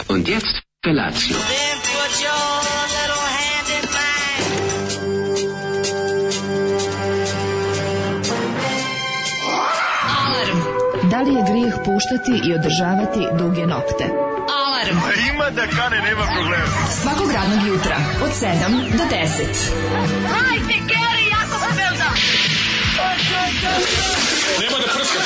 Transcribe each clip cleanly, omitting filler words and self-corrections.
Und jetzt Felatio. Then put your little hand in mine. Da li je grijeh puštati i održavati duge nokte? Alarm! Ima da kane, nema problema. Svakog radnog jutra od 7 do 10. Hajde, Geri, jako se velda! Nema da prska,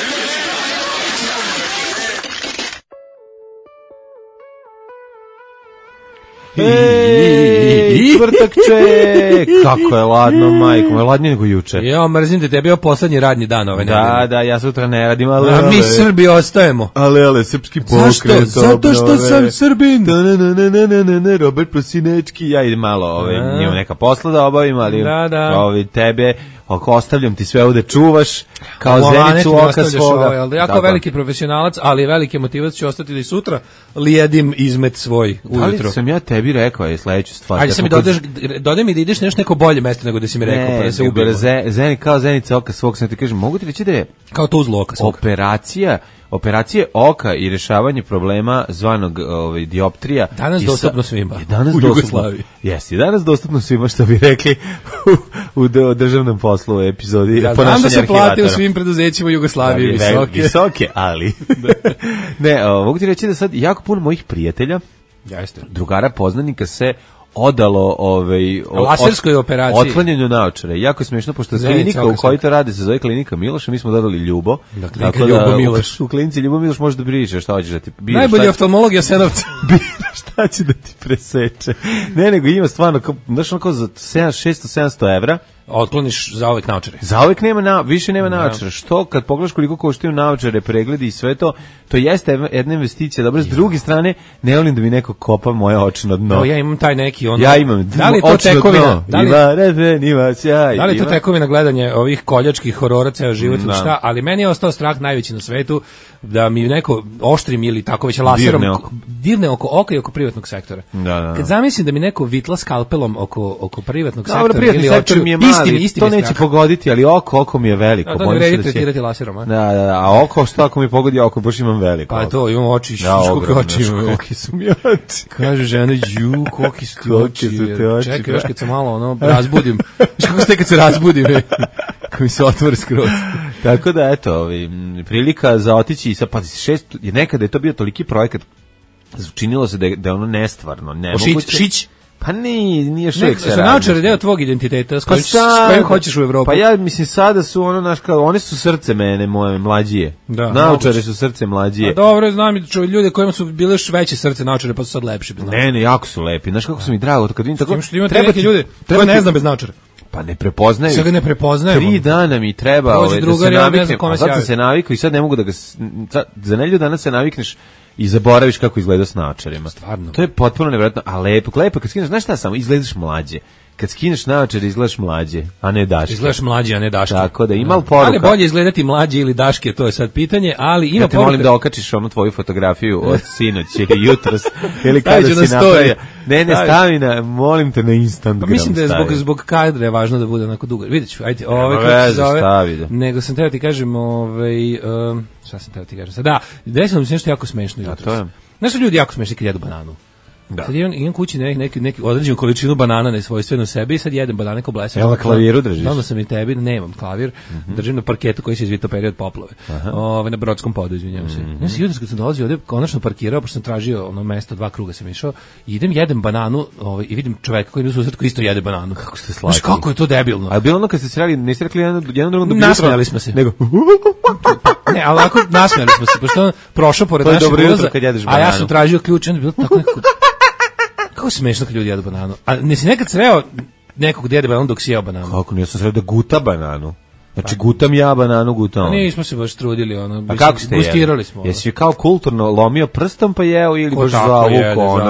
Ej, Kvrtakče, kako je ladno, majko, je ladnije nego juče. Jo, mrzim te, tebi je poslednji radnji dan ove nedelje. Da, ja sutra ne radim, ali... A mi Srbi ostajemo. Ale, srpski pokret. Zato što sam Srbin. Robert Prosinečki, ja idem malo, njima neka posla da obavim, ali tebe... ostavljam ti sve ovde čuvaš kao zenicu oka svoga. Jako veliki profesionalac, ali veliki motivac ću ostati da i sutra lijedim izmet svoj ujutro. Da li sam ja tebi rekao je sledeću stvar? Ajde sam mi dodaj mi da ideš nešto neko bolje mesto nego da si mi rekao, pa da se ubijemo. Zeni kao zenica oka svog, sam ti kažem, mogu ti reći da je kao to uzlo oka svog. Operacije oka i rešavanje problema zvanog dioptrija. Danas dostupno svima. U Jugoslaviji. Jesi, danas dostupno svima, što bi rekli u državnom poslu u epizodi ponašanja arhivatora. Da se plati u svim preduzećima u Jugoslaviji visoke, ali... Ne, mogu ti reći da sad jako puno mojih prijatelja, drugara, poznanika se odalo laserskoj operaciji, otklanjanju naočara. Jako je smiješno, pošto klinika u kojoj to radi se zove klinika Miloša, mi smo dodali Ljubo. Dakle, Ljubo Miloš. U klinici Ljubo Miloš možeš da biriš šta hoćeš da ti biraš. Najbolji oftalmolog Jasenovca. Biraš šta će da ti preseče. Ne, nego ima stvarno, znaš onako za 600-700 evra otkloniš za uvek naočare. Za uvek više nema naočara. Što kad pogledaš koliko koštaju naočare, pregledi i sve to, to jeste jedna investicija. Dobro, s druge strane, ne volim da mi neko kopa moje očno dno. Ja imam taj neki Ja imam. Da li je to tekovina? Da li je to tekovina gledanje ovih koljačkih horora ceo život ili šta? Ali meni je ostao strah najveći na svetu da mi neko oštrim ili tako već laserom dirne oko oka i oko privatnog sektora. Kad zamislim da mi neko vitla skalpelom oko privatnog sektora ili očiju, isti to neće pogoditi, ali oko mi je veliko. Da ne vredi tretirati laserom, a? A oko, što ako mi pogodi oko, baš imam veliko. Pa to, imam oči, koliko oči imam. Koliki su mi oči. Kaže žena, koliki su ti oči. Čekaj, još kad se malo razbudim. Kako ste kad se razbudim, kad mi se otvori skroz. Tako da, eto, prilika za otići i sa, pa nekada je to bio toliki projekat, činilo se da je ono nestvarno, nemoguće. Šić? Pa nije što uvijek se radi. Su naočare deo tvog identiteta, s kojim hoćeš u Evropu? Pa ja mislim sada su one su srce mene, moje mlađije. Naočare su srce mlađije. Pa dobro, znam ljude kojima su bile još veće srce naočare, pa su sad lepši bez naočara. Ne, jako su lepi. Znaš kako su mi drago, kad vidim tako. Treba neki ljude, treba ne znam bez naočara. Pa ne prepoznaju. Sve ga ne prepoznaju. 3 dana mi treba da se naviknem, a sad sam se navikao i sad ne mogu da ga... Za nedelju dana se navikneš i zaboraviš kako izgleda s naočarima. Stvarno. To je potpuno nevjerojatno, a lepo kad skineš, znaš šta samo, izgledaš mlađe. Kad skineš naočare izgledaš mlađe, a ne daške. Izgledaš mlađe, a ne daške. Tako da ima poruka. Ali bolje izgledati mlađe ili daške, to je sad pitanje, ali ima poruka. Ja te molim da okačiš onu tvoju fotografiju od sinoć ili jutros, ili kada si napravio. Ne, stavi molim te na Instagram. Pa mislim da je zbog kadra je važno da bude onako dugo. Vidjet ću, ajde, nego sam teo ti kažem, šta sam teo ti kažem sad? Da, desilo mi se nešto jako smešno jutros. Znaš su ljudi jako smešni kad jedu bananu? Da. Sad imam kući neki određenu količinu banana nesvojstveno sebi i sad jedem banane ko blesav. Evo na klaviru držiš? Onda sam i tebi, nemam klavir, držim na parketu koji se izvito period poplave. Na Brodskom podu, izvinjavam se. Ja sam jutros kad sam dolazio ovde, konačno parkirao, pošto sam tražio mesto, 2 kruga sam išao, i idem, jedem bananu i vidim čoveka koji mi u susret koji isto jede bananu. Kako ste slatki. Znaš kako je to debilno? A bilo ono kad ste se rekli, niste rekli jednom drugom da nasmejali smo se. Nego... Ne, ali ovako nasmejali smo se, pošto on prošao pored našeg ulaza, a ja sam tražio ključ, onda bilo tako nekako... Kako smešno kad ljudi jedu bananu. A nisi nekad sreo nekog da jede bananu dok si jeo bananu? Kako, nisam sreo da guta bananu. Znači, gutam ja bananu, gutam. Nismo se baš trudili, A kako ste gustirali smo. Jesi kao kulturno lomio prstom pa jeo ili baš zavuko,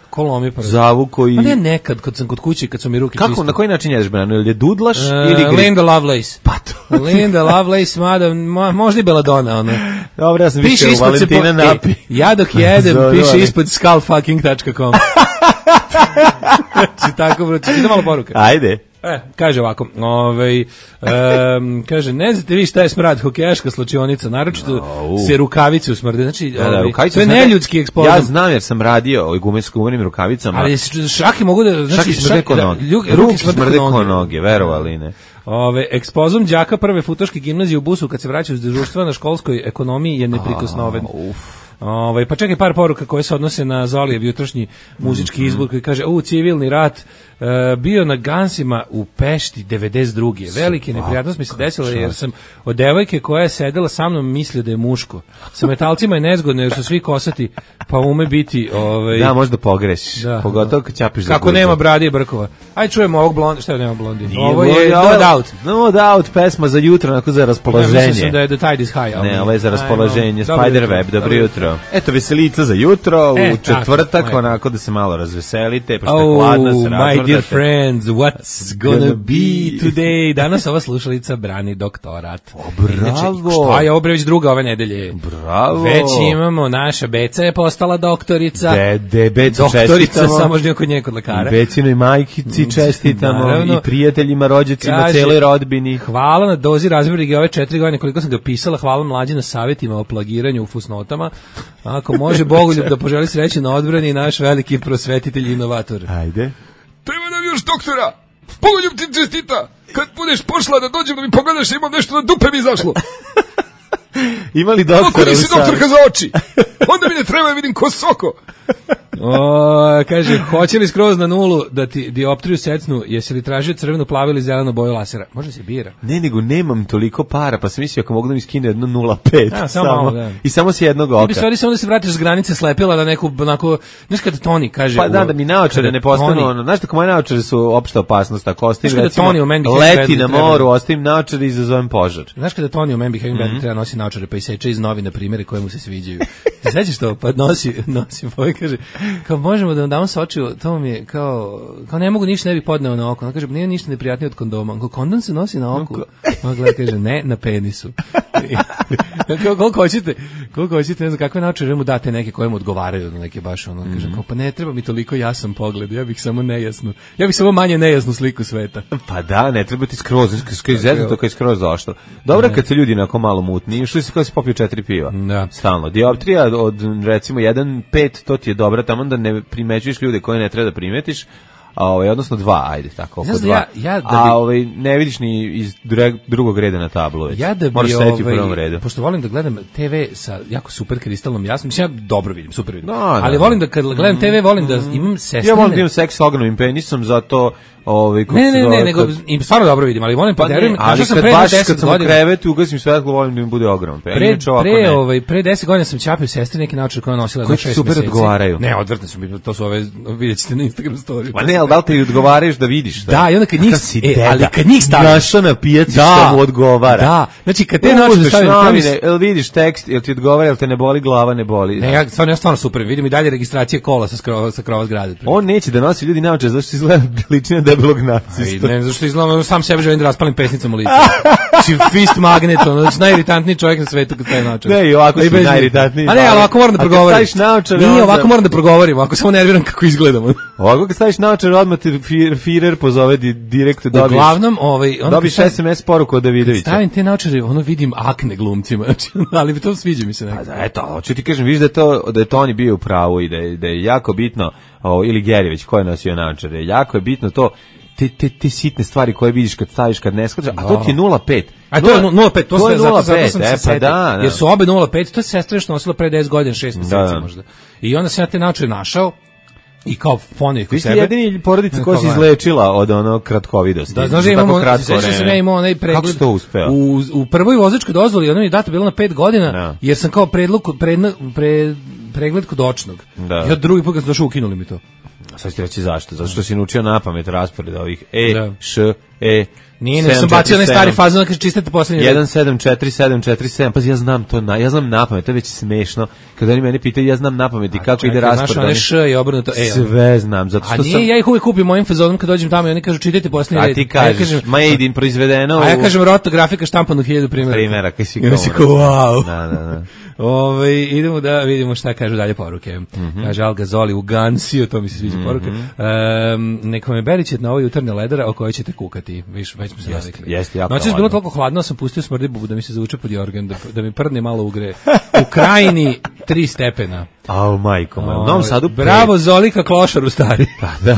ko lomi prstom? Zavuko i... A ne nekad, kad sam kod kuće, kad su mi ruke čiste. Kako, na koji način jedeš bananu? Ili je dudlaš ili... Linda Lovelace. Pa to. Linda Lovelace, mada, možda i Belladonna, ono. Dobro, ja sam više u Valentina napi. Ja dok jedem, piše ispod skullfucking.com. Znači tako, bro, ti da malo poruka. Ajde. Kaže ovako, kaže, ne znate vi šta je smrad, hokejaška slačionica, naročito se rukavice usmrde, znači, to je neljudski ekspozam. Ja znam jer sam radio o gumenim rukavicama. Ali šaki mogu da, znači, smrde ko noge. Ruke smrde ko noge, verovali ne. Ekspozum đaka prve futoške gimnazije u busu kad se vraćaju s dežurstva na školskoj ekonomiji je neprikosnoven. Pa čekaj par poruka koje se odnose na Zolijev jutrošnji muzički izbor koji kaže, civilni rat, bio na Gansima u Pešti 92. Velike neprijatnost mi se desila jer sam od devojke koja je sedela sa mnom mislio da je muško. Sa metalcima je nezgodno jer su svi kosati, pa ume biti... Da, možda pogrešiš, pogotovo kad ćapiš za kako nema brade i brkova. Aj čujemo ovog blondi, šta je nema blondi? Ovo je No Doubt. No Doubt, pesma za jutro, onako za raspoloženje. Mislim da je The Tide is High. Ne, ovo je za raspoloženje, Spiderweb, dobro jutro. Eto, veselica za jutro, u četvrtak, onako da se malo razveselite, pošto je hladno, se razvrdate. My dear friends, what's gonna be today? Danas ova slušalica brani doktorat. Bravo! Šta je ovo već druga ove nedelje? Bravo! Već imamo, naša Beca je postala doktorica. Becu doktorica, samo možda kod nje kod lekara. I Becinoj majkici čestitamo, naravno, i prijateljima, rođacima, celoj rodbini. Hvala na dozi razvrige ove 4 godine koliko sam ga pisala, hvala mlađi na savjetima o plagiranju u fusnotama. Ako može Bogoljub da poželi sreće na odbrani, naš veliki prosvetitelj i inovator. Ajde. Treba nam još doktora. Bogoljub ti čestita. Kad budeš pošla da dođem da mi pogledaš, imam nešto na dupe mi izašlo. Imali doktora? Ako nisi doktorka za oči, onda mi ne treba, vidim ko soko. Kaže, hoće li skroz na nulu da ti dioptriju secnu, jesi li tražio crvenu, plavu ili zelenu boju lasera? Može se bira. Ne, nego nemam toliko para, pa sam mislio ako mogu da mi skine jedno 0,5 samo, i samo s jednog oka. Ti bi stvari samo da se vratiš s granice slepila da neku, onako, znaš kada Toni kaže... Pa da mi naočare ne postanu, znaš tako moje naočare su opšta opasnost, ako ostavim recimo leti na moru, ostavim naočare i izazovem požar. Znaš kada Toni u Man Behaving Badly treba nosi naočare pa iseče iz novina primjere koje mu se sviđaju. Ti sećaš to? Pa nosi ovaj kaže, kao možemo da vam damo sa očiju, to mi je kao ne mogu ništa, ne bi podneo na oko. On kaže, nije ništa neprijatnije od kondoma. Kondom se nosi na oku. On gleda, kaže, ne, na penisu. Koliko hoćete, ne znam kakve naočare mu date neke koje mu odgovaraju, neke baš ono, kaže, kao, pa ne treba mi toliko jasan pogled, ja bih samo manje nejasnu sliku sveta. Pa da, ne treba ti skroz to kad je skroz došlo. Dobro kad se ljudi onako malo mutni, što si kao si popio 4 piva. Stalno. Dioptrija od recimo 1,5, to ti je dobra, tamo da ne primećuješ ljude koje ne treba da primetiš, odnosno 2, ajde, tako, oko 2. Ne vidiš ni iz drugog reda na tablu već. Moraš sedeti u prvom redu. Pošto volim da gledam TV sa jako super kristalnom jasnom, mislim, ja dobro vidim, super vidim. Ali volim da kad gledam TV, volim da imam sestrine. Ja volim da imam seks s ogromnim penisom, zato... Ne, nego im stvarno dobro vidim, ali volim poderujem, ali kad sam u krevetu, ugasim svetlo, volim da mi bude ogrom. Pre 10 godina sam čapio sestri neki naočar koja nosila za 6 meseci. Koji super odgovaraju. Ne, odvrtne su mi, to su ove, vidjet ćete na Instagram story. Pa ne, ali da li ti odgovaraš da vidiš? Da, i onda kad njih, ali kad njih staviš. Našao na pijaci što mu odgovara. Da, znači kad te naočare stavim. Jel vidiš tekst, jel ti odgovara, jel te ne boli glava, ne boli. Ne, ja stvarno super, vidim i dalje registracije kola sa krova zgrade. On neće da nosi ljudi naočare, zašto izgleda ličina debelog nacista. Ne, zašto izgledam, sam sebe želim da raspalim pesnicom u licu. Znači, fist magnet, najiritatniji čovjek na svetu kad staje naočare. Ne, i ovako si najiritatniji. A ne, ali ovako moram da progovorim. Nije, ovako moram da progovorim, ovako samo nerviram kako izgledam. Ovako kad staviš naočare, odmah te Führer pozove direkt dobiješ. Uglavnom, dobiješ SMS poruku od Davidovića. Kad stavim te naočare, vidim akne glumcima, ali to sviđa mi se nekako. Eto, hoću ti kažem, vidiš da je Toni bio u pravu i da je jako bitno, ili Gerivić koji je nosio naočare, jako je bitno to, te sitne stvari koje vidiš kad staviš, kad ne shvataš, a to ti je 0,5. A to je 0,5, to je 0,5, zato sam se setio. Jer su obe 0,5, to je sestra još nosila pre 10 godina, 6 meseci možda. I onda sam ja te naočare našao, i kao fonih kod sebe. Vi ste jedini porodica koja se izlečila od ono kratkovidosti. Da, znaš da imamo, sećam se, imao onaj pregled. Kako si to uspeo? U prvoj vozačkoj dozvoli, ona mi je data bila na 5 godina, jer sam kao pregled kod očnog. Ja drugi put kad sam došao, ukinuli mi to. Sad ću ti reći zašto. Zato što si naučio napamet raspored ovih Š, Nije, ne sam bacio onaj stari fazon, kaže čistate poslednji red. 174747, pa ja znam to, ja znam napamet, to je već smešno. Kada oni mene pitaju, ja znam napamet i kako ide raspored. Znaš, one š i obrnuto. Sve znam, zato što sam... A nije, ja ih uvijek kupim mojim fazonom kad dođem tamo i oni kažu čitajte poslednji red. A ti kažeš, made in proizvedeno. A ja kažem rotografika štampano 1000 primjera. Kaj si wow. Da. Idemo da vidimo šta kažu dalje poruke. Kaže Al Gazoli u Gansiju, to mi se sviđa poruke. Neka me berićete na ovoj jutarnje ledara o kojoj ćete kukati. Već smo se navikli. Noćas bilo toliko hladno, sam pustio smrdi bubu da mi se zavuče pod jorgan, da mi prdne malo ugre. U Krajini 3 stepena. Au, majko moja. U Novom Sadu... Bravo, Zolika Klošaru stari. Pa da.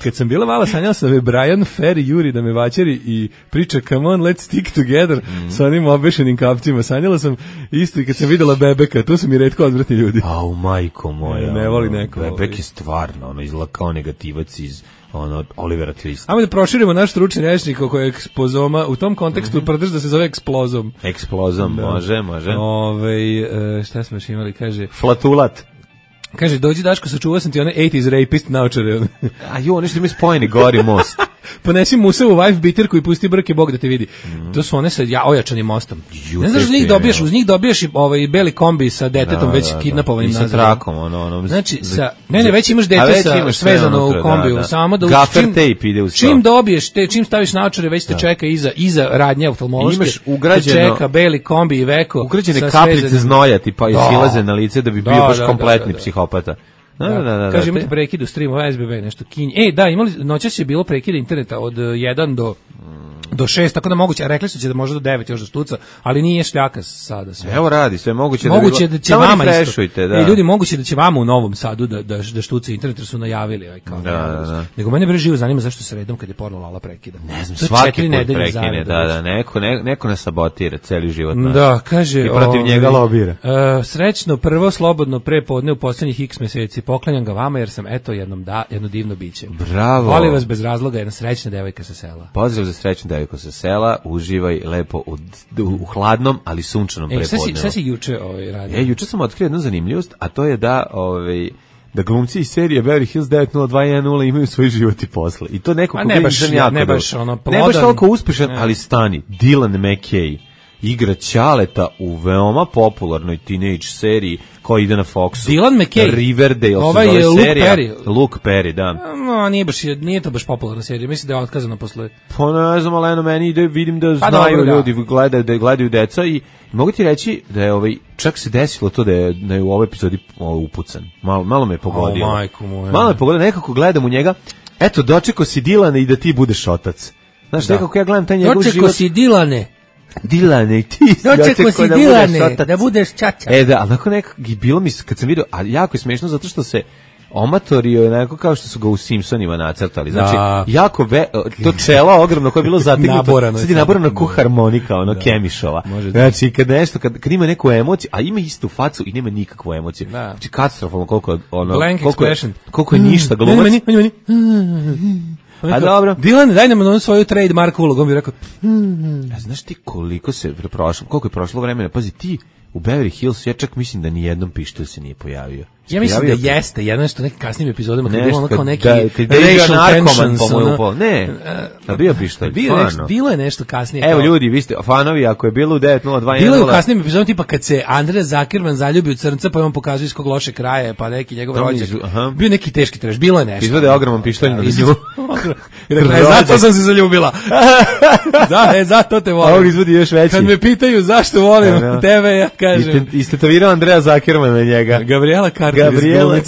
Kad sam bila mala, sanjala sam da me Brian Ferry juri da me vaćeri i priča come on, let's stick together sa onim obešenim kapcima. Sanjala sam isto i kad sam videla Bebeka, tu su mi retko odvratni ljudi. Au, majko moja. Ne voli neko. Bebek je stvarno, izgleda kao negativac iz Olivera Twista. Ajmo da proširimo naš stručni rečnik oko ekspozoma. U tom kontekstu prdrž da se zove eksplozom. Eksplozom, može. Šta smo još imali, kaže... Flatulat. Kaže, dođi Daško, sačuvao sam ti one 80s rapist naočare. A jo, nešto mi spojeni, gori most. Ponesi Musavu wife bitirku i pusti brke, Bog da te vidi. To su one sa ojačanim mostom. Ne znaš, uz njih dobiješ beli kombi sa detetom već kidnapovanim nazad. I sa trakom, Znači, već imaš dete svezano u kombiju. Samo da gaffer tape ide uz to. Čim dobiješ, čim staviš naočare, već te čeka iza radnje oftalmološke. Imaš ugrađeno, čeka beli kombi i veko. Ugrađene kapljice znoja ti pa silaze na lice da bi bio baš kompletni psihopata. Da. Kaže, imate prekid u streamu, SBB, nešto kinje. Noćas je bilo prekida interneta od 1 do 6, tako da moguće, a rekli su će da može do 9 još da štuca, ali nije šljaka sada sve. Evo radi, sve moguće da će vama isto. Ljudi, moguće da će vama u Novom Sadu da štuca internet, jer su najavili. Da. Nego mene živo zanima zašto se redom kad je porno Lala prekida. Ne znam, svaki put prekine, neko nas sabotira celi život. Da, kaže... I protiv njega lobira. Srećno, prvo slobodno prepodne u poslednjih x meseci, poklanjam ga vama jer sam jedno divno biće. Bravo. Volim vas bez razloga, jedna srećna devojka sa sela. Pozdrav za srećnu devojku sa sela, uživaj lepo u hladnom, ali sunčanom prepodnevu. Šta si juče radio? Juče sam otkrio jednu zanimljivost, a to je da glumci iz serije Beverly Hills 90210 imaju svoj život i posle. I to neko ne baš toliko uspešan, ali stani. Dylan McKay igra Ćaleta u veoma popularnoj teenage seriji koja ide na Foxu. Dylan McKay. Riverdale, ovaj je Luke Perry, da. Nije to baš popularna serija, mislim da je otkazano posle. Pa ne znam, ali meni ide, vidim da znaju ljudi, gledaju deca i mogu ti reći da je čak se desilo to da je u ovoj epizodi upucan. Malo me je pogodio. Malo me je pogodio, nekako gledam u njega, eto, dočekao si Dilane i da ti budeš otac. Znaš, nekako ja gledam taj njegov život. Dočekao si Dilane i ti dočekao si Dilane da budeš čača. Da, ali nekako bilo mi, kad sam vidio, a jako je smešno zato što se omatorio onako kao što su ga u Simpsonima nacrtali. Znači, jako to čelo ogromno koje je bilo zategnuto, sad je naborano ko harmonika, Kemišova. Znači, kad ima neku emociju, a ima istu facu i nema nikakvu emociju. Znači, katastrofalno koliko je ništa glumac. A dobro. Dylan, daj nam svoju trademark ulogu, on bi rekao. Znaš ti koliko je prošlo vremena, pazi ti, u Beverly Hills, ja čak mislim da ni jednom pištolj se nije pojavio. Ja mislim da jeste, jedno što nekim kasnim epizodama kad je bilo kao neki racial tensions. Ne, da bio pištolj, bilo je nešto kasnije. Evo ljudi, vi ste fanovi, ako je bilo u 90210. Bilo je u kasnim epizodama tipa kad se Andrea Zuckerman zaljubi u crnca, pa on pokazuje iz kog loše kraja, pa neki njegov rođak. Bio neki teški treš, bilo je nešto. Izvode ogroman pištolj na nju. Zato sam se zaljubila. Zato te volim. A on izvodi još veći. Kad me pitaju zašto volim tebe, ja kažem. Istetovirao Andrea Zuckerman na njega. Gabriela Gabriela,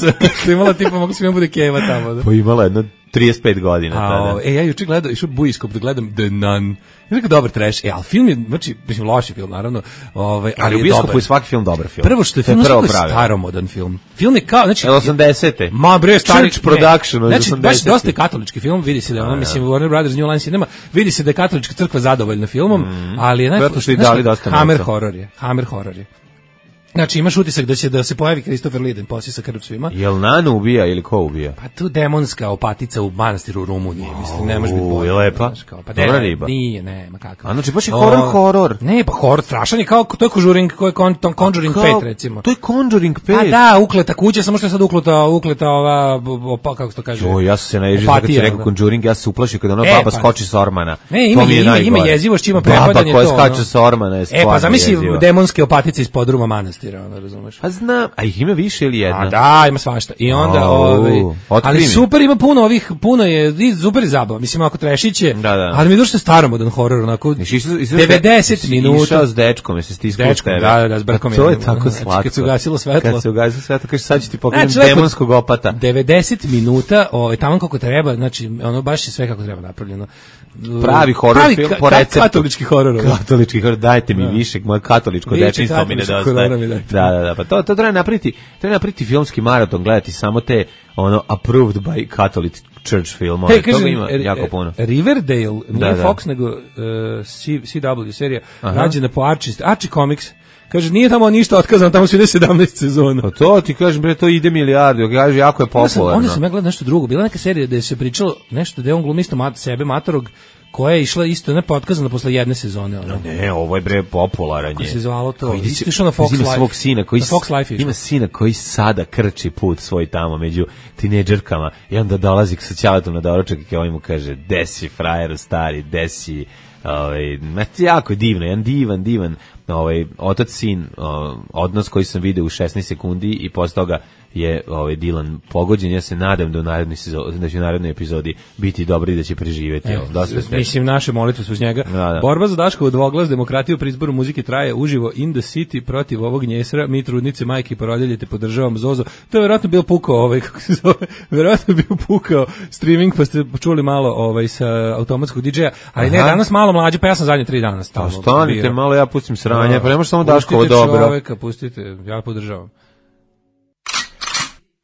što imala tipa, mogu se mi bude Keva tamo. Da. Pa imala jedno 35 godina tada. Ja juče gledao, išao Bujiskop da gledam The Nun. Je neko dobar trash, ali film je, znači, mislim, loši film, naravno. Ali u Bujiskopu je svaki film dobar film. Prvo što je film, je staromodan film. Film je kao, znači... 80-te. Ma bre, stari... Church Production, znači, baš dosta je katolički film, vidi se da je mislim, Warner Brothers New Line Cinema, vidi se da je katolička crkva zadovoljna filmom, ali je Hammer horror je. Znači imaš utisak da će da se pojavi Christopher Lee poslije sa krv svima. Jel Nanu ubija ili ko ubija? Pa tu demonska opatica u manastiru u Rumuniji, mislim, ne može biti bolje. Je lepa? Pa dobra riba. Nije, nema kakav. A znači baš je horor. Ne, pa horor strašan je kao to je Conjuring, ko je Conjuring 5 recimo. To je Conjuring 5. A da, ukleta kuća, samo što je sad ukleta ova kako se to kaže. Ja sam se naježio kad si rekao Conjuring, ja se uplašio kad ona baba skoči sa ormana. Ne, ima jezivo što ima prepadanje to. Baba koja skače sa ormana je stvarno. Pa zamisli demonske opatice iz podruma manastira, ona razumeš. Pa znam, a ih ima više ili jedna? A da, ima svašta. I onda ali super ima puno je super zabava. Mislim ako trešiće, ali mi je došlo staromodan horor onako 90 minuta. Išao s dečkom, jesi stiskao tebe. Da, s brkom. To je tako slatko. Kad se ugasilo svetlo. Kaže sad ću ti pokrenuti demonskog opata. 90 minuta, tamo kako treba, znači ono baš je sve kako treba napravljeno. Pravi horor film po receptu. Katolički horor. Katolički horor, dajte mi više, moje katoličko dečinstvo mi nedostaje. Da, pa to treba napraviti filmski maraton, gledati samo te approved by Catholic Church film, toga ima jako puno. Riverdale, nije Fox nego CW serija, rađena po Archie Comics. Kaže, nije tamo ništa otkazano, tamo su ide 17 sezona. Pa to ti kažem, bre, to ide milijardi, kaže, jako je popularno. Onda sam ja gledao nešto drugo, bila neka serija gde se pričalo nešto, da on glumi isto sebe, matorog, koja je išla isto, ne otkazana posle jedne sezone. Ne, ovo je bre popularan je. Kako se zvalo to? Isto išao na Fox Life. Svog sina koji ima sina koji sada krči put svoj tamo među tinejdžerkama i onda dolazi sa ćaletom na doručak i kao mu kaže, desi frajer stari, desi. Jako je divno, jedan divan otac-sin odnos koji sam video u 16 sekundi i posle toga je Dylan pogođen. Ja se nadam da u narednoj epizodi biti dobri da će preživjeti. Mislim, naše molitve su uz njega. Da. Borba za Daškovu dvoglas, demokratiju pri izboru muzike traje uživo in the city protiv ovog njesra. Mi trudnice, majke i porodilje te podržavamo Zozo. To je verovatno bio pukao, kako se zove, verovatno bio pukao streaming, pa ste čuli malo sa automatskog DJ-a, ali ne, danas malo mlađe, pa ja sam zadnje 3 dana stalno. Stanite malo, ja pustim sranje, pa nemaš samo Daškovo dobro. Pustite čoveka, pustite, ja podržavam.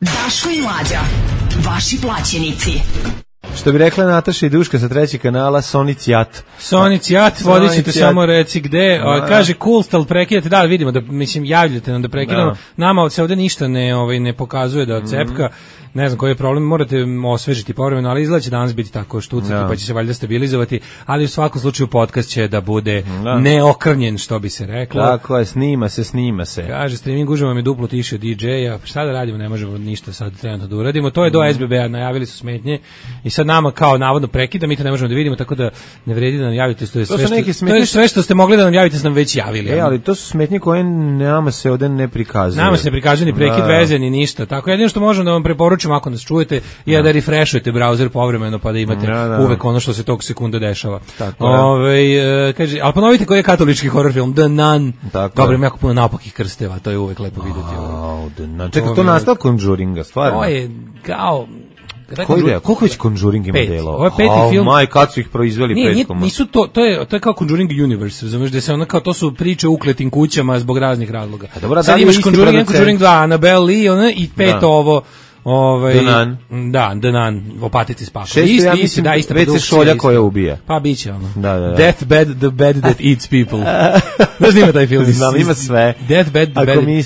Daško i Mlađa, vaši plaćenici. Što bi rekla Nataša i Duška sa 3. kanala, Sonic Jat. Sonic Jat, vodit ćete samo reci gde. Kaže, Coolstal, prekidate, da, vidimo, da, mislim, javljate nam da prekidamo. Nama se ovde ništa ne pokazuje da cepka. Ne znam koji je problem, morate osvežiti povremeno, ali izgleda će danas biti tako štucati, pa će se valjda stabilizovati, ali u svakom slučaju podcast će da bude neokrnjen, što bi se reklo. Tako je, snima se. Kaže, streaming uživo je duplo tiše od DJ-a, šta da radimo, ne možemo ništa sad trenutno da uradimo, to je do SBB-a, najavili su smetnje i sad nama kao navodno prekida, mi to ne možemo da vidimo, tako da ne vredi da nam javite, to je sve što ste mogli da nam javite, ste nam već javili. Ali to su smetnje koje nama se ovde ne prikazuju. Nama se ne prikazuje ni prekid veze, ni ništa, tako jedino što možemo da vam preporučimo ako nas čujete je da refreshujete browser povremeno pa da imate uvek ono što se tog sekunda dešava. Kaže, ali ponovite koji je katolički horror film, The Nun. Dobro, ima jako puno naopakih krsteva, to je uvek lepo vidjeti. The Nun. Čekaj, to nastao Conjuringa, stvarno? To je kao... Koliko već Conjuring ima delo? Ovo je 5. film. Kad su ih proizveli petkom? Nisu to je kao Conjuring Universe, razumiješ, da se ono kao to su priče o ukletim kućama zbog raznih razloga. Sad imaš Conjuring 2, Annabelle Lee i 5 ovo The Nun, opatici s pakom. Ja mislim, već se šolja koja ubija. Pa biće ono. Deathbed, the bed that eats people. Znaš da ima taj film? Znam, ima sve. Deathbed, the bed.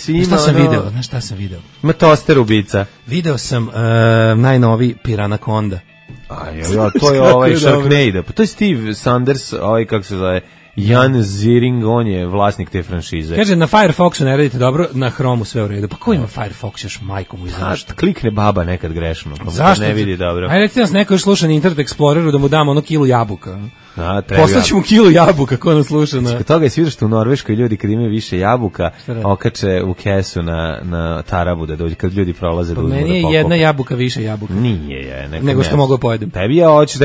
Šta sam video? Ima toster ubica. Video sam najnoviji Piranaconda. To je Sharknado. To je Steve Sanders, kako se zove, Jan Ziering, on je vlasnik te franšize. Kaže, na Firefoxu ne radite dobro, na Chromu sve u redu. Pa ko ima Firefox još, majko mu izaš? Klikne baba nekad grešno, pa zašto ne vidi dobro. Ajde, recite nas neko još sluša na Internet Exploreru da mu damo kilu jabuka. Poslaću mu kilu jabuka, ko nas sluša. Zbog toga je sviđa što u Norveškoj ljudi kad imaju više jabuka, okače u kesu na tarabu da dođe, kad ljudi prolaze da uzmu da pokupe. Meni je jedna jabuka više jabuka. Nije nego što mogu pojedem. Tebi ja hoćeš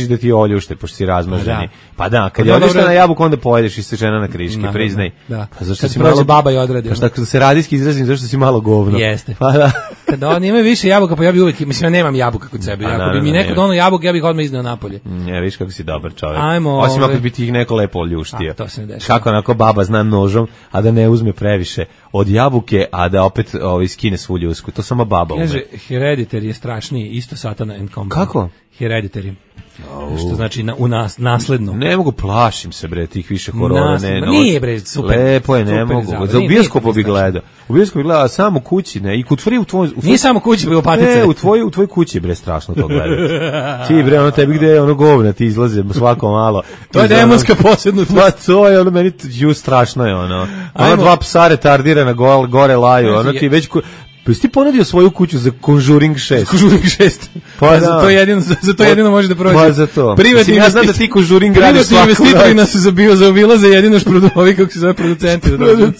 da ti oljušte, pošto si razmaženi. Pa da, kad je oljušte na jabuku, onda pojedeš isečena na kriški, priznaj. Pa zašto si malo baba i odradi. Pa što se radijski izrazim, zašto si malo govno. Jeste. Pa da. Kada oni imaju više jabuka, pa ja bi uvijek, mislim, ja nemam jabuka kod sebe. Ako bi mi neko donao jabuka, ja bih odmah izneo napolje. Ja, viš kako si dobar čovjek. Ajmo. Osim ako bi ti ih neko lepo oljuštio. To se ne dešava. Kako onako baba zna nožom, a da ne uzme previše od jabuke, a da opet skine svu ljusku. To samo baba ume. Kaže, Hereditary je strašniji, isto Satana and Company. Kako? Hereditary. Što znači nasledno. Ne mogu, plašim se bre tih više horora. Nije bre, super. Lepo je, ne mogu. Za bioskopu bi gledao. U bioskopu bi gledao samo kući, ne, i kod u tvoj. Nije samo kući, nego patice. Ne, u tvoj kući bre strašno to gledati. Ti bre, ono tebi gde je ono govna ti izlaze svako malo. To je demonska posebnost. Pa to je ono meni strašno je ono. Ono dva psa retardirana gore laju, ono ti već pa si ti ponudio svoju kuću za Conjuring 6? Conjuring 6. Pa za to jedino može da prođe. Pa za to. Privatni ja znam da ti Conjuring radiš svaku noć. Investitori nas zaobilaze jedino ovi kako se zove producenti.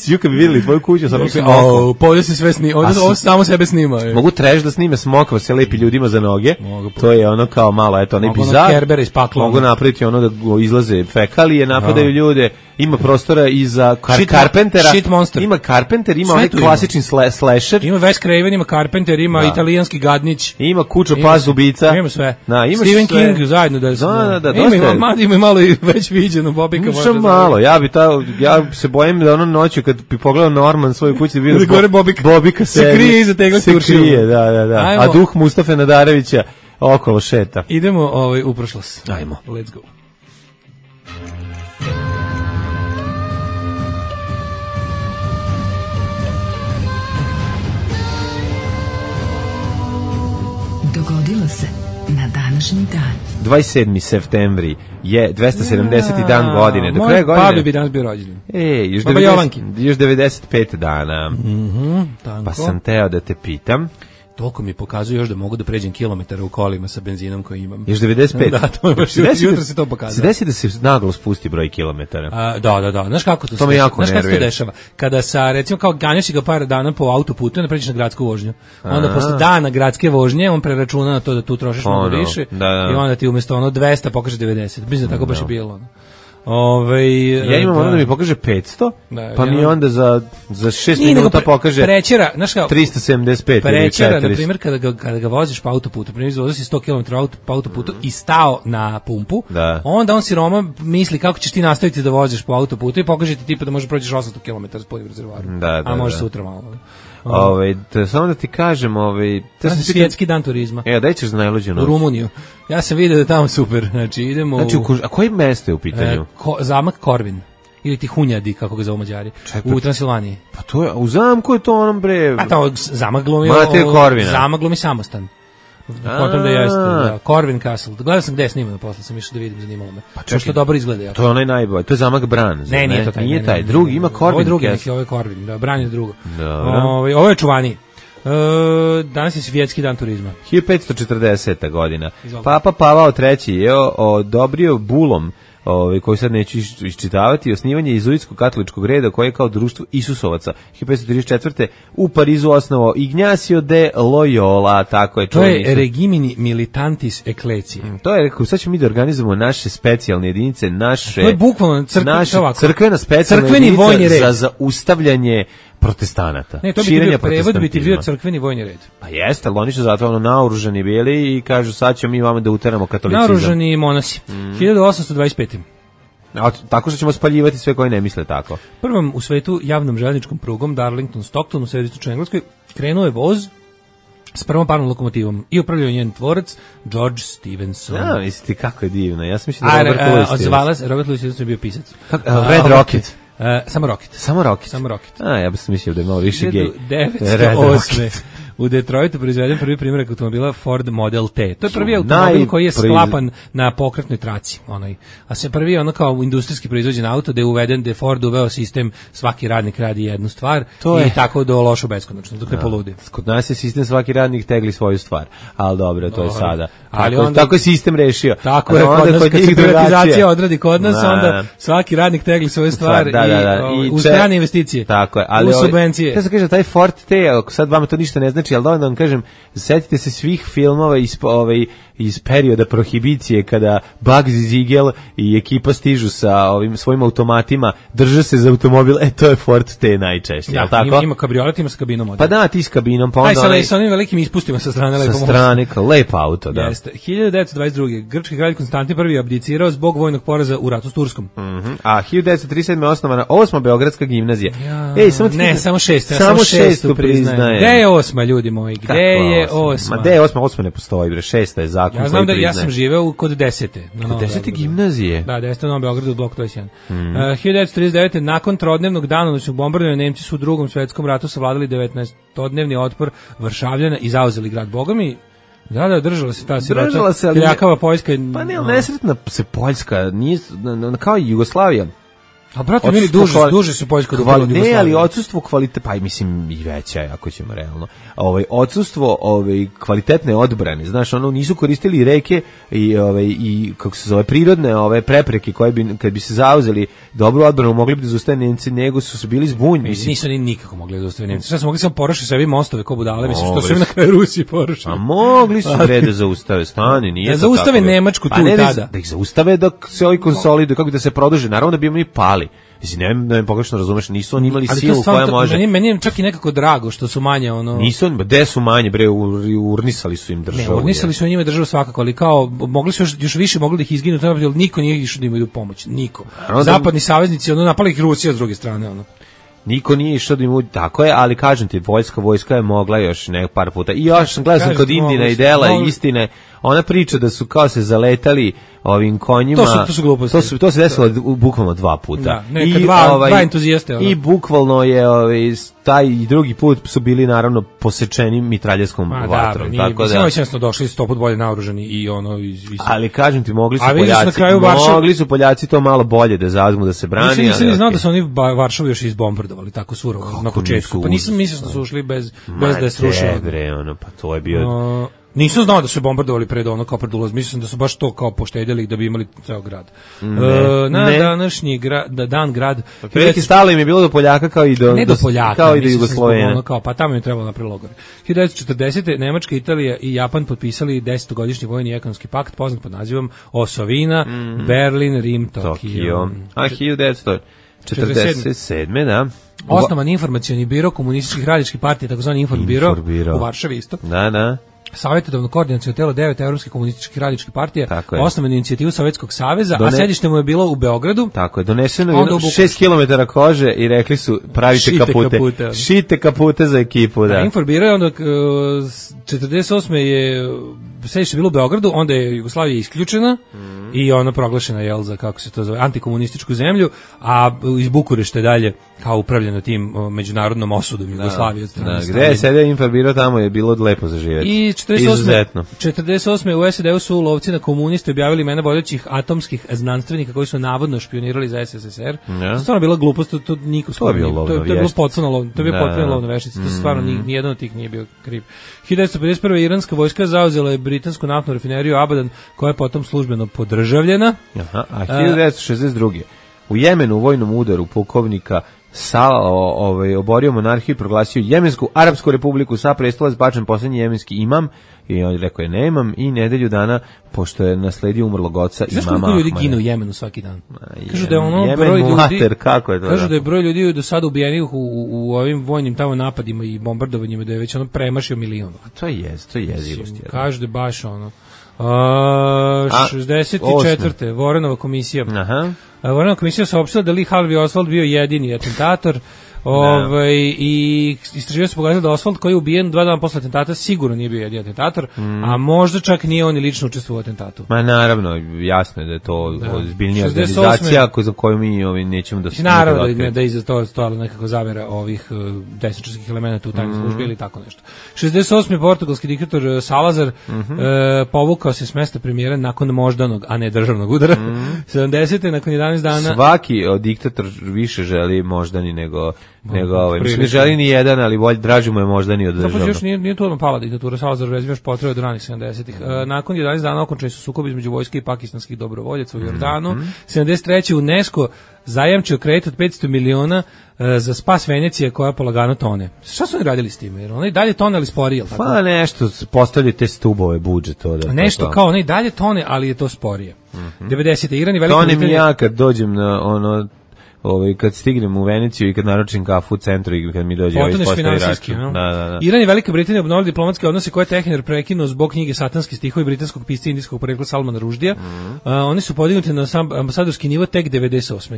Juka bi vidjeli tvoju kuću, samo se pa ovdje se sve snima. Ovdje samo sebe snima. Mogu trash da snime smokva se lepi ljudima za noge. To je ono kao malo, eto, onaj bizar. Mogu napraviti ono da izlaze fekalije, napadaju ljude. Ima prostora i za Carpentera. Ima Carpenter, ima onaj klasični slasher. Ima Wes Craven, ima Carpenter, ima italijanski gadnić. Ima Kučo Paz ubica. Ima sve. Stephen King zajedno da ima malo i već viđeno Bobika. Možda malo. Ja se bojim da ono noću kad bi pogledao Norman svoju kuću da vidio Bobika se krije iza tegla turšila. Da. A duh Mustafe Nadarevića okolo šeta. Idemo u prošlost. Ajmo. Let's go. Dogodilo se na današnji dan. 27. septembri je 270. dan godine. Do kraja godine. Babi bi danas bio rođendan. Još 95 dana. Pa sam teo da te pitam. Toliko mi pokazuje još da mogu da pređem kilometara u kolima sa benzinom koji imam. Još 95? Da, to je jutro se to pokazuje. Se desi da se naglo spusti broj kilometara? Da. Znaš kako to se dešava? Znaš kako se to dešava? Kada recimo kao ganjaš ga par dana po autoputu, onda pređeš na gradsku vožnju. Onda posle dana gradske vožnje, on preračuna na to da tu trošiš mnogo više i onda ti umjesto 200 pokaže 90. Mislim da tako baš je bilo. Ja imam ono da mi pokaže 500, pa mi onda za 6 minuta pokaže 375. Prećera, na primjer, kada ga voziš po autoputu, primjer, voziš 100 km po autoputu i stao na pumpu, onda on siroma misli kako ćeš ti nastaviti da voziš po autoputu i pokaže ti tipa da možeš prođeš 800 km s punim rezervoarom, a može sutra malo. Samo da ti kažem, svjetski dan turizma. Daj ćeš za najluđu noć. U Rumuniju. Ja sam vidio da je tamo super. Znači, idemo a koje mesto je u pitanju? Zamak Korvin. Ili ti Hunjadi, kako ga zovu Mađari. U Transilvaniji. Pa to je, u zamku je to onom bre... A tamo zamak glumi... Zamak glumi Samostan. Potom da jeste, Corvin Castle. Gledao sam gde je snimano, posle sam išao da vidim, zanimalo me. Pa čekaj, što dobro izgleda. To je onaj najbolji, to je zamak Bran. Ne, nije to taj. Nije taj, drugi, ima Corvin. Ovo je drugi, ovo je Corvin, da, Bran je drugo. Ovo je čuvaniji. Danas je svjetski dan turizma. 1540. godina. Papa Pavao III je odobrio bulom koji sad neću iščitavati, osnivanje izuitskog katoličkog reda koje je kao društvo Isusovaca 1534. u Parizu osnovao Ignacio de Loyola, tako je. To je regimini militantis ecclesiae. To je, rekao, sad ćemo mi da organizujemo naše specijalne jedinice, naše... To je bukvalno crkvena specijalna jedinica za zaustavljanje protestanata. Ne, to bi prevod bi ti bio crkveni vojni red. Pa jeste, ali oni su zato naoružani bili i kažu sad ćemo mi vama da uteramo katolicizam. Naoružani monasi. 1825. Tako što ćemo spaljivati sve koji ne misle tako. Prvom u svetu javnom željezničkom prugom Darlington-Stockton u središtu Engleskoj krenuo je voz s prvom parnom lokomotivom i upravljao njen tvorac George Stephenson. Mislite kako je divno. Ja sam mislio da Robert Louis Stevenson. Robert Louis Stevenson je bio pisac. Red Rocket. Samo Rocket. Samo Rocket. Ja sam mislio da je malo više gej. 1908. U Detroitu proizveden prvi primjerak automobila Ford Model T. To je prvi automobil koji je sklapan na pokretnoj traci. A se prvi kao industrijski proizvođen auto da je uveden, da je Ford uveo sistem svaki radnik radi jednu stvar i tako do lošu beskonačno, dok ne poludi. Kod nas je sistem svaki radnik tegli svoju stvar, ali dobro, to je sada. Tako je sistem rešio. Tako je, kod nas kad se privatizacija odradi kod nas, onda svaki radnik tegli svoju stvar i u strane investicije, u subvencije. Ja sam kažem, taj Ford T, sad vama to ništa ne znači, ali dovoljno da vam kažem, setite se svih filmova iz perioda prohibicije kada Bugsy Siegel i ekipa stižu sa svojim automatima, drže se za automobil, to je Ford T najčešće, ja, tako? Ima kabriolet, ima s kabinom. Pa da, ti s kabinom, pa onda... Sa onim velikim ispustima sa strane. Sa strane, lep auto, da. Jeste. 1922. Grčki kralj Konstantin I abdicirao zbog vojnog poraza u ratu s Turskom. A 1937. osnovana 8. Beogradska gimnazija. Samo 6. priznaje. Gde je 8, ljudi moji? Gde je 8? Ma gde je 8? 8 ne postoji, bre, 6 je zakon. zakon. Ja znam da ja sam živeo kod 10. Kod 10. gimnazije? Da, 10. na Novom Beogradu, blok 21. 1939. nakon trodnevnog danonoćnog bombardovanja Nemci su u Drugom svetskom ratu savladali 19-dnevni otpor Varšavljana i zauzeli grad. Boga mi, da, držala se ta sirota. Držala se, ali... Kljakava Poljska. Pa ne, nesretna se Poljska, nije, kao i Jugoslavija. A brate, mili, duže su Poljska od Jugoslavije. Ne, ali odsustvo kvalitete, pa i mislim i veća, ako ćemo realno. Odsustvo kvalitetne odbrane, znaš, nisu koristili reke i kako se zove, prirodne prepreke koje bi, kad bi se zauzeli dobru odbranu, mogli bi da zaustave Nemci, nego su bili zbunjeni. Nisu ni nikako mogli da zaustave Nemci. Šta su mogli samo porušiti sebi mostove ko budale, mislim, što su im na kraju Rusiji porušili. A mogli su da zaustave, stani, nije da zaustave Nemačku tu tada. Da ih zaustave dok se ovi konsoliduju, kako da se produže, naravno da bi mi pali. Mislim, ne pogrešno razumeš, nisu oni imali silu koja može... Meni je čak i nekako drago što su manje, Nisu, gde su manje, bre, urnisali su im državu. Ne, urnisali su njima državu svakako, ali kao, mogli su još više, mogli da ih izginu, ali niko nije išao da imaju pomoć, niko. Zapadni saveznici, napali ih Rusija s druge strane, Niko nije išao da im tako je, ali kažem ti, vojska je mogla još par puta. I još sam gledao kod Indina i Dela i Istine, ona priča da su kao se zaletali ovim konjima. To su gluposti. To se desilo bukvalno 2 puta. Da, neka dva entuzijaste. I bukvalno je taj i drugi put su bili naravno posečeni mitraljeskom vatrom. Tako da. Mislim da došli 100 put bolje naoružani i Ali kažem ti, mogli su Poljaci to malo bolje da zauzmu, da se brani. Nisam znao da su oni Varšavu još izbombardovali tako surovo na početku. Pa nisam mislio da su ušli bez da je srušilo. Pa to je bio... Nisam znao da su bombardovali pred kao pred ulaz. Mislim da su baš to kao poštedjeli da bi imali ceo grad. Današnji dan grad... Veliki stalo im je bilo do Poljaka kao i do... Ne do Poljaka. Kao i do Jugoslovene. Pa tamo im je trebalo napraviti logore. 1940. Nemačka, Italija i Japan potpisali 10-godišnji vojni ekonomski pakt poznat pod nazivom Osovina, Berlin, Rim, Tokio. A 1947. da. Osnovan informacioni biro komunističkih radničkih partija, takozvani Informbiro u Varšavi isto. Da. Savjetodavno koordinaciono telo 9 evropskih komunističkih radničkih partija, osnovanu inicijativu Sovjetskog saveza, a sedište mu je bilo u Beogradu. Tako je, doneseno je 6 km kože i rekli su pravite kapute. Šite kapute za ekipu, da. Informbiro je onda 48. je sedište bilo u Beogradu, onda je Jugoslavija isključena i ona proglašena za, kako se to zove, antikomunističku zemlju, a iz Bukurešta dalje kao upravljeno tim međunarodnom osudom Jugoslavije od strane Staljina. Gde je sedio Informbiro, tamo je bilo lepo za živjeti. I 48. u SAD-u su lovci na komuniste objavili imena vodećih atomskih znanstvenika koji su navodno špionirali za SSSR. To stvarno bila glupost, to niko skoro nije. To je bilo potpuno lovna veštica, to stvarno nijedan od tih nije bio kriv. 1951. iranska vojska zauzela je britansku naftnu rafineriju Abadan, koja je potom službeno podržavljena. A 1962. u Jemenu u vojnom udaru pukovnika oborio monarhiju i proglasio Jemensku Arapsku republiku, sa prestola zbačen posljednji jemenski imam, i on je rekao je nemam, i nedelju dana, pošto je nasledio umrlog oca imama Ahmada. Znaš koliko ljudi gine u Jemenu svaki dan? Kažu da je broj ljudi, kažu da je broj ljudi do sada ubijenih u ovim vojnim tamo napadima i bombardovanjima, da je već premašio 1 milion. A to je jezivost. Kažu da je baš 64. Vorenova komisija. Vorenova komisija saopštila da Lee Harvey Oswald bio jedini atentator. I istraživanje se pokazalo da Oswald, koji je ubijen 2 dana posle atentata, sigurno nije bio jedini atentator, a možda čak nije on i lično učestvovao u atentatu. Ma naravno, jasno je da je to ozbiljnija organizacija za koju mi nećemo da se... Naravno da iza toga stojala nekako zavera ovih desničarskih elemenata u tajnoj službi ili tako nešto. 68. portugalski diktator Salazar povukao se s mesta premijera nakon moždanog, a ne državnog udara. 70. nakon 11 dana... Svaki diktator više želi moždani nego mislim, ne želi ni jedan, ali draži mu je moždani od državnog. Zapravo još nije to odmah pala diktatura, Salazar vezim još potrebe od ranih 70-ih. Nakon 11 dana okončani su sukobi između vojske i pakistanskih dobrovoljaca u Jordanu. 73. UNESCO zajamčio kredit od 500 miliona za spas Venecije koja polagano tone. Šta su oni radili s tim? Jer oni dalje tone, ali sporije, tako? Pa nešto, postavljaju te stubove budžet. Nešto kao oni dalje tone, ali je to sporije. 90. Iran i Velika Britanija... To ne mi ja kad dođem na kad stignem u Veneciju i kad naručim kafu u centru i kad mi dođe ispostavi račun. Da. Iran i Velika Britanija obnovili diplomatske odnose koje je Tehnir prekinuo zbog knjige Satanski stihovi britanskog pisca indijskog porekla Salmana Ruždija. Oni su podignuti na ambasadorski nivo tek 98.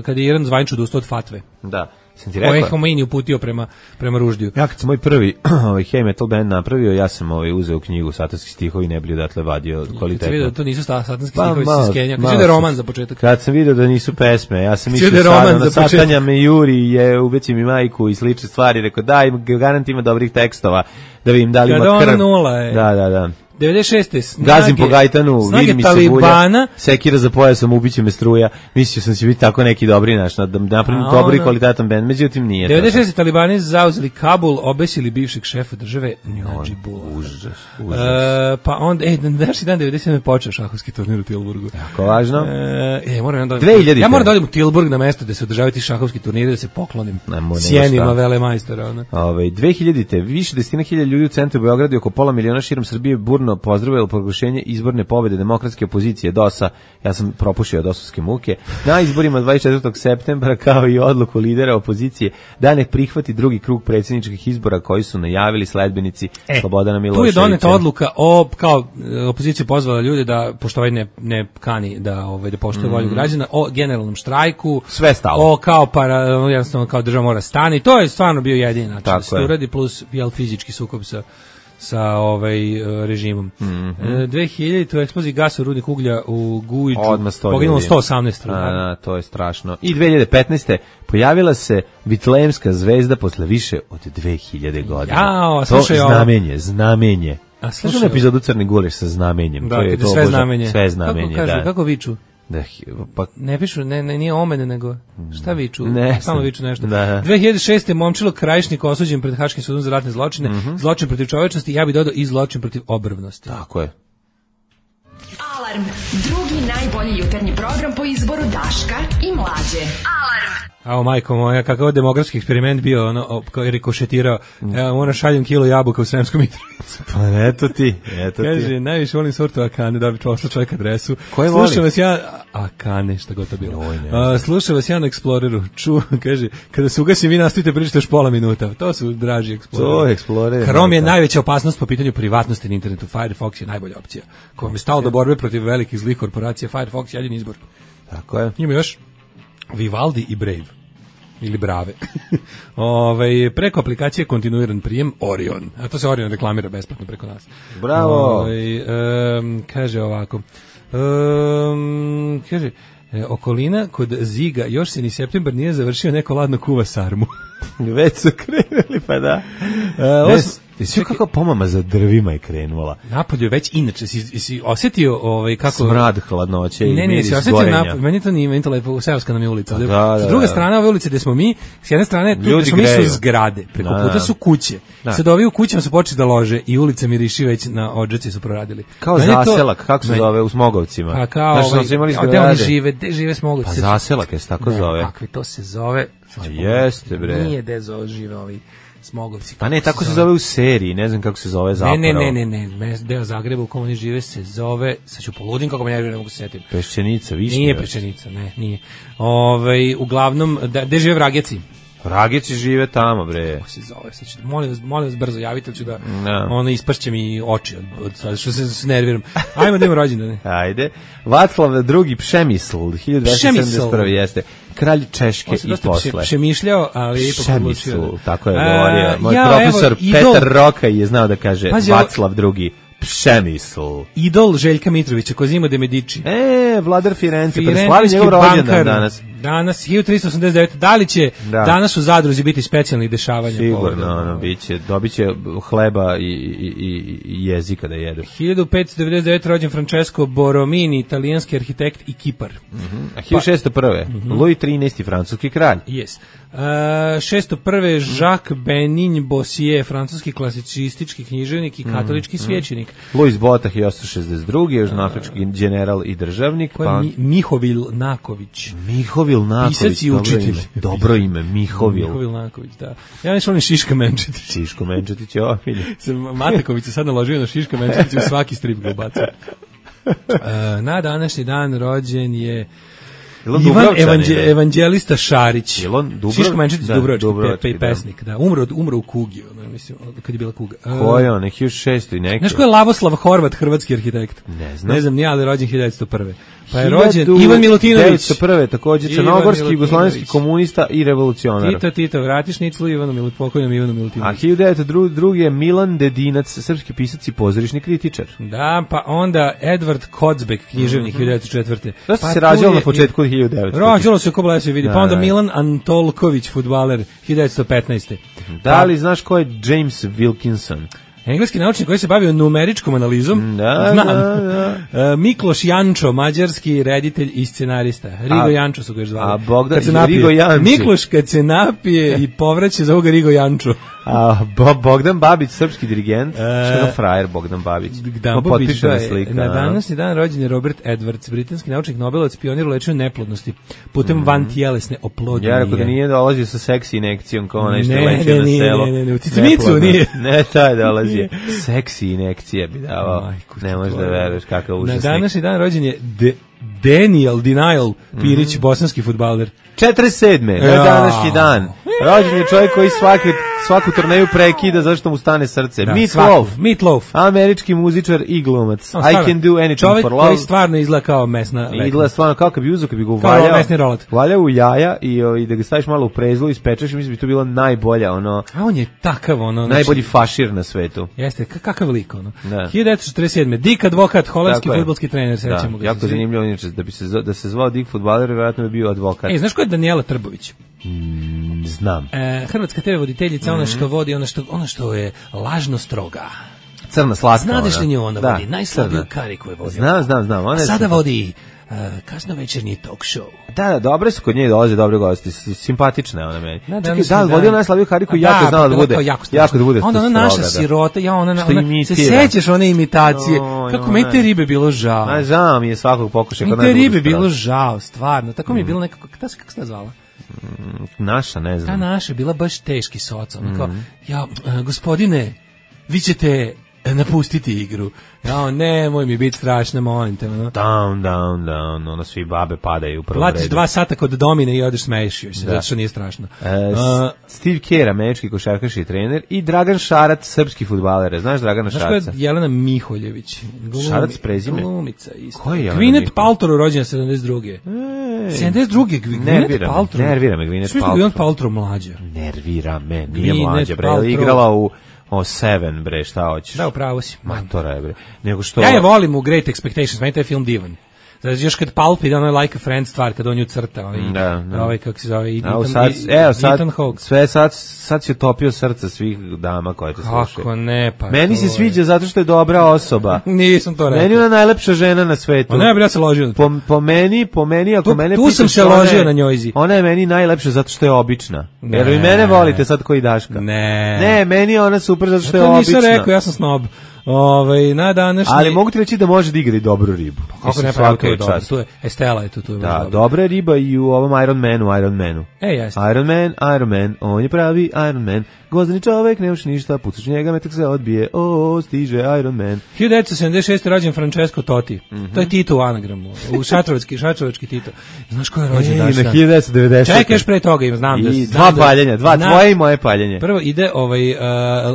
kada je Iran zvanično odustao od fatve. Da. Ovo je Homeini uputio prema Ruždiju. Ja kad sam moj prvi heavy metal band napravio, ja sam uzeo knjigu Satanski stihovi, ne bi odatle vadio kvalitetno. Kad sam vidio da to nisu satanski stihovi iz Skenja, kad sam vidio roman za početak. Kad sam vidio da nisu pesme, ja sam mislio sada na Satanja me juri, je ubeci mi majku i slične stvari, rekao daj, garant ima dobrih tekstova, da vidim da li ima krv. Kada ona nula je. Da. 96. snage, gazim po Gajtanu, vidim mi se Talibana, sekira za pojasom, ubiće me struja. Mislio sam će biti tako neki dobri da napravim dobri i kvalitetan bend, međutim nije. 96. Talibani zauzeli Kabul, obesili bivšeg šefa države Nadžibula. Užas. Pa onda, današnji dan 97. počeo šahovski turnir u Tilburgu. Jako važno. Ja moram da odem u Tilburg na mesto gde se održavaju ti šahovski turniri, da se poklonim sjenima velemajstora. 2000-te, više desetina hiljada ljudi u centru Beograda i oko pola miliona širom Srbije burno pozdravilo proglašenje izborne pobede demokratske opozicije DOS-a. Ja sam propušio dosovske muke. Na izborima 24. septembra, kao i odluku lidera opozicije da ne prihvati drugi krug predsjedničkih izbora koji su najavili sledbenici Slobodana Miloševića. Tu je doneta odluka kao opozicija pozvala ljude da, pošto ovaj ne kani da poštuje volju građana, o generalnom štrajku. Sve stalo. Jednostavno kao država mora stani. To je stvarno bio jedini način da se uradi, plus fizički sukob sa režimom. 2000 u eksploziji gasa u rudnik uglja u Gujiću poginulo 118 ljudi. To je strašno. I 2015. pojavila se Vitlejemska zvezda posle više od 2000 godina. To znamenje. Slušaj epizodu Crni guleš sa znamenjem. Da, to sve znamenje. Sve znamenje, kako viču? Pa ne pišu, nije omene, nego šta viču? Samo viču nešto. 2006. Momčilo Krajišnik osuđen pred Haškim sudom za ratne zločine, zločin protiv čovečnosti, ja bih dodao i zločin protiv obrvnosti. Tako je. Alarm, drugi najbolji jutarnji program po izboru Daška i Mlađe. Alarm. Ao, majko moja, kakav demografski eksperiment bio, kao je rikošetirao. Evo, moram šaljem kilo jabuka u Sremskom Mitrovicu. Pa eto ti. Kaže, najviše volim sortu Akane, da bi posla čovjek adresu. Koje voli? Slušam vas ja, Akane, šta god to bilo. Slušam vas ja na Exploreru. Kaže, kada se ugasim, vi nastavite pričati još pola minuta. To su draži Explorer. To je Explorer. Chrome je najveća opasnost po pitanju privatnosti na internetu. Firefox je najbolja opcija. Ko vam je stalo do borbe protiv velikih zlih korporacija, Firefox je jedini izbor. Tako je. Ima još Vivaldi i Brave. Ili Brave. Preko aplikacije kontinuiran prijem Orion. A to se Orion reklamira besplatno preko nas. Bravo. Kaže ovako. Kaže, okolina kod Ziga još se ni septembar nije završio, neko ladno kuva sarmu. Već su krenuli, pa da. Sve kako pomama za drvima je krenula. Napolju je već inače, si osjetio kako... Smrad hladnoće i miris si osjetio gorenja. Meni to nije, meni to lepo, seoska nam je ulica. Da, s druge strane ove ulice gde smo mi, s jedne strane tu gde smo mi su zgrade, preko puta su kuće. Sad ovi u kućama su počeli da lože i ulica miriši već na odžaci su proradili. Kao zaselak, kako se zove u Smogovcima. Pa kao, gde oni žive, gde žive Smogovci. Pa zaselak je se tako zove. Kakvi to se zove. Jeste bre. Nije gde žive ovi Smogovci. Pa ne, tako se zove u seriji, ne znam kako se zove zapravo. Ne, deo Zagreba u kom oni žive se zove, sad ću poludim kako me ne mogu se setiti. Peščenica, Višnja. Nije Peščenica, nije. Uglavnom, gde žive Vrageci? Vrageci žive tamo, bre. Kako se zove, sad ću, molim vas brzo javite, ću da ispašće mi oči od što se nerviram. Ajmo da imamo rođendane. Ajde. Vaclav II. Pšemisl, 1271. jeste. Kralj Češke i posle. Přemišljao, ali ipak odlučio. Tako je govorio. Moj profesor Petar Rokaj je znao da kaže Vaclav II. Pšemisl. Idol Željka Mitrovića, Cosimo de Medici. Vladar Firenze, preslavi njegov rođendan danas. Danas, 1389. Da li će danas u Zadruzi biti specijalnih dešavanja? Sigurno, dobit će hleba i jezika da jedu. 1599. rođen Francesco Borromini, italijanski arhitekt i kipar. A 1601. Louis XIII. Francuski kralj. Yes. 601. Jacques Benin Bossier, francuski klasicistički književnik i katolički svećenik. Louis Botah, 1862. južnoafrički general i državnik. Mihovil Naković. Mihovil Naković, pisac i učitelj. Dobro ime, Mihovil. Mihovil Naković, da. Ja nešto volim Šiška Menčetić. Šiško Menčetić je omiljen. Mateković se sad naložio na Šiška Menčetić, u svaki strip ga ubacio. Na današnji dan rođen je Ivan Evanđelista Šarić. Šiško Menčetić, Dubrovački pesnik. Da, umro u kugi, mislim, kad je bila kuga. Ko je on, 1600 i neki? Znaš ko je Lavoslav Horvat, hrvatski arhitekt? Ne znam, nije, ali rođen 1901. Pa je rođen Ivan Milutinović. 1901. također crnogorski, jugoslovenski komunista i revolucionar. Tito, vratiš Niclu Ivanu pokojnom Ivanu Milutinoviću. A 1902. je Milan Dedinac, srpski pisac i pozorišni kritičar. Da, pa onda Edvard Kocbek, književnik 1904. Da se rađalo na početku 1900. Rađalo se ko blesavi vidi. Pa onda Milan Antolković, fudbaler, 1915. Da li znaš ko je James Wilkinson? Engleski naučnik koji se bavio numeričkom analizom. Znam. Mikloš Jančo, mađarski reditelj i scenarista. Rigo Jančo su ga još zvali. A Bogdan Rigo Janči. Mikloš kad se napije i povraća za ovoga Rigo Jančo. A Bogdan Babić, srpski dirigent, što je frajer Bogdan Babić. Potpiše na slika. Na današnji dan rođen je Robert Edwards, britanski naučnik, nobelovac, pionir u lečenju neplodnosti putem vantjelesne oplodnje. Ja rekao da nije dolazio sa seksi injekcijom kao onaj što leče na selo. Ne, u Cicimicu nije. Ne, taj dolazi. Seksi injekcije bi davao. Ne možeš da veruješ kakav užasnik. Na današnji dan rođen je Denial Pirić, bosanski fudbaler. 47. Na današnji dan. Rođen je čovjek koji svaku turneju prekida zašto mu stane srce. Meatloaf. Američki muzičar i glumac. I can do anything čovjek for love. Čovjek koji stvarno izgleda kao mesna. Izgleda stvarno kao kad bi uzeo, kad bi ga valjao u jaja i da ga staviš malo u prezlu i spečeš, mislim bi to bilo najbolja ono. A on je takav najbolji fašir na svetu. Jeste, kakav lik ono. 1947. Dick Advokat, holandski fudbalski trener, sećamo ga. Jako zanimljivo inače da se zvao Dick fudbaler, vjerojatno bi bio advokat. Znaš ko je Danijela Trbović? Znam. Hrvatska TV voditeljica, ona što vodi, ona što je lažno stroga. Crna slatka. Znadeš li nju ona vodi? Najslabiju kariku je vodi. Znam. A sada vodi kasnovečernji talk show. Da, dobre su kod nje, dolaze dobre gosti, simpatična je ona meni. Čekaj, da, vodio najslabiju kariku, jako znala da bude, jako da bude onda ona naša sirota, se sećaš one imitacije, kako meni te ribe bilo žao. Ma žao mi je svakog pokušaja. Mi te ribe bilo žao, stvarno, tako mi je bilo nekako, kako se ta zvala? Naša, ne znam. Ta naša je bila baš teški soca, ona kao, gospodine, vi ćete napustiti igru. Nemoj mi biti strašna, molim te. Down, ono svi babe padaju u prvom redu. Platiš 2 sata kod Domine i odeš smeješ joj se, zato što nije strašno. Steve Kerr, američki košarkaš i trener, i Dragan Šarac, srpski fudbaler. Znaš Dragana Šarca? Znaš ko je Jelena Miholjević? Šarac prezime? Glumica isto. Ko je Jelena Gwyneth Paltrow, rođena 72. 72. Gwyneth Paltrow. Nervira me Gwyneth Paltrow. Gwyneth Paltrow mlađa. Nervira me, nije mlađa, bre, igrala u Seven, bre, šta hoćeš? Da, upravo si. Matora je, bre. Nego što... Ja je volim u Great Expectations, meni taj film divan. Znači, još kad Pulp ide ono Like a Friend stvar, kad on ju crta, ovaj kako se zove, Ethan Hawke. Sve sad si utopio srca svih dama koje te slušaju. Kako ne, pa... Meni se sviđa zato što je dobra osoba. Nisam to rekao. Meni je ona najlepša žena na svetu. Ne, ja se ložio. Po meni, ako mene pitaš... Tu sam se ložio na njojzi. Ona je meni najlepša zato što je obična. Jer vi mene volite sad koji Daška. Ne, meni je ona super zato što je obična. To nisam rekao, ja sam snob. Na današnji... Ali mogu ti reći da može da igra i dobru ribu. Kako ne pravi, to je dobro. Tu je Estela, tu je da, dobra riba i u ovom Iron Manu. Jeste. Iron Man, on je pravi Iron Man. Gvozdeni čovek, nemaš ništa, pucaš njega, metak se odbije, stiže Iron Man. 1976. rođen Francesco Totti. To je Tito u anagramu, u šačevački Tito. Znaš ko je rođen daš dan? Na 1990. Čekaš pre toga, znam da... Dva paljenja, tvoje i moje paljenje. Prvo ide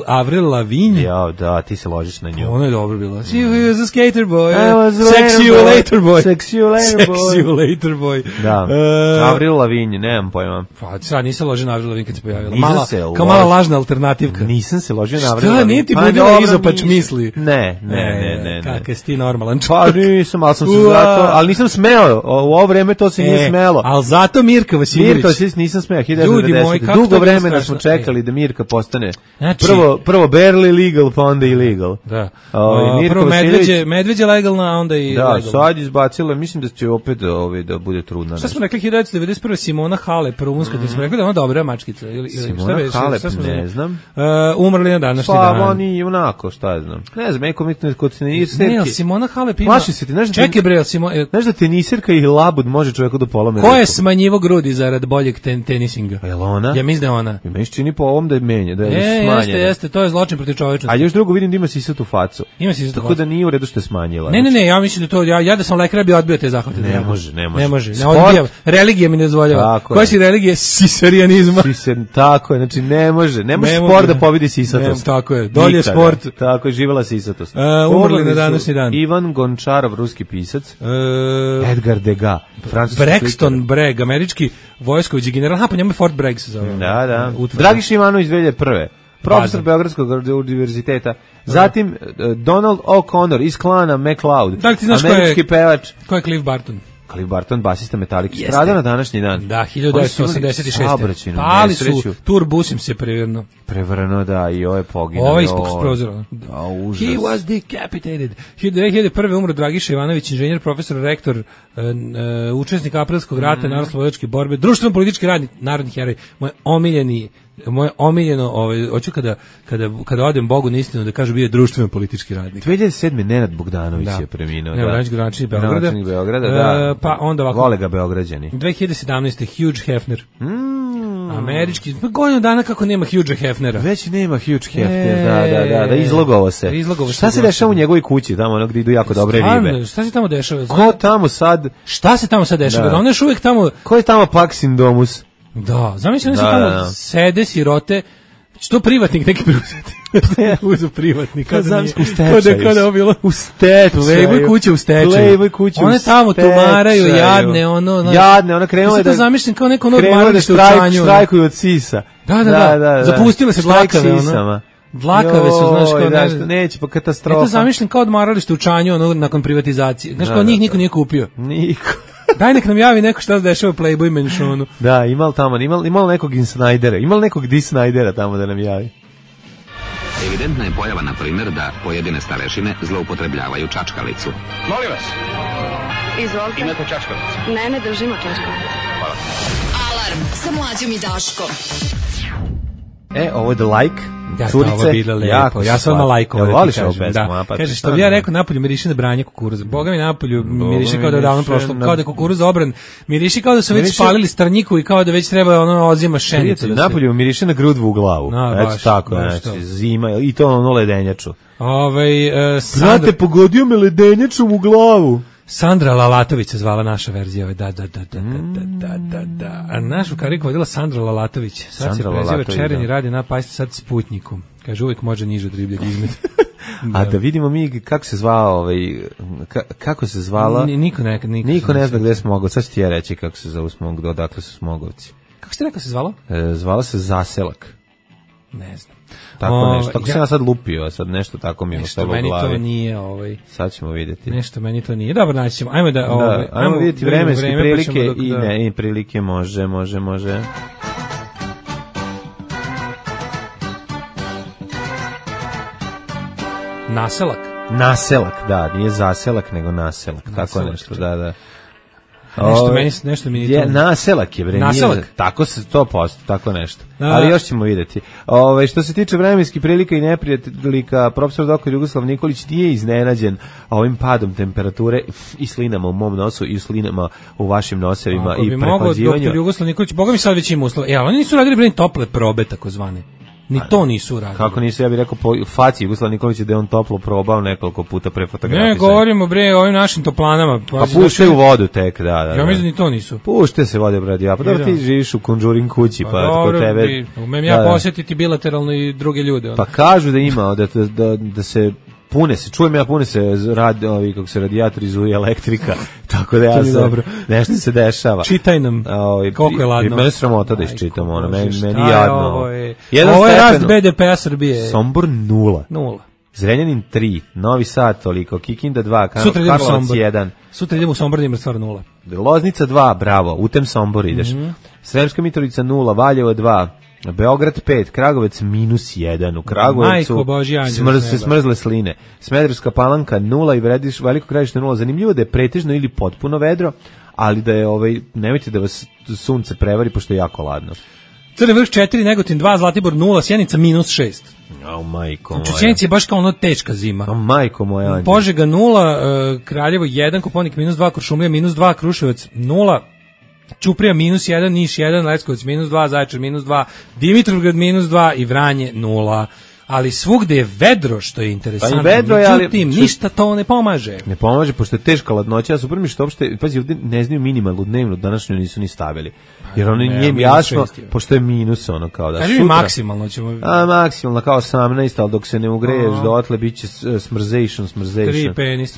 Avril Lavigne. Ja, da, ti se ložiš na nju. Ono je dobro bilo. She was a skater boy. Sexy you later boy. Da. Avril Lavigne, nemam pojma. Pa sad nisam ložio na Avril Lavigne kad se pojavila. Kao mala lažna alternativka. Nisam se ložio na Avril Lavigne. Šta, nije ti budila izopač misli? Ne. Kakav si ti normalan čovjek. Pa nisam, ali sam se zato, ali nisam smeo. U ovo vreme to se nije smelo. Ali zato Mirka Vasiljević. Mirka Vasiljević nisam smeo. 1990. Dugo vremena smo čekali da Mirka postane. Prvo barely legal, pa onda illegal. Da. Prvo medveđe legalna, a onda i legalna. Da, sad izbacila, mislim da će opet da bude trudna. Šta smo rekli 1991. Simona Halep, rumunska, da smo rekli da ona dobra mačkica. Simona Halep, ne znam. Umrli na današnji dan. Pa oni onako, šta ja znam. Ne znam, kod teniserke. Ne, Simona Halep ima... Plaši se ti, čekaj bre, znaš da teniserka i labud može čovjeku da polome. Ko je smanjivo grudi zarad boljeg tenisinga? Je li ona? Ja mislim da je ona. I meni čini po ovom da je menje, da je smanjena. Jeste, to je zločin protiv čovečnosti. A još drugo vidim da ima sisatu facu. Ima sisatu facu. Tako da nije u redu što je smanjila. Ne, ja mislim da to, ja da sam lekar bi odbio te zahvate. Ne može. Religija mi ne dozvoljava. Koja si religija? Sisarijanizma. Tako je, znači ne može. Ne može sport da pobedi sisatost. Tako je, dolje sport. Tako je, živela sisatost. Umrli na današnji dan. Ivan Gončarov, ruski pisac. Edgar Degas, francuski Braxton Bragg, američki vojskovođi general. Pa njemu je Fort Bragg se zove. Da. Dragiša Ivanović 2001. Profesor Beogradskog univerziteta. Zatim Donald O'Connor iz klana MacLeod, američki pevač. Ko je Cliff Barton? Cliff Barton, basista Metallica, stradao na današnji dan. Da, 1986. Pali su, turbusim se prevrno, da, i ovo je poginuo. Ovo je ispuk s prozora. He was decapitated. 2001. umro Dragiša Ivanović, inženjer, profesor, rektor, učesnik aprilskog rata, narodno-slobodačke borbe, društveno-politički radnik, narodni heroj, moje omiljeno, hoću kada odem Bogu na istinu da kažu bio je društveno politički radnik. 2007. Nenad Bogdanović je preminuo. Nenad Bogdanović Beograda, da. Pa onda ovako. Vole ga Beograđani. 2017. Hugh Hefner. Američki. Pa godinu dana kako nema Hugha Hefnera. Već nema Hugh Hefner, da, izlogovao se. Šta se dešava u njegovoj kući, tamo ono gdje idu jako dobre ribe? Šta se tamo dešava? Ko tamo sad? Šta se tamo sad dešava? Da. Ona još uvijek tamo... Ko je tamo Paksin Domus? Da, zamislim da se tamo sede sirote, što privatnik neki preuzeti. Uzu privatnik. U stečaju. U stečaju. Playboy kuće u stečaju. One tamo tumaraju jadne, ona krenula da... zamišljam kao neko odmaralište u Čanju. Štrajkuju od sisa. Da. Zapustile se dlakave, ono. Dlakave su, znaš, kao... Neće, pa katastrofa. Eto zamišljam kao odmaralište u Čanju, ono, nakon privatizacije. Znaš, kao njih niko nije kupio. Niko. Daj nek nam javi neko šta se dešava u Playboy menšonu. Da, imali nekog Insnajdera, imali nekog Disnajdera tamo da nam javi. Evidentna je pojava, na primjer, da pojedine starešine zloupotrebljavaju čačkalicu. Molim vas. Izvolite. Imate čačkalicu? Ne držimo čačkalicu. Hvala. Alarm sa Mlađom i Daškom. Ovo je The Like. Curice, ovo bilo lepo. Ja sam odmah lajkovao. Voliš ovu pesmu? Kaže, što bi ja rekao, napolju miriši na branje kukuruza. Boga mi napolju miriši kao da je davno prošlo, kao da je kukuruz obran. Miriši kao da su već spalili strnjiku i kao da već treba ozima šenicu. Napolju miriši na grudvu u glavu. Eto tako, znači, zima, i to ono ledenjaču. Znate, pogodio me ledenjačom u glavu. Sandra Lalatović se zvala naša verzija. Da. A našu kariku vodila Sandra Lalatović. Sad se preziva Čerenji, radi na pajste sad Sputniku. Kaže, uvijek može niže dribljeg izmet. A da vidimo mi kako se zvao, kako se zvala. Niko ne zna gde je Smogov. Sad ću ti ja reći kako se zove Smogov, odakle su Smogovci. Kako ste rekao se zvalo? Zvala se Zaselak. Ne znam. Tako nešto. Tako sam ja sad lupio, sad nešto tako mi je ostalo u glavi. Nešto meni to nije, Sad ćemo vidjeti. Nešto meni to nije. Dobro, naći ćemo. Ajmo vidjeti vremenske prilike i prilike može. Naselak, da, nije zaselak, nego naselak. Tako nešto, da. Nešto mi je to. Naselak je, bre. Naselak? Tako se to posto, tako nešto. Ali još ćemo vidjeti. Što se tiče vremenskih prilika i neprijateljika, profesor dr. Jugoslav Nikolić nije iznenađen ovim padom temperature i slinama u mom nosu i slinama u vašim nosevima i prehlađivanju. Ako bi mogao dr. Jugoslav Nikolić, boga mi sad već ima uslova. Oni nisu radili, bre, tople probe, takozvane. Ni to nisu radili. Kako nisu, ja bih rekao po faci Jugoslav Nikolić da je on toplo probao nekoliko puta pre fotografisanja. Ne, govorimo bre o ovim našim toplanama. A puštaju vodu tek, da. Ja mislim ni to nisu. Pušte se vode, brad, pa dobro ti živiš u Conjuring kući, pa kod tebe. Umem ja posjetiti bilateralno i druge ljude. Pa kažu da ima, da se pune se radijatori zuje elektrika, tako da ja sam, nešto se dešava. Čitaj nam, koliko je ladno. Mene sramota da iščitam, meni jadno. Ovo je rast BDP-a Srbije. Sombor 0. Zrenjanin 3, Novi Sad toliko, Kikinda 2, Karlovac 1. Sutra idemo u Sombor da ima stvar 0. Loznica 2, bravo, u tem Sombor ideš. Sremska Mitrovica 0, Valjevo 2, Beograd 5, Kragovec -1, u Kragujevcu se smrzle sline, Smederevska Palanka 0 i Veliko Gradište 0. Zanimljivo da je pretežno ili potpuno vedro, ali da je nemojte da vas sunce prevari pošto je jako ladno. Crni Vrh 4, Negotin 2, Zlatibor 0, Sjenica -6. Majko moja. U Sjenici je baš kao teška zima. Majko moja. Požega 0, Kraljevo 1, Koponik -2, Kuršumlija -2, Kruševac 0, Ćuprija -1, Niš 1, Leskovac -2, Zaječar -2, Dimitrovgrad -2 i Vranje 0. ali svugde je vedro, što je interesantno. Pa vedro je, međutim, ništa to ne pomaže. Ne pomaže, pošto je teška ladnoća, a super mi što uopšte, pazi, ovde ne znaju minimalnu dnevnu, današnju nisu ni stavili. Jer ono nije jasno, pošto je minus ono kao da. Kaži mi maksimalno ćemo. Maksimalno kao 18, ali dok se ne ugreješ dotle biće smrzation. 3 penisa.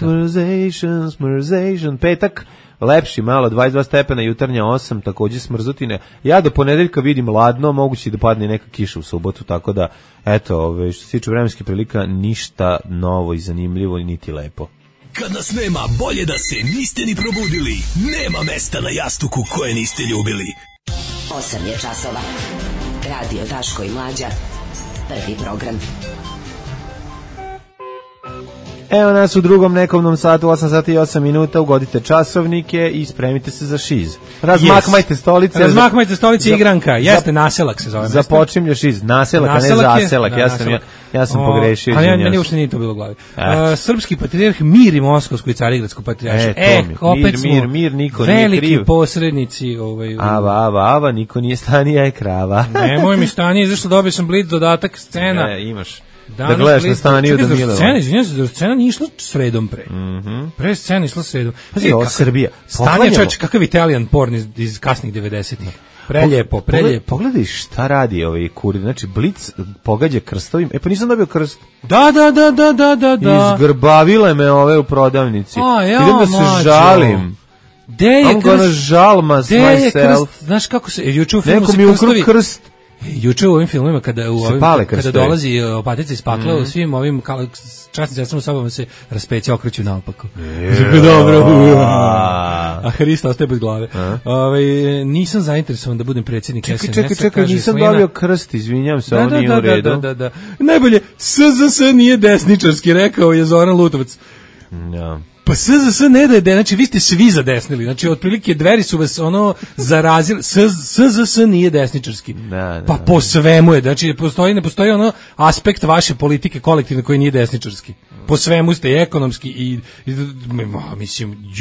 Smrzation. Petak lepši malo, 22 stepena, jutarnja 8, takođe smrzutine. Ja do ponedeljka vidim ladno, moguće da padne neka kiša u subotu, tako da, eto, što se tiče vremenskih prilika, ništa novo i zanimljivo, niti lepo. Kad nas nema, bolje da se niste ni probudili. Nema mesta na jastuku koje niste ljubili. 8 je časova. Radio Daško i Mlađa. Prvi program. Evo nas u drugom nekovnom satu, 8 sati i 8 minuta, ugodite časovnike i spremite se za šiz. Razmakmajte stolice. Razmakmajte stolice, igranka. Jeste, naselak se zove. Započinje šiz. Naselak, a ne zaselak. Ja sam pogrešio. Ali meni uopšte nije to bilo u glavi. Srpski patrijarh Mir i Moskovsko i Carigradsko patrijarše. Opet mir, niko nije kriv. Veliki posrednici. Ava, niko nije stanija i krava. Nemoj mi stanije, zašto dobio sam Blitz dodatak scena. Imaš. Da gledaš na staniju da Mileva. Scena nije išla sredom pre. Pre scena išla sredom. Pazi, ovo Srbija. Stanje čovječ, kakav Italian porn iz kasnih 90-ih. Preljepo. Pogledaj šta radi ovaj kurir. Znači, Blitz pogađa krstovim. Pa nisam dobio krst. Da. Izgrbavile me ove u prodavnici. Idem da se žalim. Gde je krst? I'm gonna žalma myself. Znaš kako se... Juče u filmu neko mi ukrao krst. Juče u ovim filmima kada dolazi Opatica iz pakla, u svim ovim časnim sestrama sobama se raspeća okreću naopako. Dobro. A Hrista ostaje bez glave. Nisam zainteresovan da budem predsjednik SNS-a. Čekaj, nisam dobio krst, izvinjam se, ovo nije u redu. Da. Najbolje, SZS nije desničarski, rekao je Zoran Lutovac. Ja. Pa SZS ne da je, znači vi ste svi zadesnili, znači otprilike Dveri su vas ono zarazili, SZS nije desničarski, pa po svemu je, znači ne postoji ono aspekt vaše politike kolektivne koji nije desničarski, po svemu ste i ekonomski i mislim,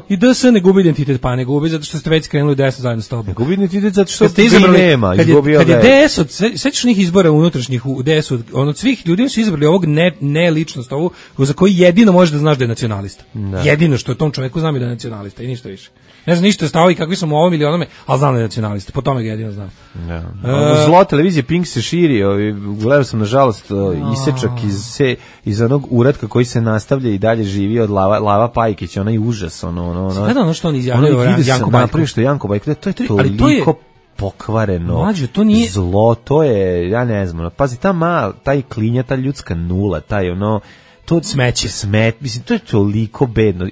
i da se ne gubi identitet, pa ne gubi zato što ste već skrenuli desno zajedno s tobom. Ne gubi identitet zato što ste izabrali, nema, kad je DS, sećaš onih izbora unutrašnjih u DS-u, od svih ljudi su izabrali ovog ne ličnost, ovu za koju jedino možeš da znaš da je nacionalista. Jedino što je tom čoveku znam da je nacionalista i ništa više. Ne znam ništa stavovi kakvi su mu ovom ili onome, ali znam da je nacionalista, po tome ga jedino znam. Zlo televizije Pink se širi, gledao sam nažalost isečak iz onog uratka koji se nastavlja i dalje živi od Lava Pajkića, onaj užas, Sada ono što on izjavio Janko Bajko. Što Janko Bajko, to je toliko pokvareno. Mlađo, to nije zlo, to je, ja ne znam, pazi, taj klinja, ta ljudska nula, taj to smeće. Mislim, to je toliko bedno.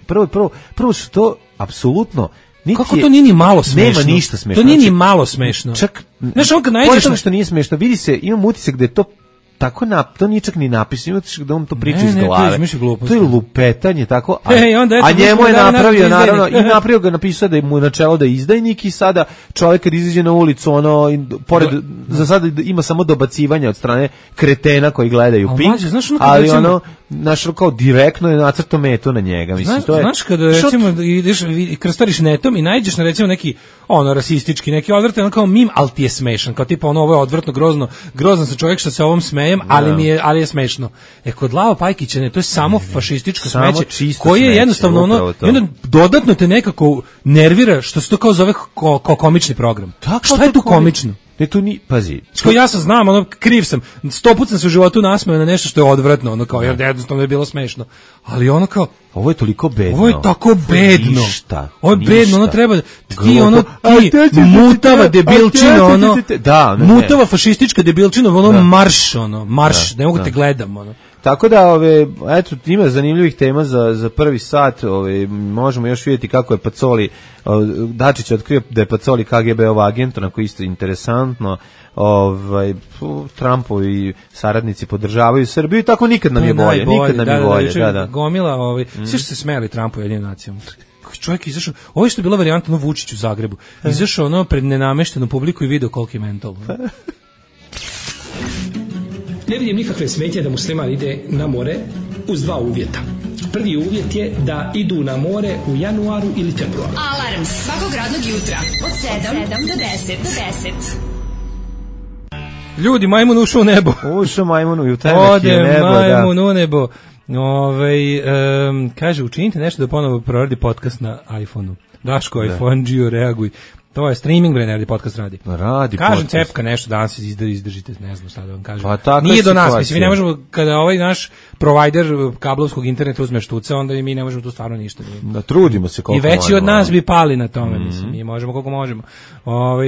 Prvo što to apsolutno kako to nije ni malo smešno? Nema ništa smešno. To nije ni malo smešno. Čak, znaš, on kad najdeš što nije smešno, vidi se, imam utisak da je to tako to nije čak ni napisano, utisak da on to priča iz glave. To je lupetanje, tako, a njemu je napravio, naravno, i napravio ga, napisao da je mu načelo da je izdajnik i sada čovjek kad izađe na ulicu, pored, za sada ima samo dobacivanja od strane kretena koji gledaju Pink, ali naš kao direktno je nacrto metu na njega. Mislim, to je, znaš kada recimo ideš i krstariš netom i nađeš na recimo neki rasistički, neki odvratan kao mim, ali ti je smešan, kao tipa ovo je odvrtno, grozno sa čovjek što se ovom smejem, ali je smešno. Kod Lava Pajkića to je samo fašističko smeće, koje je jednostavno i onda dodatno te nekako nervira što se to kao zove komični program. Šta je tu komično? Ne, tu ni, pazi. Ja sam znam, kriv sam. 100 puta sam se u životu nasmeo na nešto što je odvratno, kao jer jednostavno je bilo smešno. Ali kao ovo je toliko bedno. Ovo je tako bedno. Ovo je bedno, treba ti mutava debilčina, mutava fašistička debilčina, marš, ne mogu te gledam, Tako da, eto, ima zanimljivih tema za prvi sat, možemo još vidjeti kako je Pacoli, Dačić otkrio da je Pacoli KGB-ov agent, onako isto interesantno, Trumpovi saradnici podržavaju Srbiju i tako nikad nam je bolje, Gomila, svi što se smijali Trumpu jednim nacijom. Čovjek izašao, ovo je što je bila varijanta Vučić u Zagrebu, izašao pred nenameštenu publiku i video koliki je mental. Ne vidim nikakve smetnje da musliman ide na more uz dva uvjeta. Prvi uvjet je da idu na more u januaru ili februaru. Alarm svakog radnog jutra od 7 do 10. Ljudi, majmun ušao u nebo. Ušao majmun u temek je nebo, da. Ode majmun u nebo. Kaže, učinite nešto da ponovo proradi podcast na iPhone-u. Daško, iPhone, Gio, reaguj. To je streaming, bre, neradi podcast radi. Radi kažem podcast. Cepka nešto danas izdržite, ne znam šta da vam kažem. Pa nije do nas, mislim, mi ne možemo, kada ovaj naš provider kablovskog interneta uzme štuce, onda i mi ne možemo tu stvarno ništa. Da, trudimo se koliko možemo. I veći od nas bi pali na tome, mislim, mi možemo koliko možemo.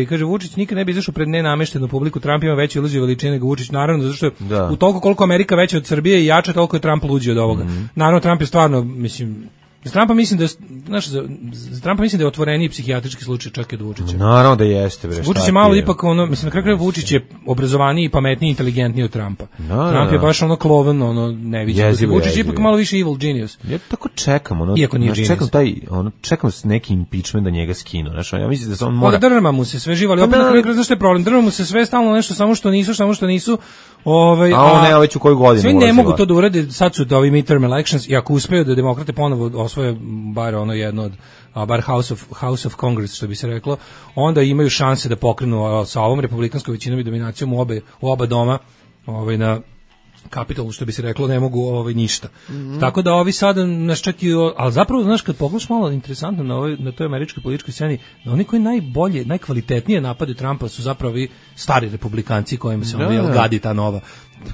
Kaže, Vučić nikad ne bi izašao pred nenameštenu publiku, Trump ima veću iluziju veličine nego Vučić, naravno, zato što u toliko koliko Amerika veća od Srbije i jača, toliko je Trump luđi od ovoga. Naravno, Trump je stvarno, mislim, za Trumpa mislim da je otvoreniji psihijatrijski slučaj čak i od Vučića. Naravno da jeste, bre. Vučić je malo ipak ono, mislim, na kraju Vučić je obrazovaniji, pametniji, inteligentniji od Trumpa. Trump je baš ono kloven, ono neviđen. Vučić je ipak malo više evil genius. Ja tako čekam, ono, iako nije genius. čekam s neki impeachment da njega skinu, znači ja mislim da se on mora. Drma mu se sve živali, opet na kraju znaš šta je problem, drma mu se sve stalno nešto samo što nisu. Ne, već u koju godinu svi ne mogu to da urade, sad su ovi midterm elections i ako uspeju da demokrate ponovo osvoje bar ono jedno od bar House of Congress, što bi se reklo, onda imaju šanse da pokrenu sa ovom republikanskom većinom i dominacijom u oba doma na Kapitolu, što bi se reklo, ne mogu ništa. Tako da ovi sada nas čak i, ali zapravo, znaš, kad pogledaš malo interesantno na toj američkoj političkoj sceni, da oni koji najbolje, najkvalitetnije napade Trumpa su zapravo i stari republikanci kojima se gadi ta nova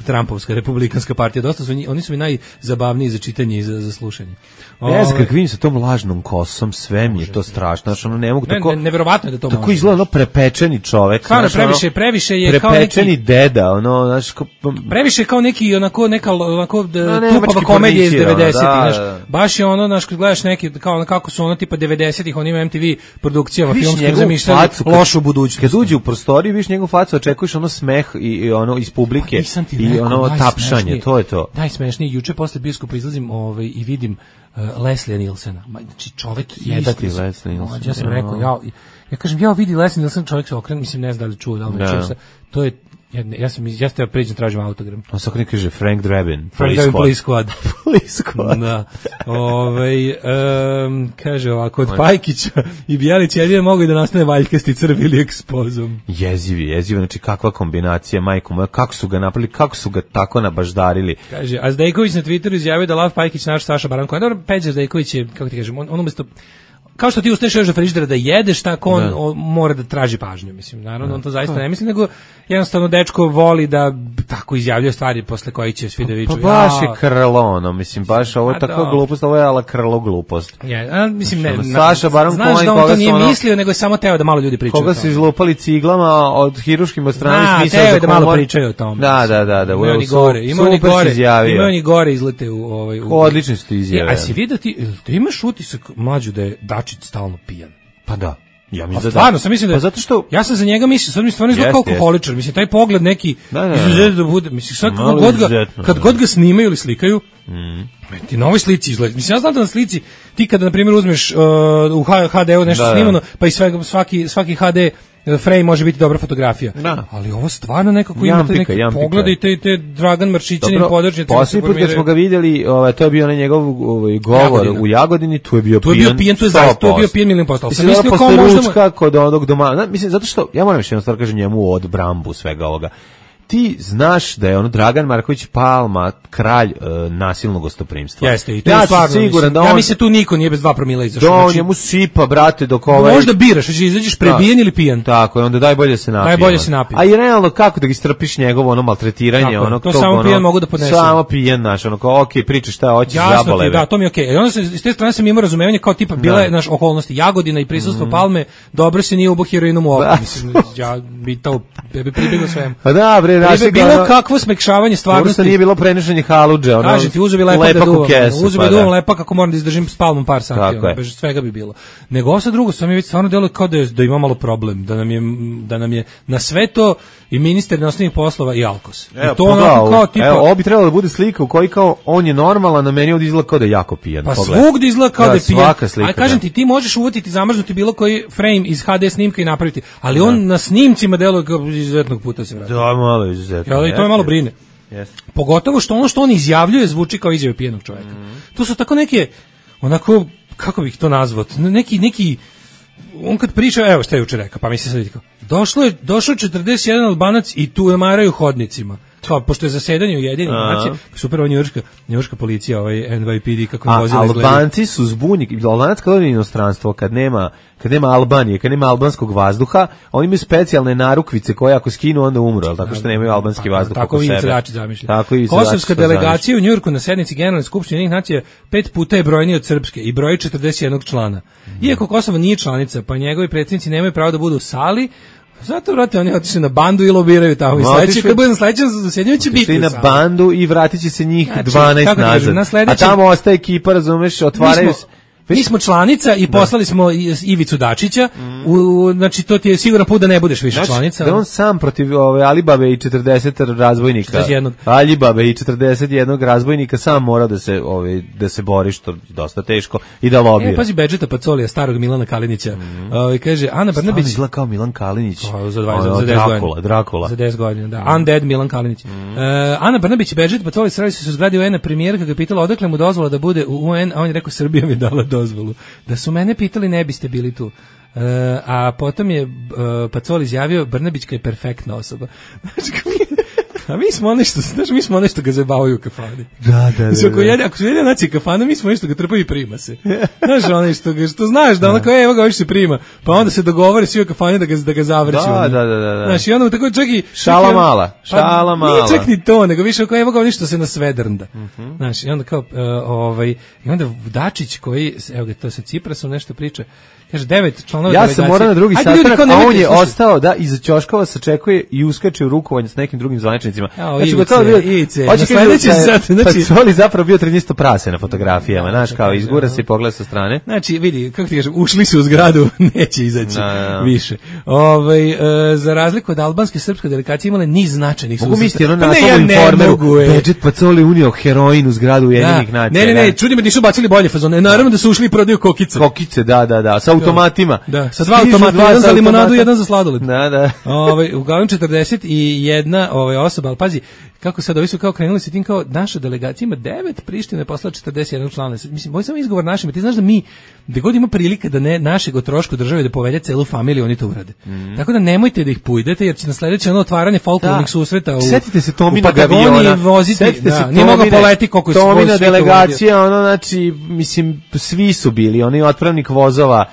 Trumpovska republikanska partija. Dosta su oni su mi najzabavniji za čitanje i za slušanje. Ja znam kako vidim sa tom lažnom kosom, sve mi je to strašno, znači ono ne mogu tako. Neverovatno je da to tako izgleda ono prepečeni čovjek. Stvarno previše je kao neki prepečeni deda, ono, znači previše kao neki neka tupava komedija iz 90-ih, znači baš je ono, znači kad gledaš neki kao kako su ono tipa 90-ih, on ima MTV produkcijama filmskih zamišljali lošu budućnost. Kad uđe u prostoriju, vidiš njegovu facu, očekuješ ono smeh i ono iz publike. I ono tapšanje, to je to. Najsmešnije, juče posle biskupa izlazim i vidim Leslie Nielsena. Znači čovjek isti Leslie Nielsen. Ja sam rekao, ja kažem, ja vidi Leslie Nielsen, čovjek se okrene, mislim ne znam da li čuo, da li čuo se. To je ja ste priđem, tražim autogram. On se kaže Frank Drebin. Police Squad. Police Squad. Da. Kaže ovako, od Pajkića i Bjelić jedino mogu da nastane valjkasti crv ili ekspozom. Jezivi, znači kakva kombinacija, majko moja, kako su ga napravili, kako su ga tako nabaždarili. Kaže, a Zdejković na Twitteru izjavio da Lav Pajkić naš Saša Baranko. Dobro, Peđa Zdejković je, kako ti kažem, on umesto kao što ti ustaješ još do frižidera da jedeš, tako on mora da traži pažnju, mislim. Naravno, on to zaista ne misli, nego jednostavno dečko voli da tako izjavljuje stvari posle kojih će svi da viču. Pa baš je krlo, ono, mislim, baš ovo je tako glupost, ovo je ala krlo glupost. Mislim, ne, Saša Baron Cohen, znaš da on to nije mislio, nego je samo teo da malo ljudi pričaju. Koga su izlupali ciglama od hiruškim od strane smisla za humor. Da, teo da malo pričaju o tome. Da. Ima oni gore izlete u odlični su ti izjave. A si vidio ti imaš utisak, mlađu, da je Dačić stalno pijan? Pa da. Ja mislim da stvarno, sam mislim da zato što ja sam za njega mislio, sad mi stvarno izgleda kao alkoholičar, mislim taj pogled neki izuzetno da bude, mislim sad kad god ga snimaju ili slikaju, ti na ovoj slici izgleda. Mislim ja znam da na slici ti kada na primjer uzmeš u HD-u nešto snimano, pa i svaki HD frame može biti dobra fotografija. Ali ovo stvarno nekako ima te neke poglede i te Dragan Maršićanin podržnjaci. Posljednji put kad smo ga vidjeli, to je bio onaj njegov govor u Jagodini, tu je bio pijan. Tu je bio pijan milion posto. Mislim, mislio kao možda kod onog doma. Mislim, zato što, ja moram još jednu stvar kažem njemu u odbrambu svega ovoga. Ti znaš da je ono Dragan Marković Palma kralj nasilnog gostoprimstva. Jeste, i to je stvarno siguran da on. Ja mislim tu niko nije bez 2 promila izašao. Da on njemu sipa, brate, dok možda biraš, hoćeš izađeš prebijen ili pijan. Tako, onda daj bolje se napi. A i realno kako da ga istrpiš njegovo ono maltretiranje, tako, ono to samo pijan mogu da podnesem. Samo pijan naš, ono kao okej, pričaš šta hoćeš, zabole. Da, to mi je okej. I onda se s te strane sam imao razumevanje kao tipa bile naš okolnosti Jagodina i prisustvo Palme, dobro se nije ubo heroinom u oko. Mislim ja bi to pribegao svemu. Pa da, bre, kakvo smekšavanje stvarnosti. Možda nije bilo prenošenje haludže, ono. Kažem ti, uzubi lepak da duvam. Uzubi da duvam lepak ako moram da izdržim s Palmom par sati, bez svega bi bilo. Nego ovo sad drugo, sam je već stvarno deluje kao da ima malo problem, da nam je na sve to i ministar inostranih poslova i Alkos. I to onako kao tipa... Evo, ovo bi trebalo da bude slika u kojoj kao on je normalan, na meni ovdje izgleda kao da je jako pijan. Pa svugdje izgleda kao da je pijan. Ali kažem ti možeš uvatiti, zamrznuti bilo koji frame iz HD snimka i napraviti, ali on na snimcima deluje kao izuzetnog puta se vrati. Da, malo izuzetno. Ali to je malo brine. Pogotovo što ono što on izjavljuje zvuči kao izjave pijenog čovjeka. To su tako neke, onako, kako bih to nazvao, neki on kad priča, evo šta je juče rekao, pa mi se sad vidi kao, došao 41 Albanac i tu maraju hodnicima. Kao, pošto je zasedanje Ujedinjenih nacija, super, ova njujorška policija, ovaj NYPD, kako im vozili izgleda. Albanci su zbunjeni, Albanac kad ode u inostranstvo, kad nema Albanije, kad nema albanskog vazduha, oni imaju specijalne narukvice koje ako skinu onda umru, ali tako što nemaju albanski vazduh oko sebe. Tako i Kosovska delegacija u Njujorku na sednici Generalne skupštine Ujedinjenih nacija 5 puta je brojniji od srpske i broji 41 člana. Iako Kosovo nije članica, pa njegovi predsjednici nemaju pravo da budu u sali. Zato, vrate, oni otišli na bandu i lobiraju tamo. I sledeći, kad bude na sledećem zasjedanju će biti. Otišli na bandu i vratit će se njih 12 nazad. A tamo ostaje ekipa, razumeš, otvaraju se. Mi smo članica i poslali smo Ivicu Dačića, znači to ti je siguran put da ne budeš više članica. Da on sam protiv Alibabe i 40 razbojnika. 41. Alibabe i 41 razbojnika sam mora da se bori, što je dosta teško, i da lobira. Pazi Bedžeta Pacolija, starog Milana Kalinića. Kaže, Ana Brnabić... Stvarno izgleda kao Milan Kalinić. Za 10 godina. Drakula. Za 10 godina, da. Undead Milan Kalinić. Ana Brnabić i Bedžeta Pacolija sreli su u zgradi UN-a premijerka ga pitala odakle mu dozvola da bude u UN, a on je rekao Srbija mi je dala dozvolu. Da su mene pitali ne biste bili tu. A potom je Pacoli izjavio Brnabićka je perfektna osoba. A mi smo nešto ga zabavaju u kafani. Da. Ako su jedina nacija kafana, mi smo nešto ga trpaju i prima se. Znaš, ono što znaš, da ono kao, evo ga, ovo se prima, pa onda se dogovore svi u kafani da ga zavrći. Da. Znaš, i onda tako čak i... Šala mala. Nije čak ni to, nego više kao, evo ga, ovo što se nasvedrnda. Znaš, i onda kao, i onda Dačić koji, evo ga, to sa Ciprasom nešto priča, kaže 9 članova delegacije. Ja sam morao na drugi sastanak, a on je ostao da iza ćoškova sačekuje i uskače u rukovanje s nekim drugim zvaničnicima. Znači, gotovo Ivice. Pacoli zapravo bio 13 prase na fotografijama, znaš, kao izgura se i pogleda sa strane. Znači, vidi, kako ti kažem, ušli su u zgradu, neće izaći više. Za razliku od albanske i srpske delegacije imale niz značajnih susreta. Mogu misliti, ono naslovu Informeru, Bedžet Pacoli unio heroin u zgradu Ujedinjenih nacija. Ne, čudi me da nisu bacili bolje fazone. Naravno da su ušli i prodaju kokice. Kokice, da, sa automatima. Da, sa 2 automata, jedan za limonadu, jedan za sladoled. Da. Uglavnom 41 osoba, ali pazi, kako sad ovi su kao krenuli se tim kao naša delegacija ima 9, Priština je poslala 41 člana. Mislim, ovo je samo izgovor našima. Ti znaš da mi, gde god ima prilike da ne našeg o trošku države da povede celu familiju, oni to urade. Tako da nemojte da ih pujdete, jer će na sledeće otvaranje folklornih susreta setite se Tomina Patagoniji voziti. Nije mogao poleti koliko su Tomina delegacija, znači, mislim, svi su bili, oni otpravnik vozova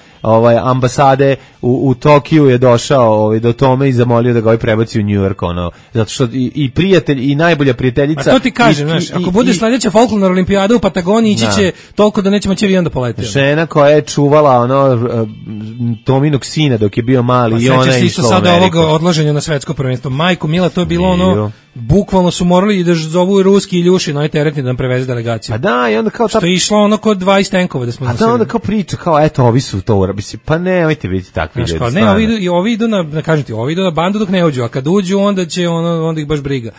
ambasade u Tokiju je došao do Tome i zamolio da ga prebaci u New York, zato što i prijatelj i najbolja prijateljica. A to ti kažem, znaš, ako bude sledeća folklorna olimpijada u Patagoniji, ići će toliko da neće moći avion da poleti. Žena koja je čuvala Tominog sina dok je bio mali i ona je išla u Ameriku. Sećaš se sada ovog odlaženja na svetsko prvenstvo. Majko Mila, to je bilo bukvalno su morali da zovu ruski Iljuši, teretni da nam preveze delegaciju. A da, i onda kao što je išlo kod 20 tenkova da smo nosili. A da, onda kao priča, kao eto, ovi su to urabili. Pa nemojte biti takvi ljudi. Ovi idu na bandu dok ne uđu, a kad uđu onda ih baš briga.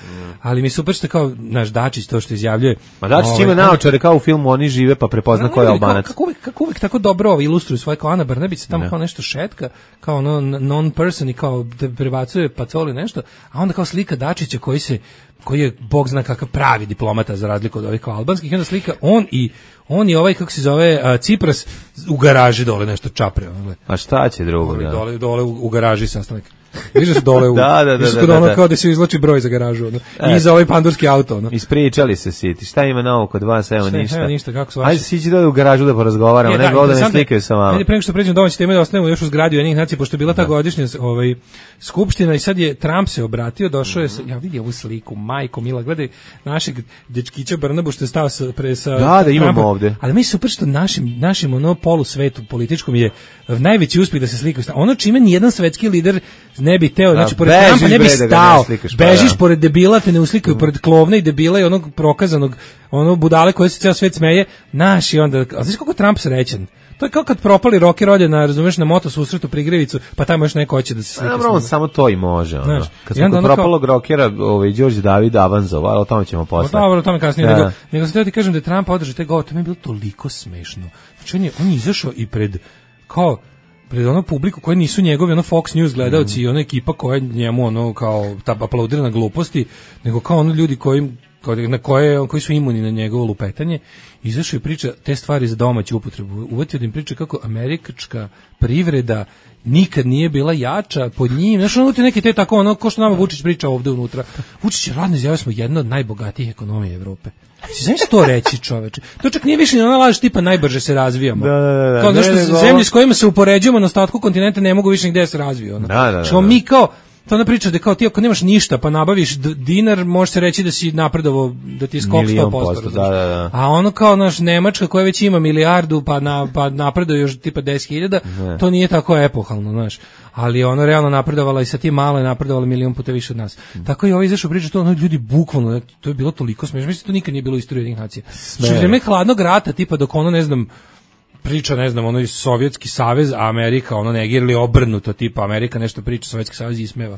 Ali mi super što kao naš Dačić to što izjavljuje. Ma Dačić ima naočare kao u filmu Oni žive pa prepozna ko je Albanac. Kako uvijek tako dobro ilustruju svoje, kao Ana Brnabić tamo kao nešto šetka, kao non-person i kao da prebacuje Pacoli nešto, a onda kao slika Dačića koji je bog zna kakav pravi diplomata za razliku od ovih kao albanskih, i onda slika on je kako se zove Cipras u garaži dole nešto čapre. A šta će drugo? Dole u garaži sastanak. Vidiš da su dole da. Kao da se izvlači broj za garažu. I za ovaj pandurski auto. Ispričali se siti. Šta ima novo kod vas? Evo ništa. Kako su vaši? Ajde sići dole u garažu da porazgovaramo. Ne da ne slikaju sa vama. Ajde, pre nego što pređemo domaće teme da ostanemo još u zgradi Ujedinjenih nacija, pošto je bila ta godišnja skupština i sad je Trump se obratio, došao je ja vidi ovu sliku, majko mila, gledaj našeg dečkića Brnabu što je stao sa da imamo ovde. Ali mi super što našim polusvetu političkom je najveći uspjeh da se slikaju. Ono čime nijedan svetski lider ne bi teo, znači pored Trumpa ne bi stao. Bežiš pored debila, te ne uslikaju pored klovna i debila i onog prokazanog, budale koje se ceo svet smeje. Naši onda, a znaš kako Trump srećan? To je kao kad propali rocker ode na moto susretu Prigrevicu, pa tamo još neko hoće da se slika. Dobro, on samo to i može. Kad smo kod propalog rockera, Đorđe David Avanzov, o tome ćemo posle. Dobro, o tome kasnije. Nego sam teo ti kažem da je Trump održao taj govor, to mi je bilo toliko smešno. Znači on je izašao i pred publiku koji nisu njegovi Fox News gledaoci i ona ekipa koja njemu kao aplaudira na gluposti, nego kao ljudi koji koji su imuni na njegovo lupetanje, izašao i priča te stvari za domaću upotrebu. Uvatio da im priča kako američka privreda nikad nije bila jača pod njim. Znaš, ono neki te tako, ono, ko što nama Vučić priča ovde unutra. Vučić je radno izjavio, smo jedna od najbogatijih ekonomija Evrope. Znaš to reći, čoveče? To čak nije više ni ona laž tipa najbrže se razvijamo. Da. Kao nešto, zemlje s kojima se upoređujemo na ostatku kontinenta ne mogu više nigde se razviju. Ono. Što mi kao, to ona priča da kao ti ako nemaš ništa pa nabaviš dinar, može se reći da si napredovao, da ti je skok 100%. Da. A ono kao naš Nemačka koja već ima milijardu pa napreduje još tipa 10.000, to nije tako epohalno, znaš. Ali ono realno napredovala i sa tim malo je napredovala milion puta više od nas. Tako i ovo izašao priča to, ono ljudi bukvalno, to je bilo toliko smešno, mislim to nikad nije bilo u istoriji jednih nacija. Što je vreme hladnog rata, tipa dok ono ne znam priča, ne znam, ono iz Sovjetski savez, a Amerika ono negira ili obrnuto, tipa Amerika nešto priča, Sovjetski savez ismeva.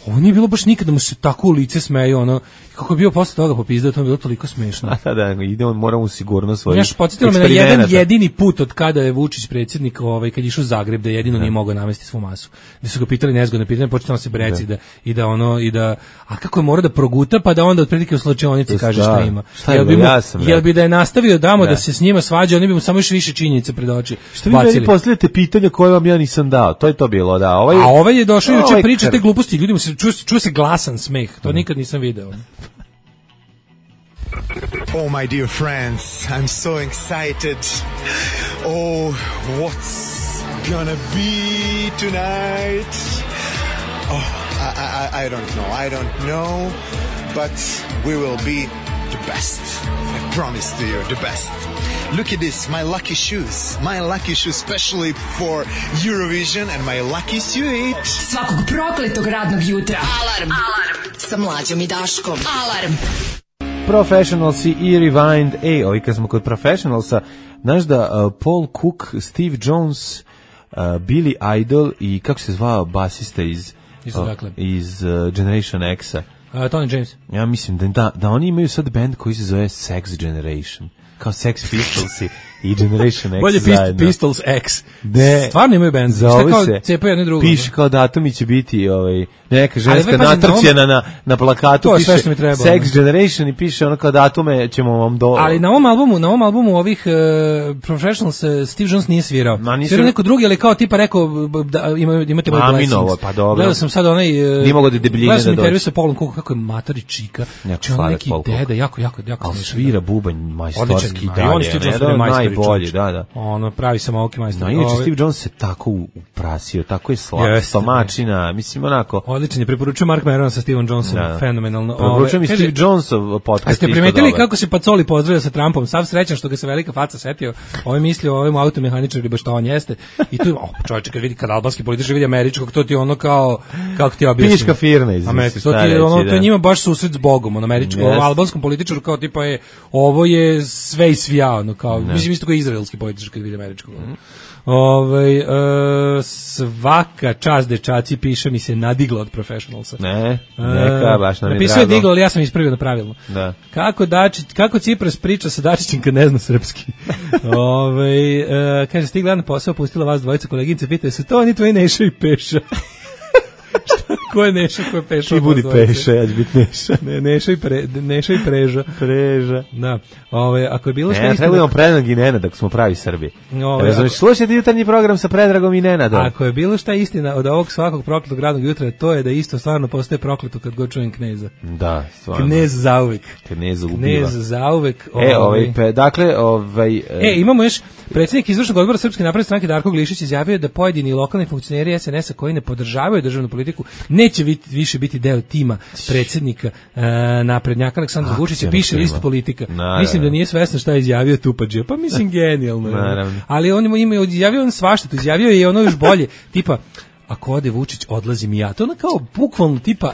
Ovo nije bilo baš nikad da mu se tako u lice smeju, ono, kako je bio posle toga popizdao, to je bilo toliko smešno. Da, ide on, moramo sigurno svoj. Znaš, podsjetilo me na jedan jedini put od kada je Vučić predsjednik, kad je išao u Zagreb, da jedino nije mogao navesti svu masu. Gde su ga pitali nezgodne pitanje, početamo se breci a kako je morao da proguta, pa da onda otprilike u slačionici kaže šta ima. Jel bi da je nastavio da se s njima svađa, oni bi mu samo još više činjenice pred oči. Što vi meni postavljate pitanja koje vam ja nisam dao, to je to bilo, da. A ovaj je došao juče priča te gluposti, ljudima se čuje se glasan smeh, to nikad nisam video. Oh, my dear friends, I'm so excited. Oh, what's gonna be tonight? Oh, I don't know, but we will be the best. I promise to you, the best. Look at this, my lucky shoes, especially for Eurovision, and my lucky suit. Svakog prokletog radnog jutra. Alarm sa Mlađom i Daškom. Alarm. Professionalsi i Rewind. Ovi kad smo kod Professionalsa, znaš da Paul Cook, Steve Jones, Billy Idol i kako se zvao basista iz Generation X-a? Tony James. Ja mislim da oni imaju sad band koji se zove Sex Generation. Kao Sex Pistolsi i Generation X bolje zajedno. Pistols X. Stvarno imaju band. Zove kao se, cepaju jedno drugo. Piše kao datumi će biti neka ženska natrčena na plakatu, piše Sex Generation i piše ono kao datume ćemo vam Ali na ovom albumu ovih Professionals Steve Jones nije svirao. Svirao neko drugi, ali kao tipa rekao imate moj blessings. Pa dobro. Gledao sam sad onaj nije mogao da debljine da dođe. Gledao sam intervju sa Paulom Cookom, kako je matari čika. Znači on neki deda, jako ali svira bubanj majstorski najbolji, da. Ono pravi samouki majstor. Inače Steve Jones se tako uprasio, tako je slab, stomačina, mislim onako. Odličan je, preporučujem Mark Maron sa Steven Johnson, fenomenalno. Preporučujem i Steve Jonesov podcast. A ste primetili kako se Pacoli pozdravio sa Trumpom? Sav srećan što ga se velika faca setio. Ovaj mislio o ovim automehaničari, baš to on jeste. I tu, čovječe, kad albanski političar vidi američkog, to ti ono kao, kako ti objasnim? Piška firna izmisli. To je njima baš susret s Bogom, on američkom, albanskom političaru kao tipa je, ovo je sve i svija, ono kao, mislim isto kao izraelski političar kad vidi američkog. Svaka čast dečaci, piše mi se nadigla od Professionalsa. Neka, baš nam je drago. Napisao je diglo, ali ja sam ispravio na pravilno. Da. Kako Cipras priča sa Dačićem kad ne zna srpski? Kaže, stigla na posao, pustila vas dvojica koleginice, pitaju se, to oni tvoji Neša i Peša. Ko je Neša, ko je Peša? Ti budi Peša, ja ću biti Neša. Neša i Preža. Preža. Da. Ako je bilo što istina... Trebujemo Predrag i Nenad, ako smo pravi Srbi. Slušajte jutarnji program sa Predragom i Nenadom. Ako je bilo šta istina od ovog svakog prokletog radnog jutra, to je da isto stvarno postaje prokleto kad god čujem Kneza. Da, stvarno. Knez zauvek. Knez ubiva. Knez zauvek. Imamo još predsjednik izvršnog odbora Srpske napredne stranke Darko Glišić izjavio da pojedini lokalni funkcioneri SNS-a koji ne podržavaju državnu politiku neće više biti deo tima predsjednika naprednjaka Aleksandra Vučića, piše list Politika. Mislim da nije svestan šta je izjavio Tupadžija, pa mislim genijalno. Ali on ima izjavio on svašta, izjavio je ono još bolje, tipa ako ode Vučić, odlazim i ja. To ono kao bukvalno tipa,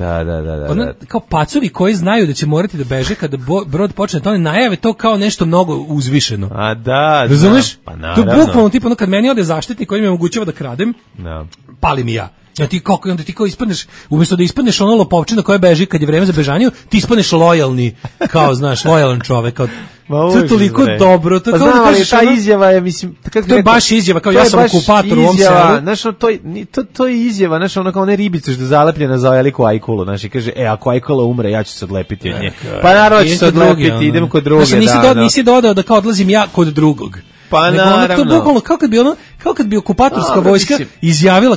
kao pacovi koji znaju da će morati da beže kada brod počne, to ne najave to kao nešto mnogo uzvišeno. A da, razumeš? Pa to bukvalno tipa, ono kad meni ode zaštitnik koji mi omogućava da kradem, pali mi ja. Ja ti kako onda ti kao ispadneš, umjesto da ispadneš ono lopovčina koja beži kad je vreme za bežanju, ti ispadneš lojalni, kao znaš, lojalan čovek, kao to je toliko dobro, to pa kao da kažeš, ta izjava je, mislim, kako to je baš izjava, kao ja sam okupator u ovom selu. Znaš, to je izjava, znaš, ono kao one ribice što je zalepljena za veliku ajkulu, znaš, i kaže, ako ajkula umre, ja ću se odlepiti od nje. Pa naravno ću se odlepiti, idem kod druge. Znači, nisi dodao da kao odlazim ja kod drugog. Pa naravno. To bukvalno kao kad bi okupatorska vojska izjavila,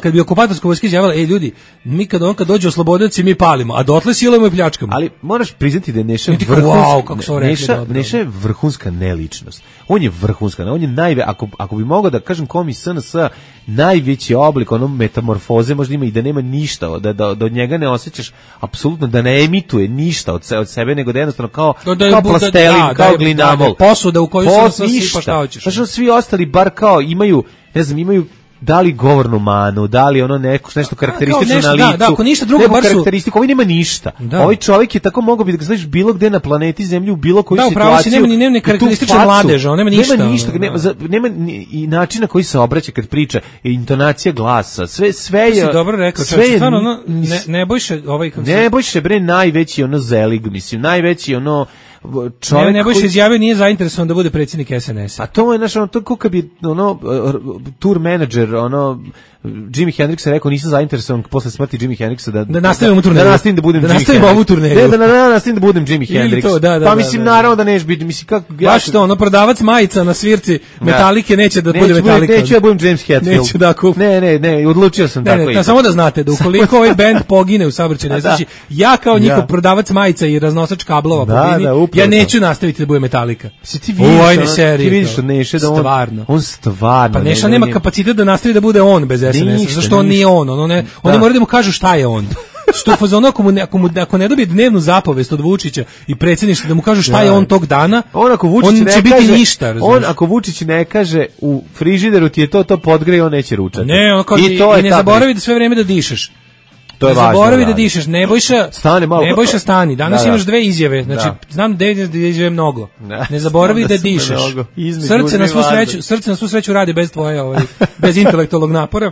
ljudi, mi kad dođe oslobodioci mi palimo, a dotle silujemo i pljačkamo. Ali moraš priznati da je Neša je vrhunska neličnost. On je vrhunska, on je ako bi mogao da kažem kom iz SNS najveći oblik onom metamorfoze možda ima i da nema ništa, da od njega ne osjećaš apsolutno, da ne emituje ništa od sebe, nego da jednostavno kao plastelin, kao glinamol. Posuda u koju se sipa šta hoćeš. Znači, svi ostali bar kao imaju, ne znam, imaju da li govornu manu, da li ono nešto karakteristično na licu. Da, ako ništa drugo, bar su... karakteristiku, ovaj nema ništa. Da. Ovaj čovjek je tako mogao bi da ga znaš bilo gde na planeti Zemlji, u bilo koju situaciju. Da, upravo si, nema ni karakteristične mladeža, on nema ništa. Nema i način na koji se obraća kad priča, i intonacija glasa, sve je... Si dobro rekao, stvarno, Nebojša, Nebojša, bre, najveći ono zelig, mislim, najveći ono... Nebojša izjavio nije zainteresovan da bude predsjednik SNS-a. A to je to kako bi tour manager, Jimi Hendrix je rekao nisam zainteresovan posle smrti Jimi Hendrixa da nastavimo turneju. Da nastavim da budem Jimi Hendrix. Ovu turneju. Da nastavim da budem Jimi Hendrix. Pa mislim naravno da neće biti, mislim kako baš to, prodavac majica na svirci Metalike neće da bude Metallica. Neću ja budem James Hetfield. Neću da kupim. Ne, odlučio sam tako. Ne, samo da znate da ukoliko ovaj bend pogine u saobraćajnoj nesreći, ja kao njihov prodavac majica i raznosač kablova pobini, ja neću nastaviti da bude Metallica. Ti vidiš od Neše da on stvarno. Pa Neša nema kapacitet da nastavi da bude on bez SNS-a, zašto on nije on, oni moraju da mu kažu šta je on. Što fazonu ako ne dobije dnevnu zapovest od Vučića i predsjedništva da mu kažu šta je on tog dana, on će biti ništa. On ako Vučić ne kaže u frižideru ti je to podgreje, on neće ručati. Ne, i ne zaboravi da sve vrijeme da dišeš. To je važno. Zaboravi da dišeš, Nebojša stani. Danas imaš dve izjave, znači znam da izjave mnogo. Ne zaboravi da dišeš. Srce na svu sreću radi bez tvoje, bez intelektualnog napora.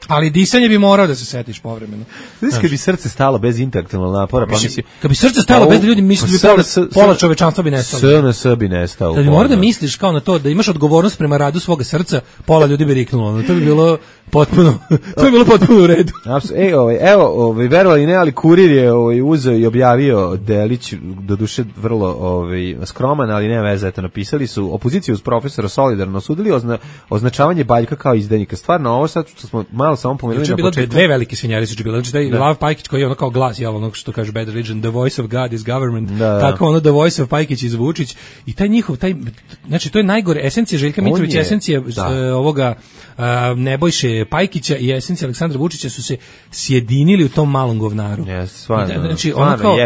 Ali disanje bi morao da se setiš povremeno. Znači, kad bi srce stalo bez intelektualnog napora, pa mislim, kad bi srce stalo bez da ljudi misle da bi pola čovečanstva bi nestalo. SNS bi nestao. Kad bi morao da misliš kao na to da imaš odgovornost prema radu svoga srca, pola ljudi bi riknulo. To bi bilo potpuno u redu. Evo, verovali ne, ali Kurir je uzeo i objavio delić, doduše vrlo skroman, ali nema veze, eto napisali su opoziciju uz profesora solidarno osudili označavanje Baljka kao izdajnika. Stvarno, ovo sad što smo malo samo pomenuli na početku. Dve velike svinjari su bile, znači taj Lav Pajkić koji je ono kao glas, ono što kaže Bad Religion, the voice of God is government, tako the voice of Pajkić iz Vučić, i taj njihov, znači to je najgore, esencija Željka Mitrovića, esencija ovoga Nebojše Pajkića i esencija Aleksandra Vučića su se sjedinili u tom malom govnaru. Znači ono kao,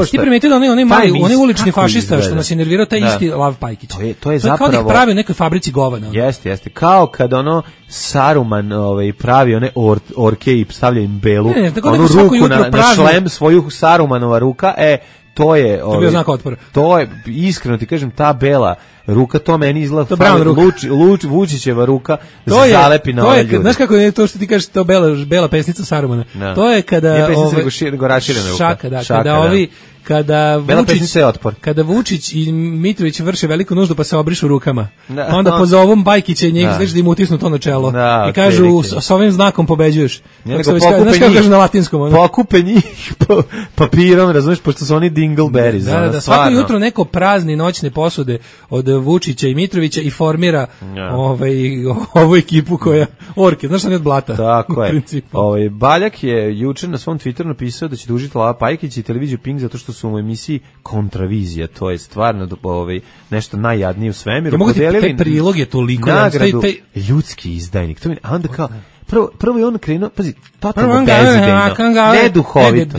ti primetio da onaj ulični fašista što nas je nervirao, taj isti Lav Pajkić. To je zapravo kao da ih pravi u nekoj fabrici govana. Jeste, kao kad Saruman pravi one orke i stavlja im belu, onu ruku na šlem, svoju Sarumanova ruka, to je bio znak otpora. To je, iskreno ti kažem, ta bela ruka, to meni izgleda Vučićeva ruka, zalepi na ove ljude. Znaš kako je to što ti kažeš, to bela pesnica Sarumana? To je kada... Nije pesnica, nego raširena ruka. Kada Vučić i Mitrović vrše veliku nuždu pa se obrišu rukama, onda pozovu Bajkića i njega da im utisnu to na čelo i kažu s ovim znakom pobeđuješ. Znaš kako kažu na latinskom? Pokupe njih papirom, razumiješ, pošto su oni dingleberries. Svako jutro neko prazni noćne posude od Vučića i Mitrovića i formira ovu ekipu koja orke, znaš šta, od blata. Tako je. Baljak je jučer na svom Twitteru napisao da će tužiti Lava Pajkić i televiziju Pink zato što su u emisiji Kontravizija, to je stvarno nešto najjadnije u svemiru. Mogu ti, taj prilog je toliko nagradu, ljudski izdajnik. A onda kao, prvo je on krenuo, pazi, totalno bezidejno, neduhovito.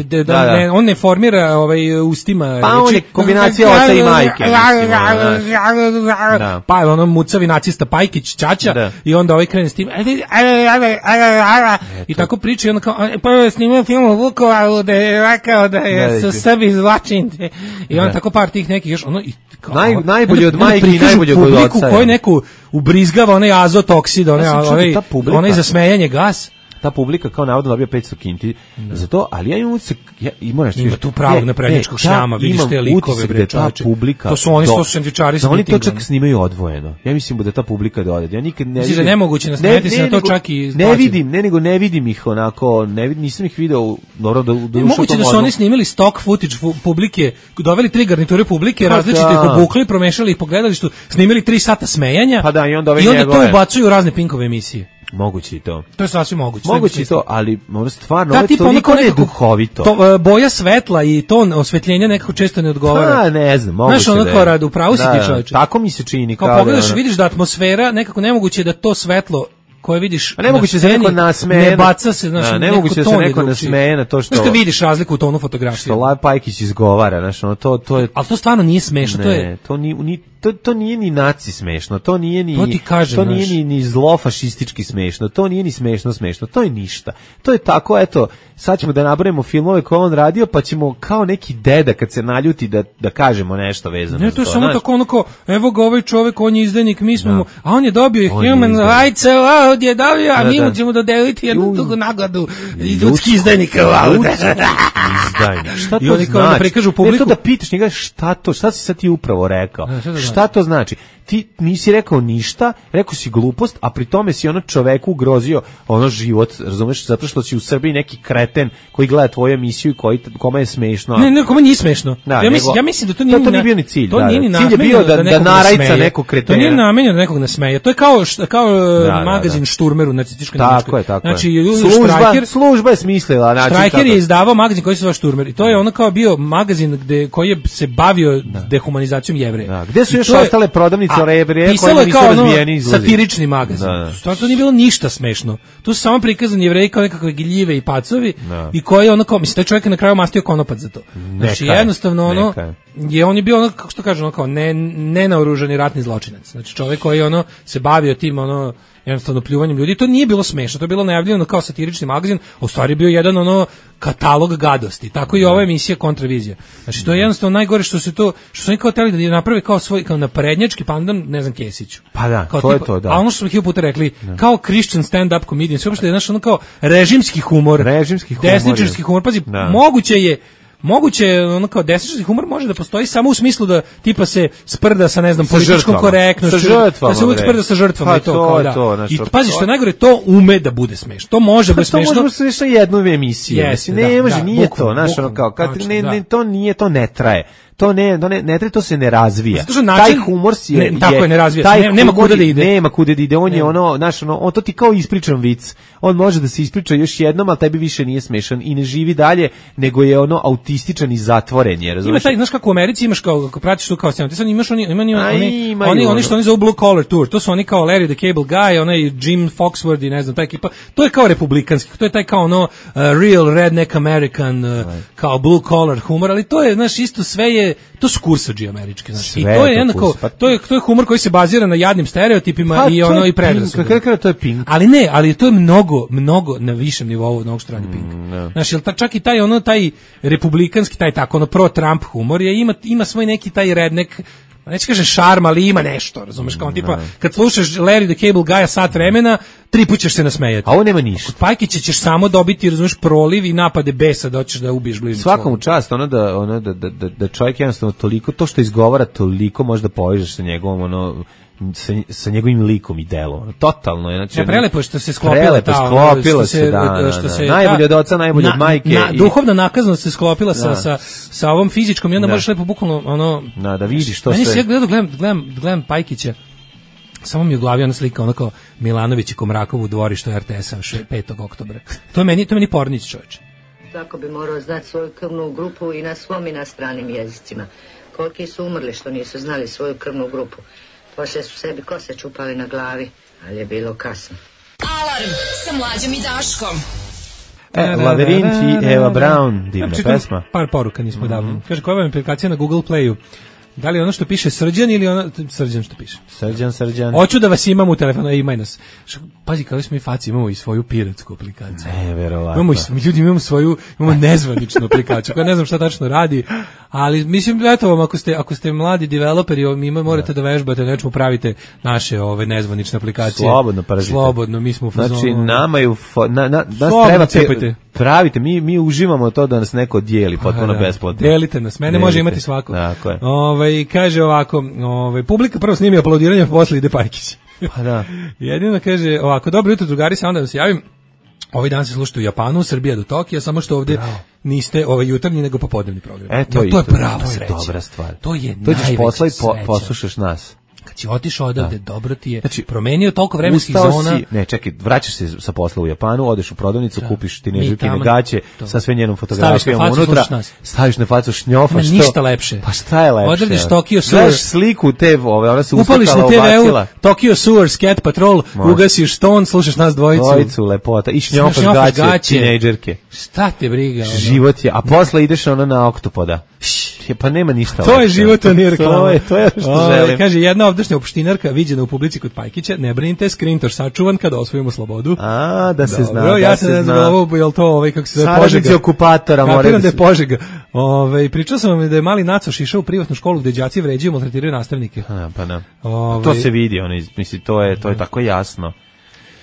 On ne formira ustima. Pa on je kombinacija oca i majke. Pa je ono mucavi nacista Pajkić, Ćaća, i onda krene s tim. I tako priča i onda kao, prvo je snimao film u Vukovaru da je rekao da je Srbi zločinci. I on tako par tih nekih još, najbolje od majke i najbolje od oca. Koji neku ubrizgava onaj azot oksid, onaj za smejanje gas. ta publika kao navodno dobija 500 kinti za to, ali ja imam utisak, ima tu pravog naprednjačkog šljama, vidiš te likove, bre, čoveče. To su oni sendvičari sa oni to čak snimaju odvojeno. Ja mislim da ta publika dode. Ja nikad ne vidim. Nemoguće nasmejati se na to čak i ne vidim ih onako, nisam ih video, dobro da moguće da su oni snimili stock footage publike, doveli 3 garniture publike, različite ih obukli, promešali ih po gledalištu, snimili 3 sata smejanja. Pa da, i onda to ubacuju u razne Pinkove emisije. Moguće i to. To je sasvim moguće. Moguće i to, ali stvarno ovo je toliko neduhovito. Boja svetla i ton osvetljenja nekako često ne odgovara. Pa ne znam, moguće da je. Znaš, ono rad, upravo si ti čovječe. Tako mi se čini. Kao pogledaš, vidiš da atmosfera, nekako nemoguće da to svetlo koje vidiš na sceni, ne baca se, znaš, nemoguće da se neko nasmeje na to što... Znaš, vidiš razliku u tonu fotografije. Što Lav Pajkić izgovara, znaš, ono, to je... Ali to stvarno nije smešno, to nije ni naci smešno, to nije ni... To ti kažem, to nije ni zlofašistički smešno, to nije ni smešno, to je ništa. To je tako, eto, sad ćemo da nabrojimo filmove koje on radio, pa ćemo kao neki deda kad se naljuti da kažemo nešto vezano za to. Ne, to je samo tako onako, evo ga ovaj čovjek, on je izdajnik, mi smo mu, a on je dobio Human Rights Award, je dobio, a mi mu ćemo dodeliti jednu drugu nagradu, ljudski izdajnik Award. Šta to znači? To da pitaš njega šta si sad ti upravo rekao? Šta to znači? Ti nisi rekao ništa, rekao si glupost, a pri tome si ono čoveku ugrozio ono život, razumeš, zato što si u Srbiji neki kreten koji gleda tvoju emisiju i kome je smešno. Ne, kome nije smešno. Ja mislim da to nije bio ni cilj. To nije ni cilj je bio da narajca nekog kretena. To nije namenjeno da nekog nasmeje. To je kao magazin Šturmer u nacističkoj Nemačkoj. Tako je. Znači, služba je smislila. Štrajker je izdavao magazin koji se zove Šturmer. I to je ono kao bio magazin koji se bavio dehumanizacijom Jevreja. Gde su još ostale prodavnice pisalo je kao ono satirični magazin. Stvarno to nije bilo ništa smešno. Tu su samo prikazani Jevreji kao nekakve gljive i pacovi i koji ono kao, mislim, taj čovjek je na kraju mastio konopac za to. Znači jednostavno ono, on je bio ono, kako što kaže, ono kao nenaoružani ratni zločinac. Znači čovjek koji ono se bavio tim ono jednostavno pljuvanjem ljudi. To nije bilo smešno, to je bilo najavljeno kao satirični magazin, a u stvari bio jedan ono katalog gadosti. Tako i ova emisija Kontravizija. Znači to je jednostavno najgore što su oni kao hteli da je naprave kao svoj kao naprednjački pandan, ne znam, Kesiću. Pa da, kao to je to, da. A ono što smo hiljadu puta rekli, kao Christian stand-up comedian, sve uopšte je ono kao režimski humor, desničarski humor. Pazi, moguće je ono kao desničarski humor može da postoji samo u smislu da tipa se sprda sa ne znam političkom korektnošću, da se uvijek sprda sa žrtvama i to kao da. I pazi što je najgore, to ume da bude smešno. To može biti smešno. To može biti smešno jednu emisiju. Ne može, nije to, znaš, ono kao kad to ne traje. To ne traje, to se ne razvija. Taj humor ne razvija se. Nema kuda da ide. Nema kuda da ide. On je ono, znaš, on to ti kao ispričan vic. On može da se ispriča još jednom, ali tebi više nije smešan i ne živi dalje, nego je ono autističan i zatvoren, je, razumiješ? Ima taj, znaš kako u Americi imaš kao pratiš tu kao scenu. Ti sad imaš oni što oni zovu Blue Collar Tour. To su oni kao Larry the Cable Guy, onaj Jim Foxworthy, ne znam, ta ekipa. To je kao republikanski. To je taj kao ono real redneck American kao blue collar humor, ali to je, znaš, isto sve je to su kursadži američki, znači. I to je jednako, to je humor koji se bazira na jadnim stereotipima i ono i predrasudama. To je Pink. Ali to je mnogo na višem nivou od onog što radi Pink. Znači, čak i taj republikanski, taj tako ono pro-Trump humor ima svoj neki taj redneck, neće kaže šarm, ali ima nešto, razumeš, kao tipa, kad slušaš Larry the Cable Guy sat vremena, 3 puta ćeš se nasmejati. A ovo nema ništa. Kod Pajkića ćeš samo dobiti, razumeš, proliv i napade besa da hoćeš da ubiješ bližnjeg. Svakom čast, da čovjek jednostavno toliko, to što izgovara toliko možda povežeš sa njegovom, sa njegovim likom i delom. Totalno je, znači. Prelepo što se sklopila najbolje od oca, najbolje od majke. Duhovna nakaznost se sklopila sa ovom fizičkom i onda možeš lepo bukvalno da vidiš to sve. Ja gledam Pajkića. Samo mi u glavi ona slika onako Milanović i Komrakov u dvorištu RTS-a 5. oktobra. To je meni Pornić, čovječe. Tako bi morao znati svoju krvnu grupu i na svom i na stranim jezicima. Koliki su umrli što nisu znali svoju krvnu grupu. Poslije su sebi kose čupali na glavi, ali je bilo kasno. Alarm sa Mlađom i Daškom. Laverint i Eva Braun, divna pesma. Par poruka nismo davno. Kaže, koja vam je aplikacija na Google Playu Da li ono što piše Srđan ili ono Srđan što piše? Srđan. Hoću da vas imam u telefonu, imaj nas. Pazi, kako smo i faci, imamo i svoju piratsku aplikaciju. Verovatno. Imamo nezvaničnu aplikaciju, koja ne znam šta tačno radi, ali mislim, eto vam, ako ste mladi developeri, mi morate da vežbate, nečemu pravite naše nezvanične aplikacije. Slobodno, mi smo u fazonu. Znači, nama je pravite, mi uživamo to da nas neko dijeli, potpuno besplatno. Delite nas, mene može imati svako. Tako je. Kaže ovako, publika prvo snimi aplaudiranje, posle ide Pajkić. Pa da. Jedino kaže ovako, dobro jutro drugari, samo da vam se javim. Ovaj dan se slušate u Japanu, Srbija do Tokija, samo što ovdje niste jutarnji nego popodnevni program. To je prava sreća. To je dobra stvar. To je najveća ćeš posla i poslušaš nas. Kad si otišao odavde, dobro ti je, znači, promenio toliko vremenskih zona. Vraćaš se sa posla u Japanu, odeš u prodavnicu, kupiš tinežerkine gaće sa sve njenom fotografijom unutra, staviš na facu, šnjofaš to. Ništa lepše. Pa šta je lepše? Odrediš Tokyo Sewer. Gledaš sliku te, ona se upališ uskakala, ubacila. Tokyo Sewer, Scat Patrol, ugasiš ton, slušaš nas dvojicu. Dvojicu, lepota. I šnjofaš gaće, tinežerke. Šta te briga? Život je, a posle ideš na Oktopoda. Pa nema ništa. To je život, a nije reklama. To je što želim. Kaže, jedna ovdašnja opštinarka viđena u publici kod Pajkića, ne brinite, skrintoš sačuvan kada osvojimo slobodu. Da se zna. Ja se ne znam ovo, je li to kako se zove Požega? Saradnici okupatora moraju da je Požega. Pričao sam vam da je mali Nacoš išao u privatnu školu gde đaci vređaju, maltretiraju nastavnike. Pa da. To se vidi, mislim, to je tako jasno.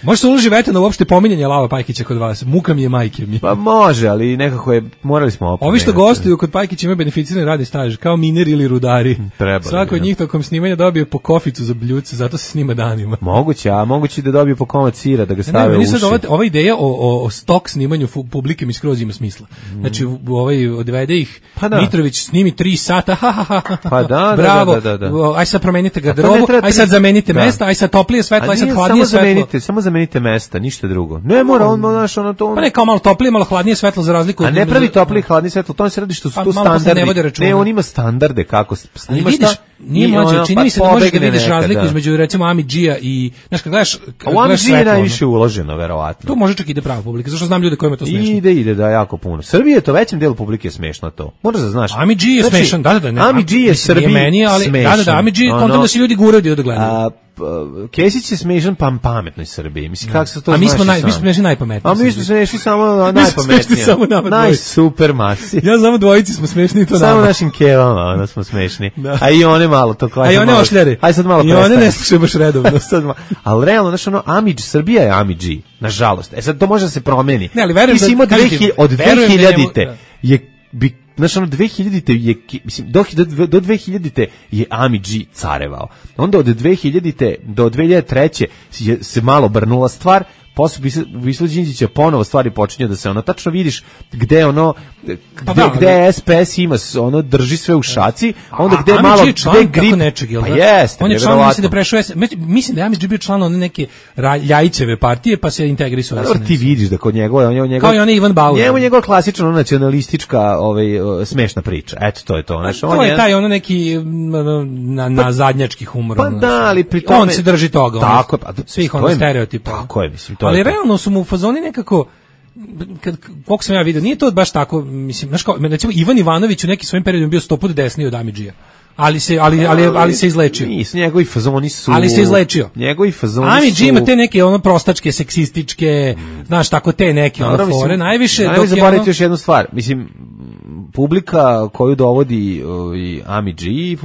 Može se uloži vetena uopšte pominjanje Lava Pajkića kod vas? Muka mi je, majke mi. Pa može, ali nekako morali smo opomenuti. Ovi što gostuju kod Pajkića imaju beneficirani radni staž, kao mineri ili rudari. Svako od njih tokom snimanja dobije po koficu za bljuce, zato se snima danima. Moguće da dobije po komad sira, da ga stave u uši. Ova ideja o stok snimanju publike mi skroz ima smisla. Znači, odvede ih, Mitrović snimi 3 sata, pa da, bravo, aj sad promenite garderobu, aj sad zamenite mesta, aj sad toplije svetlo, aj sad hladnije svetlo. Samo zamenite mesta, ništa drugo. Ne mora on to. Pa ne, kao malo toplije, malo hladnije svetlo za razliku. A ne pravi toplije, hladnije svetlo, to se radi što su tu standardi. Ne, on ima standarde kako snima šta. Nije mlađe, čini mi se da možeš da vidiš razliku između recimo Amidžija i, znaš, kad gledaš u Amidžiji je najviše uloženo, verovatno. Tu može čak ide prava publika, zašto znam ljude kojima to smešno. Ide da jako puno. Srbije je to većem delu publike smešno to. Moraš da znaš. Amidžiji je smešan, da. Amidžiji je Srbiji smešan. Da, Amidžiji, kontam da se ljudi guraju da gledaju. Kesić je smešan pametnoj Srbiji. Mislim, kako se to znaš? Mi smo smešni najpametniji. A mi smo smešni samo najpametniji. Najsuper masi. Ja znamo dvojici smo smešni i to samo našim kevama, onda smo smešni. A i one malo to kao. A i one ošljare. Aj sad malo prestane. I one ne slušaju baš redovno. Ali realno, znaš, Amidž, Srbija je Amidži, nažalost. Sad to može da se promeni. Ne, ali verujem da od 2000-te znaš, 2000-te je, mislim, do 2000-te je Amidži carevao. Onda od 2000-te do 2003. se malo brnula stvar, posle Visla Đinđića ponovo stvari počinju da se tačno vidiš gde gde SPS ima drži sve u šaci, onda gde malo gde grip pa jeste. On je član, mislim da prešao, mislim da je Amidži bio član neke Ljajićeve partije, pa se integrisao. Dobro, ti vidiš da kod njega kao i on Ivan Bauer. Njegova klasična nacionalistička smešna priča. Eto, to je to. To je taj neki na zadnjački humor. Pa da, ali pri tome on se drži toga. Tako, svih stereotipa. Tako je, mislim. Ali realno su mu u fazoni nekako, koliko sam ja vidio, nije to baš tako, mislim, znaš kao, recimo Ivan Ivanović u nekim svojim periodima bio 100 puta desniji od Amidžija. Ali se izlečio. Nisu, njegovi fazoni su. Ali se izlečio. Njegovi fazoni su. Amidži ima te neke prostačke, seksističke, znaš, tako te neke fore, najviše. Nemoj zaboraviti još jednu stvar, mislim, publika koju dovodi Amidži,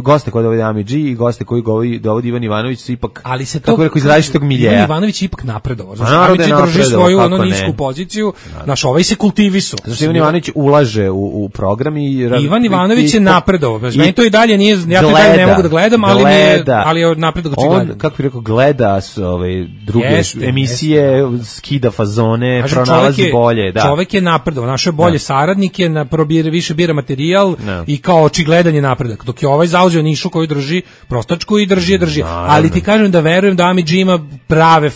goste koji dovodi Amidži i goste koji dovodi Ivan Ivanović su ipak, ali se kako rekao, iz različitog miljeja. Ivan Ivanović je ipak napredovao. Znači, Amidži drži svoju nisku poziciju, naš ovaj se kultivisao. Znači, Ivan Ivanović ulaže u program i Ivan Ivanović je napredovao. Meni to i dalje nije, ja to dalje ne mogu da gledam, ali je napredok očigledan. On, kako bih rekao, gleda druge emisije, skida fazone, pronalazi bolje. Čovek je napredovao, našao je bolje saradnike, više bira materijal i kao očigledan je napredak. Dok je ovaj zauzeo nišu koju drži prostačku i drži. Ali ti kažem da verujem da Amidži ima prave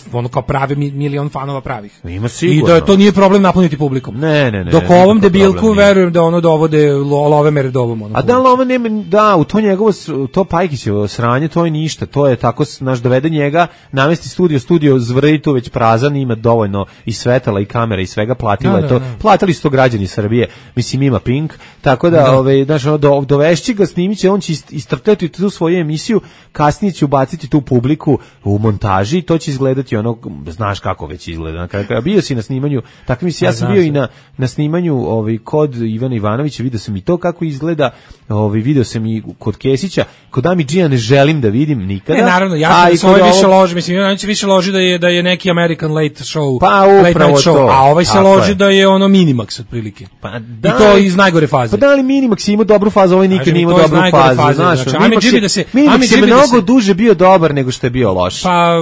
milion fanova pravih. Ima sigurno. I da to nije problem napuniti publikom. Ne. Dok ovom debilku verujem da dovode love meredobom. A da love nema, da, u to njegovo, to Pajkićevo sranje, to je ništa, to je tako, dovede njega, namesti studio zvrdi tu već prazan, ima dovoljno i svetala i kamera i svega, platili su to građani Srbije. Mislim, mislim ima Pink, tako da, znaš, dovešći ga, snimiće, on će istrpljati tu svoju emisiju, kasnije će ubaciti tu publiku u montaži i to će izgledati ono, znaš kako već izgleda. Bio si na snimanju, tako mislim, ja sam bio i na snimanju kod Ivana Ivanovića, vidio sam i to kako izgleda, video sam i kod Kesića, kod Ami G-a ne želim da vidim nikada. Ne, naravno, ja sam svoj više loži, mislim, on će više loži da je neki American late show, pa upravo late show, a ovaj se loži da je ono Minimax otprilike. Pa da, i to iz najgore faze. Pa da li Minimax ima dobru fazu, ovaj nikad nije imao dobru fazu, znaš. Minimax je mnogo duže bio dobar nego što je bio loš. Pa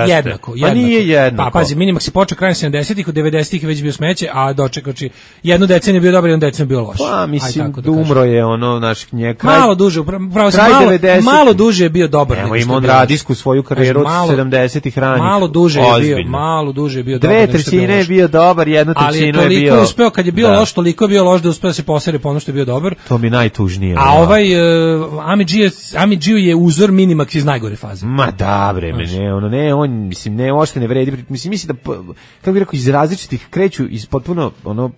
jednako. Pa nije jednako. Pa pazi, Minimax je počeo krajem 70-ih, u 90-ih je već bio smeće, a dočekači jednu deceniju bio dobar, jednu deceniju bio loš. Pa mislim, umro je ono, naš njega. Malo duže, pravo se malo duže je bio dobar. Evo ima on radijsku svoju karijeru od 70-ih ranih. Malo duže je bio dobar. 2/3 je bio dobar, 1/3 je bio. Ali je toliko uspeo, kad je bio loš, toliko je bio loš da uspeo se posere po ono što je bio dobar. To mi najtužnije. A ovaj Ami G je uzor Minimax iz najgore faze. Ma da bre, on mislim ne uopšte ne vredi. Mislim da kako bih rekao, iz različitih kreću iz potpuno ono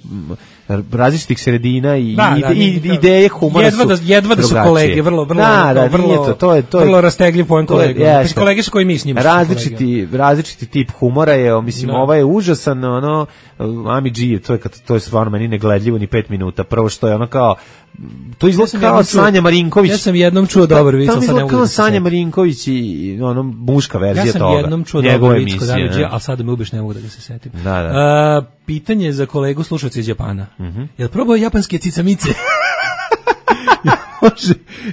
različitih sredina i ideje humora jedva da su kolege, vrlo vrlo rastegljiv poen kolega. Kolege su koji mi s njima. Različiti tip humora je, mislim, ovaj je užasan, ono Ami G, to je stvarno meni negledljivo ni 5 minuta. Prvo što je ono kao to izgleda kao Sanja Marinković. Ja sam jednom čuo dobar vic, sad ne mogu. Kao Sanja Marinković i ono muška verzija toga. Ja sam jednom čuo dobar vic kod Ami G, al sad me ubiješ, ne mogu da ga se setim. Pitanje za kolegu slušalca iz Japana. Jel probao japanske cicamice?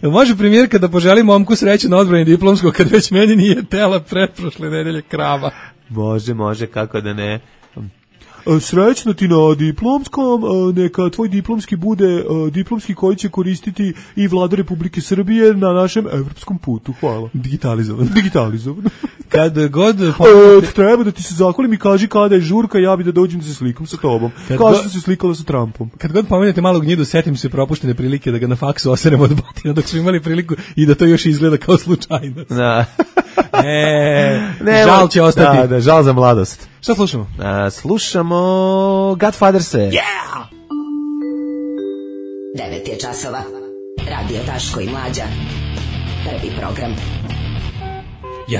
Može premijerka da poželi momku sreće na odbrani diplomskog kad već meni nije tela pretprošle nedelje krava? Može, kako da ne. Srećno ti na diplomskom, neka tvoj diplomski bude diplomski koji će koristiti i Vlada Republike Srbije na našem evropskom putu. Hvala. Digitalizovan. Kad god treba da ti se zahvalim i kaži kada je žurka, ja bi da dođem da se slikam sa tobom. Kao što se slikala sa Trumpom. Kad god pomenete malog gnjidu, setim se propuštene prilike da ga na faksu oseremo od batina dok smo imali priliku i da to još izgleda kao slučajnost. Da. Žal će ostati. Da, žal za mladost. Šta slušamo? Slušamo Godfatherse. Yeah! 9 je časova. Radio Daško i Mlađa. Prvi program.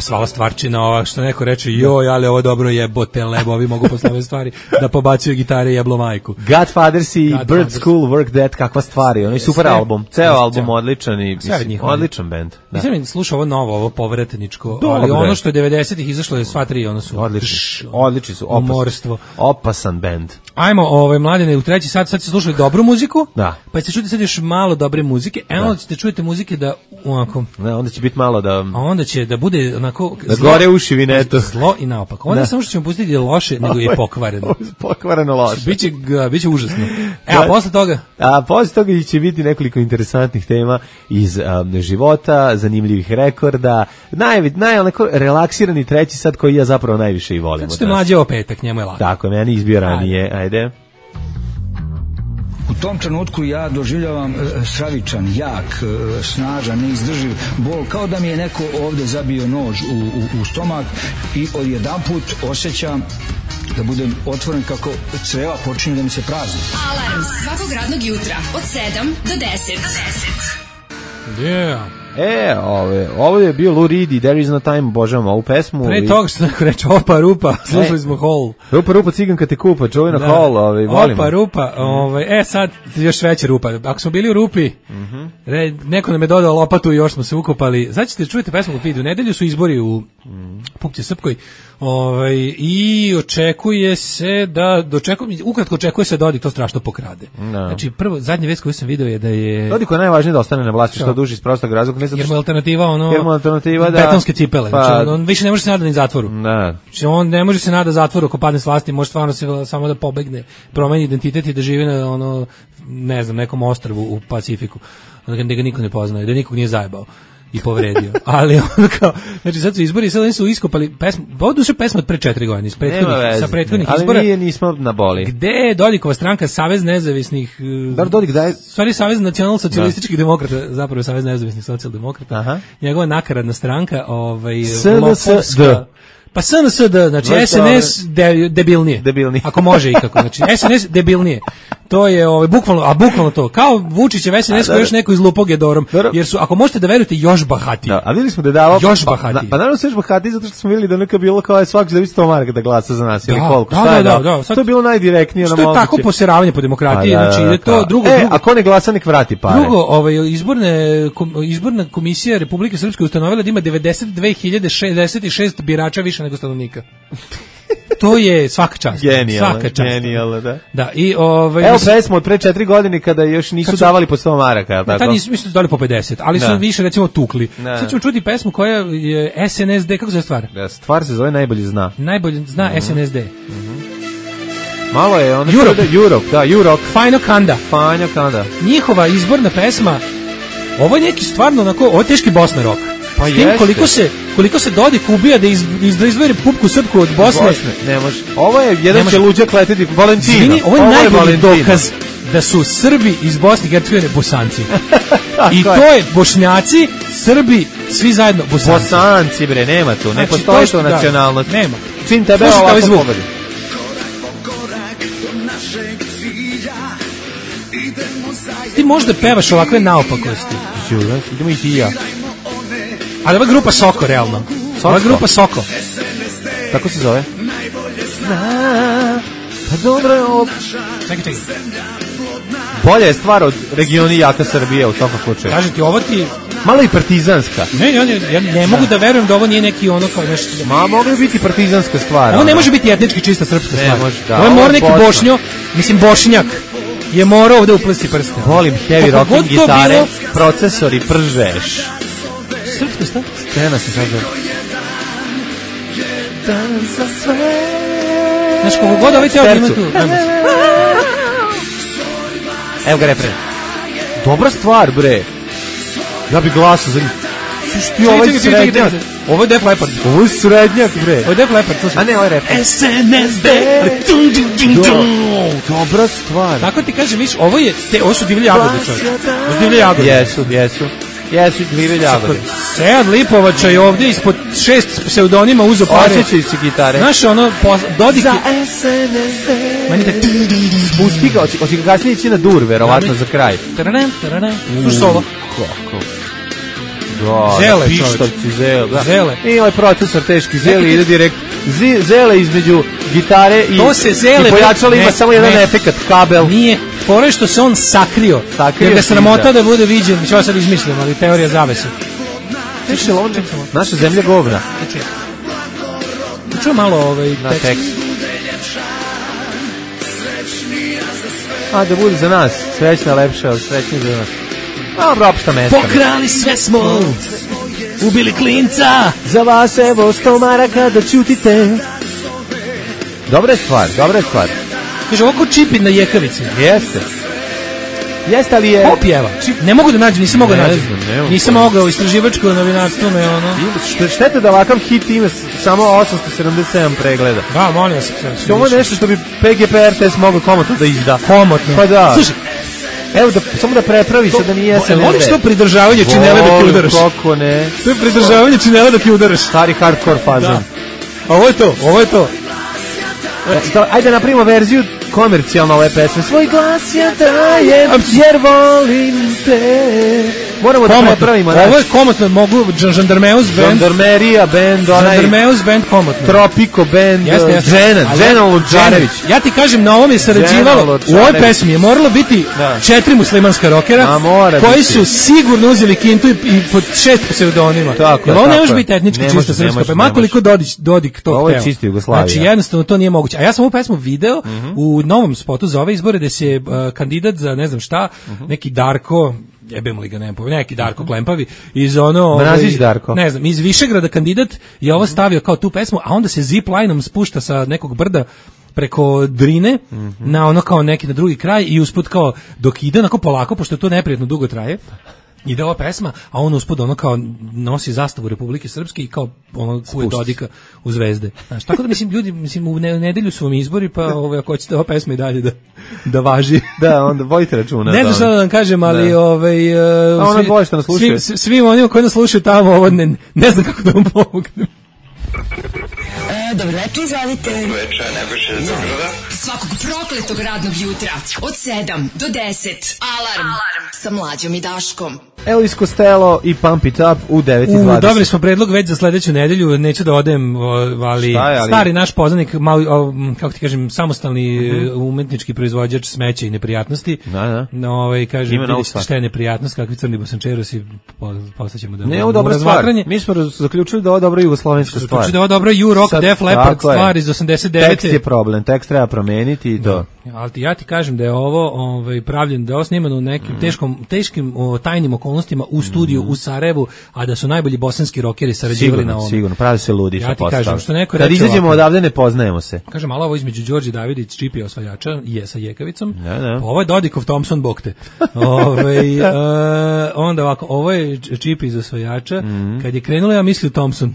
Svala stvarčina ova, što neko reče, joj, ali ovo dobro jebote lebo, ovi mogu posle ove stvari da pobacuju gitare i jeblo majku. Godfathers i Bird School Work That, kakva stvari, ono je super album, ceo album odličan i odličan band. Nisam mi slušao ovo novo, ovo povratničko, ali ono što je 90-ih izašlo je sva tri, ono su odlični su, opasan band. Ajmo, mladine, u treći sad ste slušali dobru muziku, da. Pa ćete čuti sad još malo dobre muzike, onda ćete čujete muzike da onako... onda će biti malo da... A onda će da bude onako... Da gore uši vineto. Zlo i naopako. Onda samo što ćemo pustiti je loše, nego je pokvareno. Pokvareno loše. Biće užasno. A posle toga? Posle toga će biti nekoliko interesantnih tema iz života, zanimljivih rekorda, onako relaksirani treći sad koji ja zapravo najviše i volim. Kad ste mlađe o petak, njemu je lako. Tako, meni izbio ranije. Ajde. U tom trenutku ja doživljavam stravičan, jak, snažan, neizdrživ bol, kao da mi je neko ovde zabio nož u stomak i odjedanput osjećam da budem otvoren kako creva počinju da mi se prazni. Alarm svakog radnog jutra od 7 do 10. Yeah. Ovo je bio Lou Reed i There Is No Time, božavam ovu pesmu. Pre toga što neko reče Opa Rupa, slušali smo Hall. Rupa, ciganka te kupa, čuvena Hall, volimo. Opa Rupa, sad još veća rupa. Ako smo bili u rupi, neko nam je dodao lopatu i još smo se ukopali. Znači ćete čujete pesmu u vidu. Nedelju su izbori u Pupće Srpkoj. I očekuje se ukratko očekuje se da Dodik to strašno pokrade. Znači prvo zadnja vest koju sam video je da je Dodik je najvažnije da ostane na vlasti što duže iz prostog razloga, ne znam jer mu alternativa da betonske cipele, znači on više ne može se nadati ni zatvoru. Znači on ne može se nadati zatvoru ako padne s vlasti, može stvarno samo da pobegne, promeni identitet i da živi na ne znam, nekom ostrvu u Pacifiku, da ga niko ne poznaje, da nikog nije zajebao i povredio. Ali on kao, znači sad su izbori, sad oni su iskopali pesmu, ovo je pesma od pre 4 godine, sa prethodnih izbora. Ali nismo na boli. Gde je Dodikova stranka, Savez nezavisnih, Dodik daje... Stvari, Savez nacionalno-socijalističkih demokrata, zapravo Savez nezavisnih socijaldemokrata, njegova nakaradna stranka, SNSD. Pa SNSD, znači SNS debilnije. Ako može ikako, znači SNS debilnije. To je bukvalno to. Kao Vučićev SNS koji još neko izlupao Gedorom. Jer su, ako možete da verujete, još bahatiji. Da, a videli smo da je davao... Još bahatiji. Pa naravno su još bahatiji zato što smo vidjeli da neka bilo kao svaki će da 100 maraka da glasa za nas. Ili koliko? Da. To je bilo najdirektnije. Što je tako poseravanje po demokratiji. Znači, ide to drugo. Ako ne glasa, nek vrati pare. Drugo, izborna komisija Republike Srpske ustanovila da ima 92.066 birača više nego stanovnika. To je svaka čast. Genijalno, da. Da, i evo pesmu od pre 4 godine kada još nisu davali po 100 maraka, tako? Da, nisu dali po 50, ali su više recimo tukli. Sad ćemo čuti pesmu koja je SNSD, kako se zove stvar? Stvar se zove Najbolji zna. Najbolji zna SNSD. Malo je ono Europe. Fajno Kanda. Njihova izborna pesma. Ovo je neki stvarno onako, ovo je teški Bosna rock. Pa s tim koliko se Dodik ubija da izdvoji Republiku Srpsku od Bosne. Ne može. Ovo je jedan će luđak letiti Valentino. Zvini, ovo je najbolji dokaz da su Srbi iz Bosne i Hercegovine Bosanci. I to je Bošnjaci, Srbi, svi zajedno Bosanci. Bosanci bre, nema tu, ne postoji to nacionalnost. Nema. Čim tebe ovako pobedi. Ti možda pevaš ovakve naopakosti. Idemo i ti i ja. Ali ova grupa Soko, realno. Ova grupa Soko. Tako se zove? Pa dobro je ovo. Čekaj. Bolja je stvar od Regioni jaka Srbije u svakom slučaju. Kažem ti, ovo ti... Malo i partizanska. Ja ne mogu da verujem da ovo nije neki ono kao nešto... Mogli biti partizanska stvar. Ovo ne može biti etnički čista srpska stvar. Ne može, da. Ovo je mora neki Bošnjak je morao ovde uplesti prste. Volim heavy rocking gitare, procesori, pržeš. Srpska šta? Scena se sad zove. Znaš, koliko god ovaj teo ima tu. Evo ga refren. Dobra stvar, bre. Ja bi glasao za njih. Slušaj, ovaj srednjak. Ovo je Def Leppard. Ovo je srednjak, bre. Ovo je Def Leppard, slušaj. A ne, ovo je refren. SNSD. Dobra stvar. Tako ti kažem, viš, ovo su divlje jagode, čovječ. Ovo su divlje jagode. Jesu divlje jagode. Sead Lipovača je ovdje ispod 6 pseudonima uzo pare. Osjećaju se gitare. Znaš, ono, Dodik je... Meni da... Spusti ga, oči ga kasnije ići na dur, verovatno, za kraj. Sluš solo. Kako? Zele, pištovci, Zele. I ovaj procesor teški Zele ide direkt. Zele između gitare i pojačala ima samo jedan efekat, kabel. Nije, fore što se on sakrio jer ga sramota da bude viđen, što sad izmišljam, ali teorija zavese. Naša zemlja govna. Čuo malo tekst. A da bude za nas, srećna, lepša, srećnija za nas. Dobro, opšta mesta. Pokrali sve smo, ubili klinca. Za vas evo 100 maraka da čutite. Dobra je stvar. Kaže, ovako Čipin na Jekavici. Jeste, ali je... Ko pjeva? Ne mogu da nađem, nisam mogao nađem. Nisam mogao, istraživačko novinarstvo me ono... Štete da ovakav hit ima samo 877 pregleda. Da, molim vas. Ovo je nešto što bi PGP RTS mogao komotno da izda. Komotno. Pa da. Slušaj, evo samo da prepravi se da nije SNSD. Voliš to pridržavanje činele da ti udaraš? Kako ne. To je pridržavanje činele da ti udaraš. Stari hardcore fazon. Ovo je to. Ajde napravimo verziju komercijalno ove pesme. Svoj glas ja dajem jer volim te. Moramo da prepravimo. Ovo je komotno, mogu Žandarmeus band. Žandarmerija band, Žandarmeus band komotno. Tropico band, Dženan Lučarević. Ja ti kažem, na ovom je sarađivalo, u ovoj pesmi je moralo biti 4 muslimanska rokera, koji su sigurno uzeli kintu i pod 6 pseudonima. Jer ovo ne može biti etnički čista srpska, pa makoliko Dodik to hteo. Ovo je čisti Jugoslavija. Znači jednostavno to nije moguće. A ja sam ovu pesmu video u novom spotu za ove izbore gde se kandidat za ne znam šta, neki Darko, jebemo li ga, neki Darko Klempavi iz ono... Mrazić Darko. Ne znam, iz Višegrada kandidat je ovo stavio kao tu pesmu, a onda se zip-lineom spušta sa nekog brda preko Drine na ono kao neki na drugi kraj i usput kao dok ide onako polako, pošto to neprijatno dugo traje, ide ova pesma, a on uspod ono kao nosi zastavu Republike Srpske i kao ono kuje Dodika u zvezde. Znaš, tako da ljudi, u nedelju su vam izbori, pa ako hoćete ova pesma i dalje da važi. Da, onda vodite računa. Ne znam šta da vam kažem, ali ono dvoje što nas slušaju. Svim onima koji nas slušaju tamo, ovo ne znam kako da vam pomognem. Dobro večer, izvolite. Dobro večer, Nebojša iz Zagrada. Svakog prokletog radnog jutra od 7 do 10. Alarm sa Mlađom i Daškom. Elvis Costello i Pump It Up u 9:20. Dobili smo predlog već za sledeću nedelju, neću da odem, ali stari naš poznanik, kako ti kažem, samostalni umetnički proizvođač smeća i neprijatnosti. Kaže, vidite šta je neprijatnost, kakvi crni bosančerosi, postaćemo da... Ne, ovo dobra stvar. Mi smo zaključili da ovo dobra jugoslovenska stvar. Zaključili da ovo dobra Rock Def Leppard stvar iz 89. Tekst je problem, tekst treba promeniti i to. Ali ja ti kažem da je ovo pravljen, da je ovo snimano u nekim teškim tajnim okolnostima u studiju u Sarajevu, a da su najbolji bosanski rokeri sarađivali na ovom. Sigurno, pravi se ludi što postao. Ja ti kažem, što neko kad izađemo odavde ne poznajemo se. Kažem, malo ovo između Đorđe Davidić, Čipija osvajača, sa Jekavicom, pa ovo je Dodikov Thompson Bokte. Onda ovako, ovo je Čipi iz osvajača, kad je krenulo ja mislio Thompson.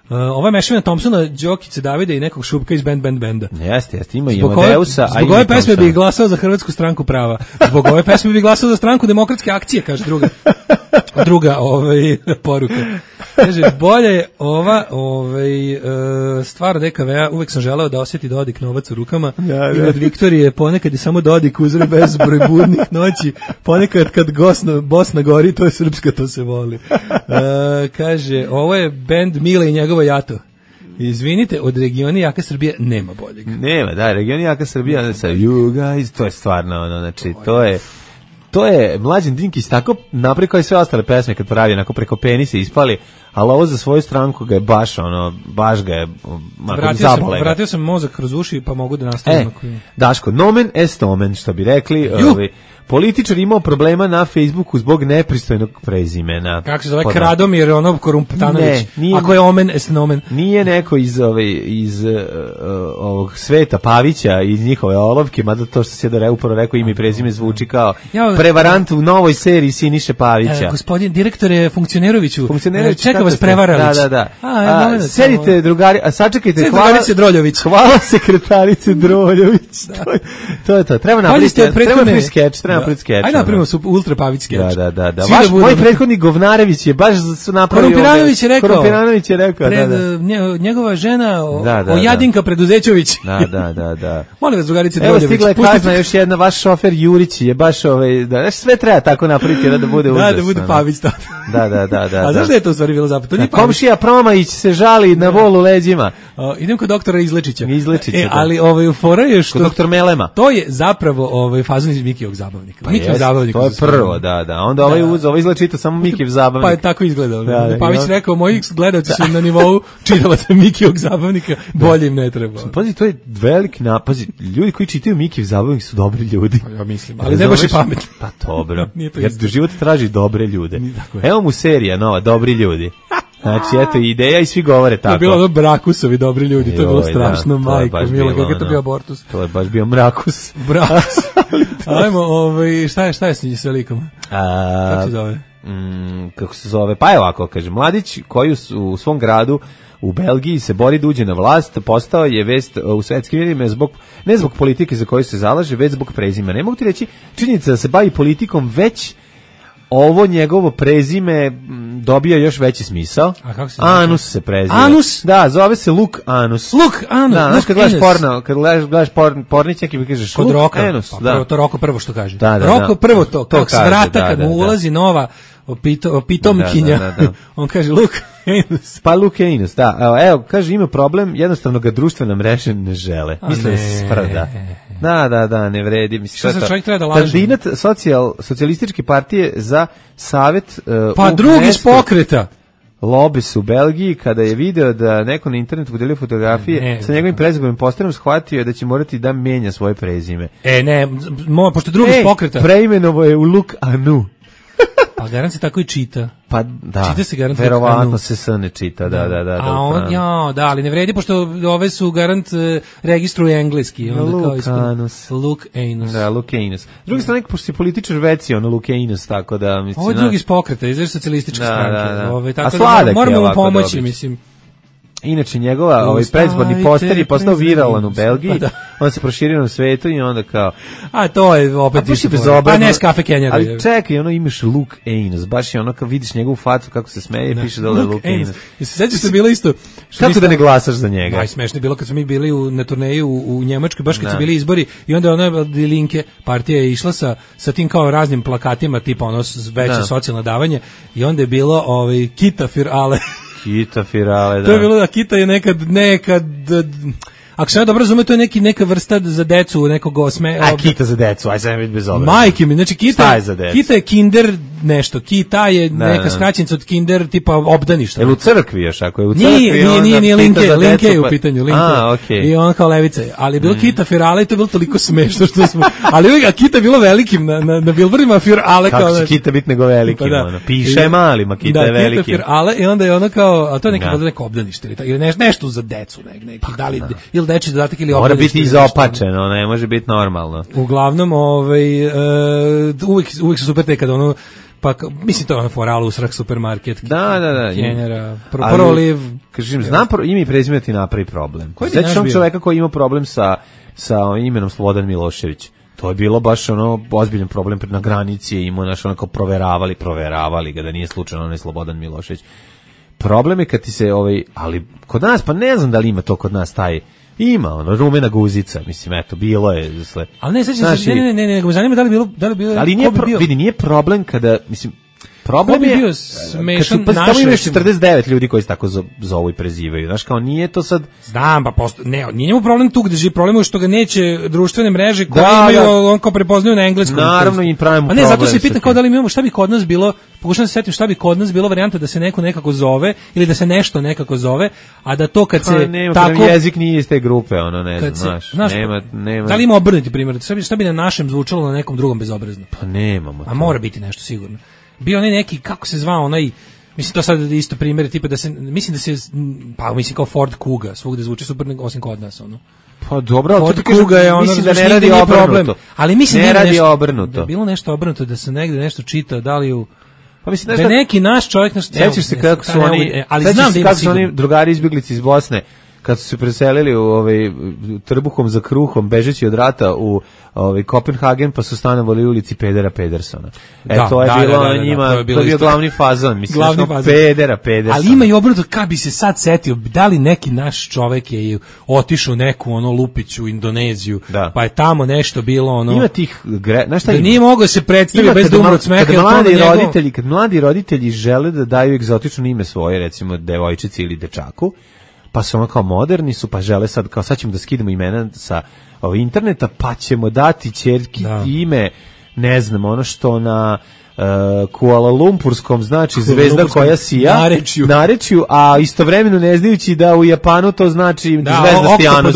Ova mešavina Thompsona, Đokice Davida i nekog Šupka iz Benda. Jeste, ima i Amadeusa. Zbog ove pesme bih glasao za Hrvatsku stranku prava. Zbog ove pesme bih glasao za stranku Demokratske akcije, kaže druga poruka. Kaže, bolje je ova stvar DKV-a, uvek sam želeo da osjeti Dodik novac u rukama. I od Viktorije ponekad je samo Dodik uzre bez broj budnih noći. Ponekad kad Bosna gori, to je srpska, to se voli. Kaže, ovo je bend Mile i njegovo jato. Izvinite, od Regioni jaka Srbija nema boljeg. Nema, da, Regioni jaka Srbija sa You Guys, to je stvarno znači, to je Mlađan Dinkić tako napravio kao i sve ostale pesme kad pravi, onako preko penisa ispali, ali ovo za svoju stranku ga je baš ga je zabole. Vratio sam mozak kroz uši pa mogu da nastavim. Daško, nomen est omen, što bi rekli. Političar imao problema na Facebooku zbog nepristojnog prezimena. Kako se zove? Kradomir, Korumptanović. Ako je omen, est nomen. Nije neko iz ovog Sveta Pavića, iz njihove olovke, mada to što se da upravo rekao ime i prezime zvuči kao prevarant u novoj seriji Siniše Pavića. Gospodin direktore Funkcioneroviću, čeka vas prevaralić. Da. Sedite drugari, a sačekajte. Sekretarice Droljović. Hvala sekretarice Droljović. To je to. Treba napraviti skeč. Ajde napravimo Ultra Pavić skeč. Da. Moj prethodnik Govnarević je baš napravio... Korumpiranović je rekao. Njegova žena Ojadinka Preduzećović. Da. Molim vas, drugarice Droljević. Evo stigla je kazna još jedna, vaš šofer Jurić je baš sve treba tako napraviti da bude užasno. Da bude Pavić. Da. A znaš da je to u stvari bilo zapravo? Komšija Promajić se žali na bol u leđima. Idem kod doktora Izlečića. Ali fora je što... Kod doktor Melema. To je zapravo fazon iz Mikijevog zabavnika. To je prvo, da. Onda ovaj izlečita samo Mikijev zabavnik. Pa je tako izgledao. Pavić rekao, moji gledalci su na nivou čitalaca Mikijevog zabavnika, bolje im ne treba. Pazi, to je veliki napazi. Ljudi koji čitaju Mikijev zabavnik su dobri ljudi. Ja mislim, ali ne baš i pametni. Pa dobro. Jer život traži dobre ljude. Evo mu serija nova, dobri ljudi. Znači, eto, ideja i svi govore tako. To je bilo Brakusovi dobri ljudi, to je bilo strašno, majko, mila, kako je to bio abortus. To je baš bio Mrakus. Ajmo, šta je s velikom? Kako se zove? Kako se zove? Pa je ovako, kaže, mladić koji u svom gradu u Belgiji se bori da uđe na vlast, postao je vest u svetskim medijima ne zbog politike za koju se zalaže, već zbog prezima. Ne mogu ti reći, činjenica da se bavi politikom, već ovo njegovo prezime dobija još veći smisao. A kako se Anus se preziva. Anus? Da, zove se Luk Anus. Luk Anus. Da, znaš kad gledaš porno, kad gledaš porničak i kažeš Luk Anus. Pa, prvo, to Roko prvo što kaže. Da, Roko prvo to, kao s vrata kad mu ulazi nova pitomkinja. On kaže Luk Anus. Pa Luk Anus, da. Evo, kaže ima problem, jednostavno ga društvene mreže ne žele. Misle da se sprda. Da, ne vredi. Šta se čovjek treba da laže? Kandidat socijalističke partije za savjet... Pa drugi iz pokreta. Lobes u Belgiji, kada je video da neko na internetu podelio fotografije sa njegovim prezimenom postarom, shvatio je da će morati da menja svoje prezime. Pošto drugi iz pokreta. Preimenovo je u Luk Anu. Pa garant se tako i čita. Pa da, čita se garant verovatno se s ne čita, da. Ali ne vredi, pošto ove su garant registruju engleski. Luk Anus. Luk Anus. Da, Luk Anus. S druge strane, pošto je političar veci, Luk Anus, tako da... Mislim, ovo je drugi iz pokreta, iz socijalističke stranke. Da. Tako da moramo mu pomoći, mislim. Inače, njegova predizborni poster je postao viralan u Belgiji, on se proširio na svetu i onda kao... A to je opet isto pa ne Skafe Kenjera. Ali čekaj, imaš Luke Ains, baš je kad vidiš njegovu facu kako se smeje, piše dole Luke Ains. I se sećaš da je bilo isto... Kako da ne glasaš za njega? Najsmešnije bilo kad smo mi bili na turneji u Njemačkoj, baš kad su bili izbori i onda ona Linke partija je išla sa tim kao raznim plakatima, tipa veće socijalno davanje i onda je bilo Kita für alle. Kita für alle, da. To je bilo da Kita je nekad ako se ja dobro razume, to je neka vrsta za decu, nekog osme... Kita za decu, aj sam biti bez obrazna. Majke mi, znači Kita je kinder nešto, Kita je neka skraćenica od kinder tipa obdaništa. Je u crkvi još, ako je u crkvi... Nije, Linke je u pitanju, Linke. I on kao levica je. Ali je bilo Kita für alle i to je bilo toliko smešno što smo... Ali Kita je bilo velikim na billboardima, für alle kao... Kako će Kita biti nego velikim, piše je malima, Kita je velikim. Da, Kita für alle i onda je ono kao... A to je neko obdanište ili nešto za decu, neki, da li... Dečji dodatak ili mora biti izopačeno, ne može biti normalno. Uglavnom, uvijek su super te kada pa mislim to je foralu usrak supermarket. Da. Kenjera, proliv. Kažem, znam ime i prezime ti napravi problem. Sećaš on čoveka koji ima problem sa imenom Slobodan Milošević. To je bilo baš ozbiljan problem na granici, imao kao proveravali ga da nije slučajno onaj Slobodan Milošević. Problem je kad ti se ali kod nas pa ne znam da li ima to kod nas taj ima rumena guzica, mislim, eto, bilo je. Ali ne, sećam se, ne, zanima da li bilo... Ali nije problem kada, mislim, problem je... bio smešan naše... Tamo imaš 49 ljudi koji se tako zovu i prezivaju, znaš, kao nije to sad... Znam, pa nije njemu problem tu gde živi, problem je što ga neće društvene mreže koje imaju, on kao prepoznaju na engleskom. Naravno, i pravimo problem. A ne, zato se pitam kao da li imamo, šta bi kod nas bilo, pokušam da se setim šta bi kod nas bilo varijanta da se neko nekako zove, ili da se nešto nekako zove, a da to kad se tako... jezik nije iz te grupe, ne znam, znaš, nema... Da li ima obrnuti primjer, šta bi na našem zvučalo na nekom drugom bezobrazno? Pa nemamo. A mora biti nešto sigurno. Bio neki, kako se zvao onaj, mislim to sad isto primjer, tipa mislim kao Ford Kuga, svugde zvuči super osim kod nas, Pa dobro, Ford Kuga je mislim da ne radi obrnuto. Ali mislim ne radi obrnuto. Da je bilo nešto obrnuto, da se negde nešto čita, da li pa mislim da neki naš čovjek sećaš se kako su oni, ali znam da kako su oni drugari izbjeglici iz Bosne kad su se preselili u trbuhom za kruhom bežeći od rata u Kopenhagen, pa su stanovali u ulici Pedera Pedersona. To je bilo njima, to je bio glavni fazon, mislim, Pedera. Ali ima i obrnuto, kad bi se sad setio, da li neki naš čovek je otišao neku lupiću u Indoneziju, pa je tamo nešto bilo Ima tih, da nije mogao se predstaviti bez da umre od smeha. Kad mladi roditelji žele da daju egzotično ime svoje, recimo devojčici ili dečaku, pa su kao moderni su, pa žele sad ćemo da skidemo imena sa interneta, pa ćemo dati ćerki ime, ne znam, što na Kuala Lumpurskom znači zvezda koja sija, narečju, a istovremeno ne znajući da u Japanu to znači zvezda Stijanus.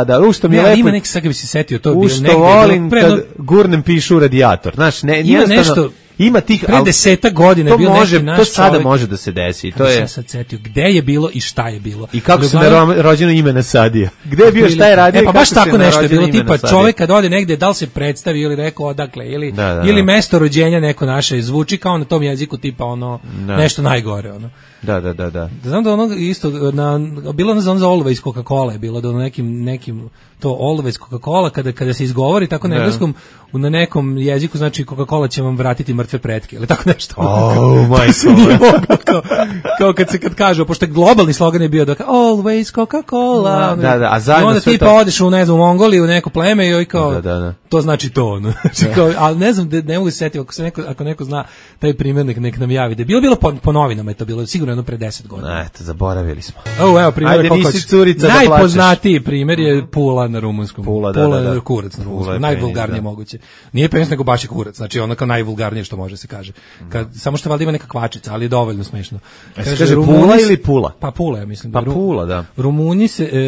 Da. Ušto mi je lepo. Ima neki, sad bi se setio, to bio negde. Volim kad gurnem pišu u radijator. Znaš, ima nešto... Ima tih, pre 10 godina bio neki naš to sada čovjek, može da se desi. To je sad setio gde je bilo i šta je bilo. I kako se rođeno ime nasadio. Gde je bio, šta je radio? Pa baš tako nešto je bilo, tipa čovjek kad ode negde, da li se predstavi ili rekao odakle ili mesto rođenja neko naše zvuči kao na tom jeziku tipa nešto najgore Da. Znam da isto bilo za Always Coca-Cola je bilo da nekim to Always Coca-Cola kada se izgovori tako na engleskom na nekom jeziku znači Coca-Cola će vam vratiti mrtve pretke ili tako nešto. Kao kad kažu, pošto je globalni slogan je bio da Always Coca-Cola. Da, a zajedno onda ti pa odeš u Mongoliju u neko pleme i kao to znači to. Ali ne znam, ne mogu se setiti ako neko zna taj primjer nek nam javi. Da je bilo po novinama je to bilo sigurno pre 10 godina. Eto, zaboravili smo. Evo primjer najpoznatiji primjer je Pula na rumunskom. Pula kurac na rumunskom. Najvulgarnije moguće. Nije penis nego baš je kurac. Znači ono kao najvulgarnije što može se kaže. Samo što valjda ima neka kvačica, ali je dovoljno smešno. Kaže Pula ili Pula? Pa Pula, ja mislim. Pa Pula, da.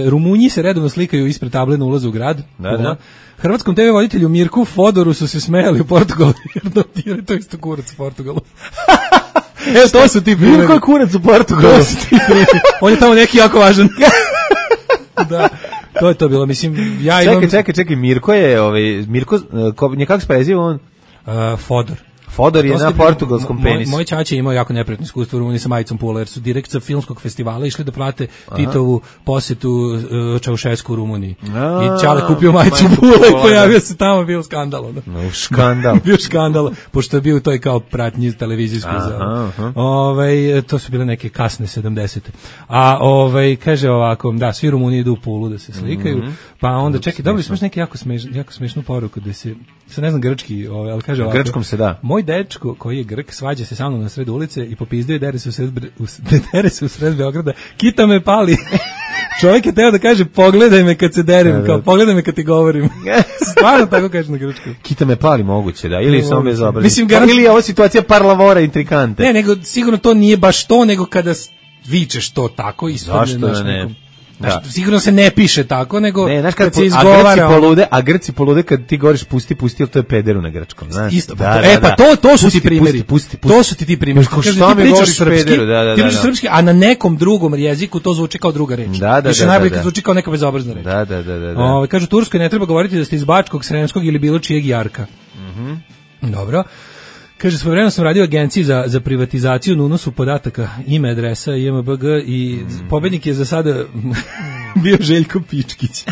Rumunji se redovno slikaju ispred table na ulazu u grad. Da. Hrvatskom TV voditelju Mirku Fodoru su se smejali u Portugalu, jer to isto kurac u Portugalu. To su ti primjeri. Mirko je kurac u Portugalu. On je tamo neki jako važan. Da. To je to bilo, mislim, ja imam... Čekaj, Mirko je, Mirko, kako se preziva on? Fodor. Fodor je na portugalskom penisu. Moj ćaća imao jako neprijatno iskustvo u Rumuniji sa majicom Pula, jer su direkt sa filmskog festivala išli da plate Titovu posetu Čaušesku u Rumuniji. I Ćale kupio majicu Pula i pojavio se tamo, bio skandal. Skandal. Bio skandal, pošto je bio u toj kao pratnji televizijskoj. To su bile neke kasne 70. A kaže ovako, da, svi Rumuni idu u Pulu da se slikaju, pa onda čekaj, dobili smo neke jako smešnu poruku da se ne znam grčki, ali kaže ovako. Grčkom se da. Moj dečko koji je Grk svađa se sa mnom na sred ulice i popizduje dere se u sred Beograda. Kita me pali. Čovjek je teo da kaže pogledaj me kad se derem, kao pogledaj me kad ti govorim. Stvarno tako kaže na grčkom. Kita me pali moguće, da, ili samo bez obraza. Mislim, ili je ovo situacija parlavora intrikante. Ne, nego sigurno to nije baš to, nego kada vičeš to tako ispadne. Zašto da ne? Da. Sigurno se ne piše tako, nego kad se izgovara. A Grci polude kad ti govoriš pusti, ali to je pederu na grčkom, znaš. Isto. To su ti primjeri. To su ti primjeri. Što mi pričaš srpski, ti pričaš srpski, a na nekom drugom jeziku to zvuči kao druga reč. Više najbolje kad zvuči kao neka bezobrazna reč. Da. Kažu, Turskoj ne treba govoriti da ste iz Bačkog, Sremskog ili bilo čijeg jarka. Dobro. Kaže, svojevremeno sam radio u agenciji za privatizaciju na unosu podataka, ime, adresa, IMBG i pobednik je za sada bio Željko Pičkić.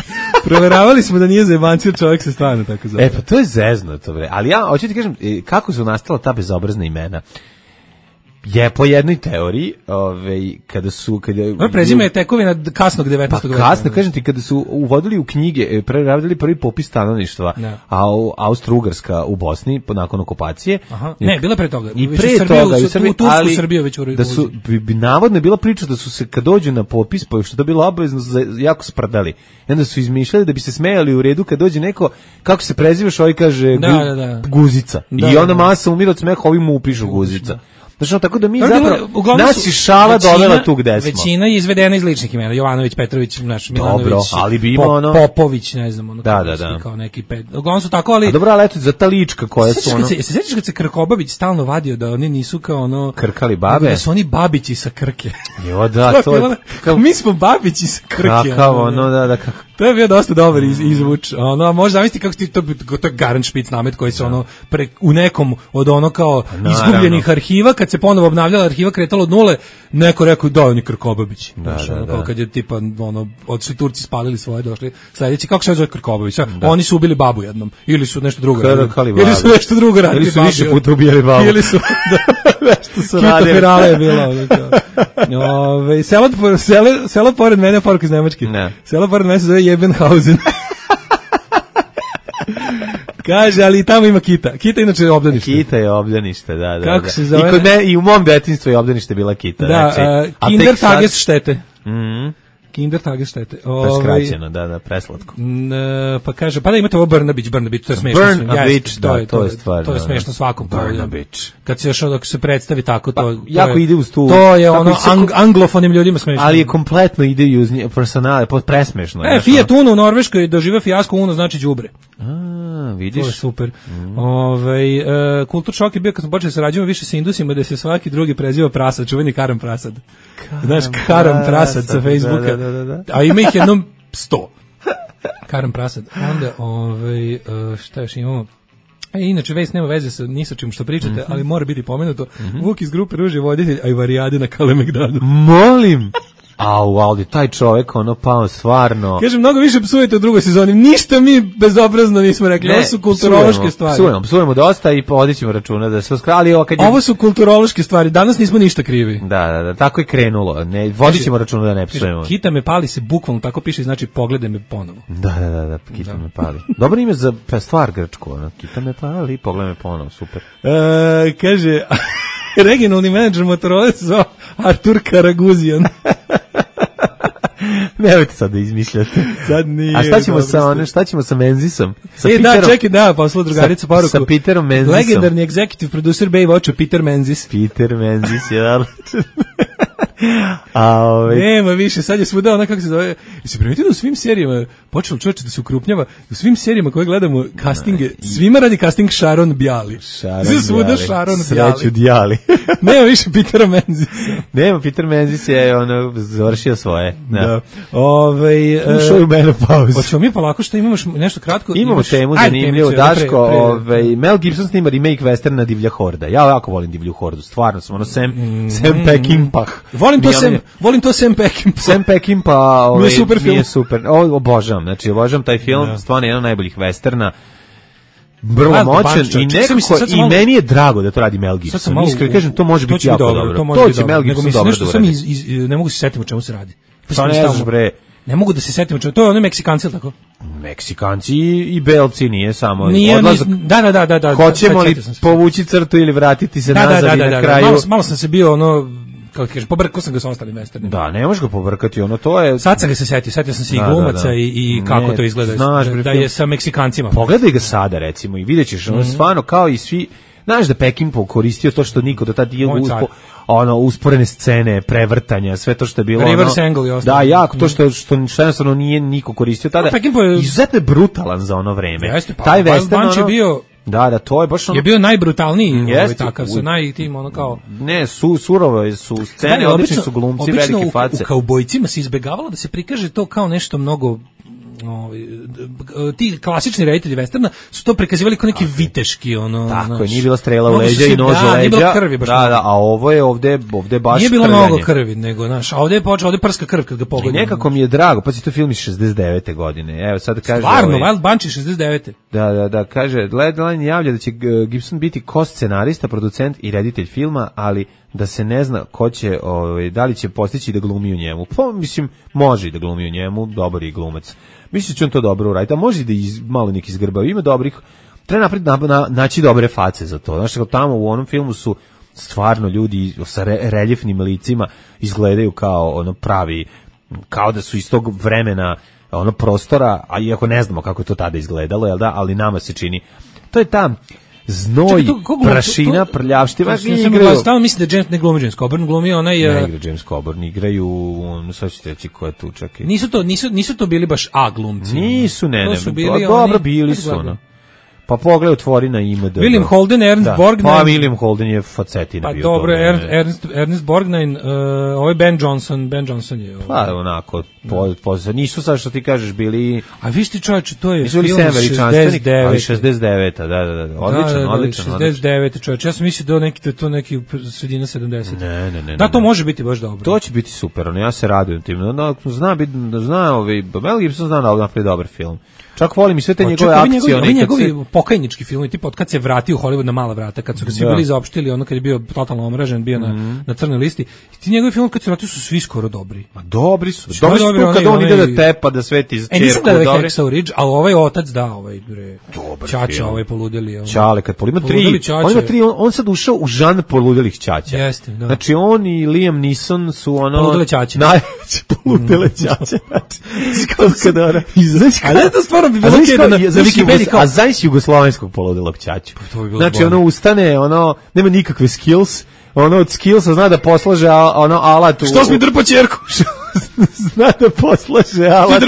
Proveravali smo da nije zajebancio, čovjek se stvarno tako zove. Pa to je zeznuto, bre. Ali ja hoću ti kažem, kako su nastala ta bezobrazna imena? Je po jednoj teoriji, kada prezime je tekovina kasnog 19. veka. Pa kasno, kažem ti, kada su uvodili u knjige, radili prvi popis stanovništva, a Austro-Ugarska u Bosni, nakon okupacije. Ne, bila pre toga. I pre toga, ali Srbiju već da su, bi navodno bila priča da su se, kad dođu na popis, pa što to bilo obavezno, jako sprdali. I onda su izmišljali da bi se smejali u redu kad dođe neko, kako se prezivaš, ovaj kaže Guzica. I onda masa umira od smeha, ovi mu upišu Guzica. Znači, tako da mi zapravo, nas je šala dovela tu gde smo. Većina je izvedena iz ličnih imena, Jovanović, Petrović, Milanović, dobro, ali bi ima Popović, ne znam, kao neki uglavnom su tako, ali... A dobro, ali eto, za ta lička koja su Se sjećaš kad se Krkobabić stalno vadio da oni nisu kao Krkali babe? Da su oni babići sa Krke. Jo, da, to je... Mi smo babići sa Krke. Kakav, kako... To je bio dosta dobar izvuč. Možeš zamisliti kako ti to je Garant Špic namet koji se u nekom od kao izgubljenih arhiva, kad se ponovo obnavljala arhiva, kretalo od nule, neko rekao da oni Krkobabić. Kao kad je tipa odšli Turci, spalili svoje, došli sledeći, kako se zove Krkobabić? Oni su ubili babu jednom, ili su nešto drugo radili. Ili su nešto drugo radili. Ili su više puta ubijali babu. Ili su nešto su radili. Kita je bilo. Selo pored mene, poruka iz Nemačke. Selo pored mene se zove Jebenhausen. Kaže, ali tamo ima Kita. Kita inače je obdanište. Kita je obdanište, da. Kako se zove? I u mom detinjstvu je obdanište bila Kita. Da, Kindertagesstätte. Kindertagesstätte. To je skraćeno, da, preslatko. Pa kaže, pa da imate ovo Brnabić, to je smešno. Brnabić, da, to je stvar. To je smešno svakom. Brnabić. Kad se još dok se predstavi tako, to jako ide uz tu. To je anglofonim ljudima smešno. Ali je kompletno ide uz personale, presmešno. Fiat Uno u Norveškoj doživio fijasko, Uno znači đubre. Vidiš. To je super. Kultur šok je bio kad smo počeli sarađujemo više sa Indusima, da se svaki drugi preziva Prasad, čuveni Karam Prasad. Znaš, Karam Prasad sa Facebooka. Da. A ima ih jednom 100. Karam Prasad. Onda, šta još imamo? Inače, vest nema veze ni sa čim što pričate, ali mora biti pomenuto. Vuk iz grupe Ruž je voditelj Ajvarijade na Kalemegdanu. Molim! Aldi, taj čovjek, pao stvarno... Kaže, mnogo više psujete u drugoj sezoni. Ništa mi bezobrazno nismo rekli. Ovo su kulturološke stvari. Psujemo dosta i podići ćemo računa da se oskrali. Ovo su kulturološke stvari. Danas nismo ništa krivi. Da, tako je krenulo. Vodit ćemo računa da ne psujemo. Kita me pali se bukvalno tako piše, znači pogledaj me ponovo. Da, Kita me pali. Dobro ime za stvar grčko. Kita me pali, pogledaj me ponovo, super. Kaže... Regionalni menadžer Motorola se zvao Artur Karaguzijan. Nemojte sad da izmišljate. Sad nije. A šta ćemo sa Menzisom? Čekaj, poslao drugarica poruku. Sa Peterom Menzisom. Legendarni executive producer Baywatcha, Peter Menzis. Peter Menzis, je odličan. Nema više, sad je svuda ona kako se zove. Jesi primetio da u svim serijama počelo čovječe da se ukrupnjava, u svim serijama koje gledamo castinge, svima radi casting Sharon Bjali. Svuda Sharon Bjali. Sreću Djali. Nema više Petera Menzisa. Nema, Peter Menzis je završio svoje. Da. Ušao je u menopauzu. Hoćemo mi polako što imamo nešto kratko. Imamo temu zanimljivu, Daško. Mel Gibson snima remake westerna Divlja horda. Ja jako volim Divlju hordu, stvarno sam Sam Peckinpah. Volim to Sam Peckinpah. Sam Peckinpah mi je super. Obožavam, znači obožavam taj film, stvarno je jedan od najboljih westerna. Vrlo moćan i nekako i meni je drago da to radi Mel Gibson. Iskreno kažem, to može biti jako dobro. To će Mel Gibson dobro da uradi. Ne mogu se setiti o čemu se radi. Pa ne znaš bre. Ne mogu da se setim o čemu. To je oni Meksikanci, ili tako? Meksikanci i Belci, nije samo odlazak. Da. Hoćemo li povući crtu ili vratiti se nazad i na kraju? Malo sam se bio kako ti kažeš, pobrkao sam ga sa ostalim westernima. Da, ne možeš ga pobrkati, to je... Sad sam ga se setio sam se i glumaca i kako to izgleda, da je sa Meksikancima. Pogledaj ga sada, recimo, i vidjet ćeš, stvarno kao i svi, znaš da Peckinpah koristio to što niko do tada nije usporene scene, prevrtanja, sve to što je bilo reverse angle i ostalo. Da, jako, to što jednostavno nije niko koristio tada. Izuzetno je brutalan za ono vreme. Taj western je bio Da, to je baš je bio najbrutalniji, takav sa najtim kao ne, surove su scene, odlični su glumci, velike face. U kaubojcima se izbegavalo da se prikaže to kao nešto mnogo ti klasični reditelji westerna su to prikazivali kao neki viteški tako je, nije bila strela u leđa i nož u leđa, a ovo je ovde baš nije bilo mnogo krvi, nego a ovde prska krv kad ga pogodi. Nekako mi je drago, pa si to film iz 69. godine, evo sad kaže stvarno, Wild Bunch iz 69. Da, kaže, Deadline javlja da će Gibson biti ko-scenarista, producent i reditelj filma, ali da se ne zna ko će, da li će postići da glumi u njemu. Pa, mislim, može i da glumi u njemu, dobar je glumac. Mislim će on to dobro uraditi, a može da malo neki izgrbao. Ima dobrih, treba naći dobre face za to. Znaš, tamo u onom filmu su stvarno ljudi sa reljefnim licima izgledaju kao pravi, kao da su iz tog vremena prostora, a iako ne znamo kako je to tada izgledalo, jel da, ali nama se čini. To je ta znoj, prašina, prljavština. Stalno mislim da James ne glumi James Coburn, glumi onaj... Ne igra James Coburn, igraju, sad ćete reći ko je tu čak. Nisu to bili baš glumci. Nisu, dobro bili su, Pa pogledaj, otvori na IMDb. William Holden, Ernst Borgnine. Pa William Holden je facetina bio. Pa dobro, Ernst Borgnine, ovo je Ben Johnson je. Pa onako, nisu sad što ti kažeš bili... A viš ti čovječe, to je film 69. Ali 69. Da. Odličan. 69. čovječe, ja sam mislio da to neki sredina 70. Ne. Da, to može biti baš dobro. To će biti super, ja se radujem tim. Mel Gibson zna da napravi dobar film. Čak volim i sve te njegove akcije. Ovi njegovi pokajnički filmi, tipa od kad se vratio u Hollywood na mala vrata, kad su ga svi bili zaopštili, kad je bio totalno omražen, bio na crnoj listi. I ti njegovi filmi kad se vratio su svi skoro dobri. Ma dobri su. Dobri su kad on ide da tepa, da sveti čerku. Nisam da je Hacksaw Ridge, ali ovaj otac Ćaća, ovaj poludeli. Čale, kad ima tri, on sad ušao u žanr poludelih ćaća. Jeste, da. Znači on i Liam Neeson su poludele ćaće. Najveće poludele ćaće. Ali je to stvarno bi bilo na Wikipediji kao... A znaš jugoslovenskog poludelog ćaću. Znači ustane, nema nikakve skills, od skillsa zna da poslaže alat. Što si mi drpo ćerku? Zna da poslaže alat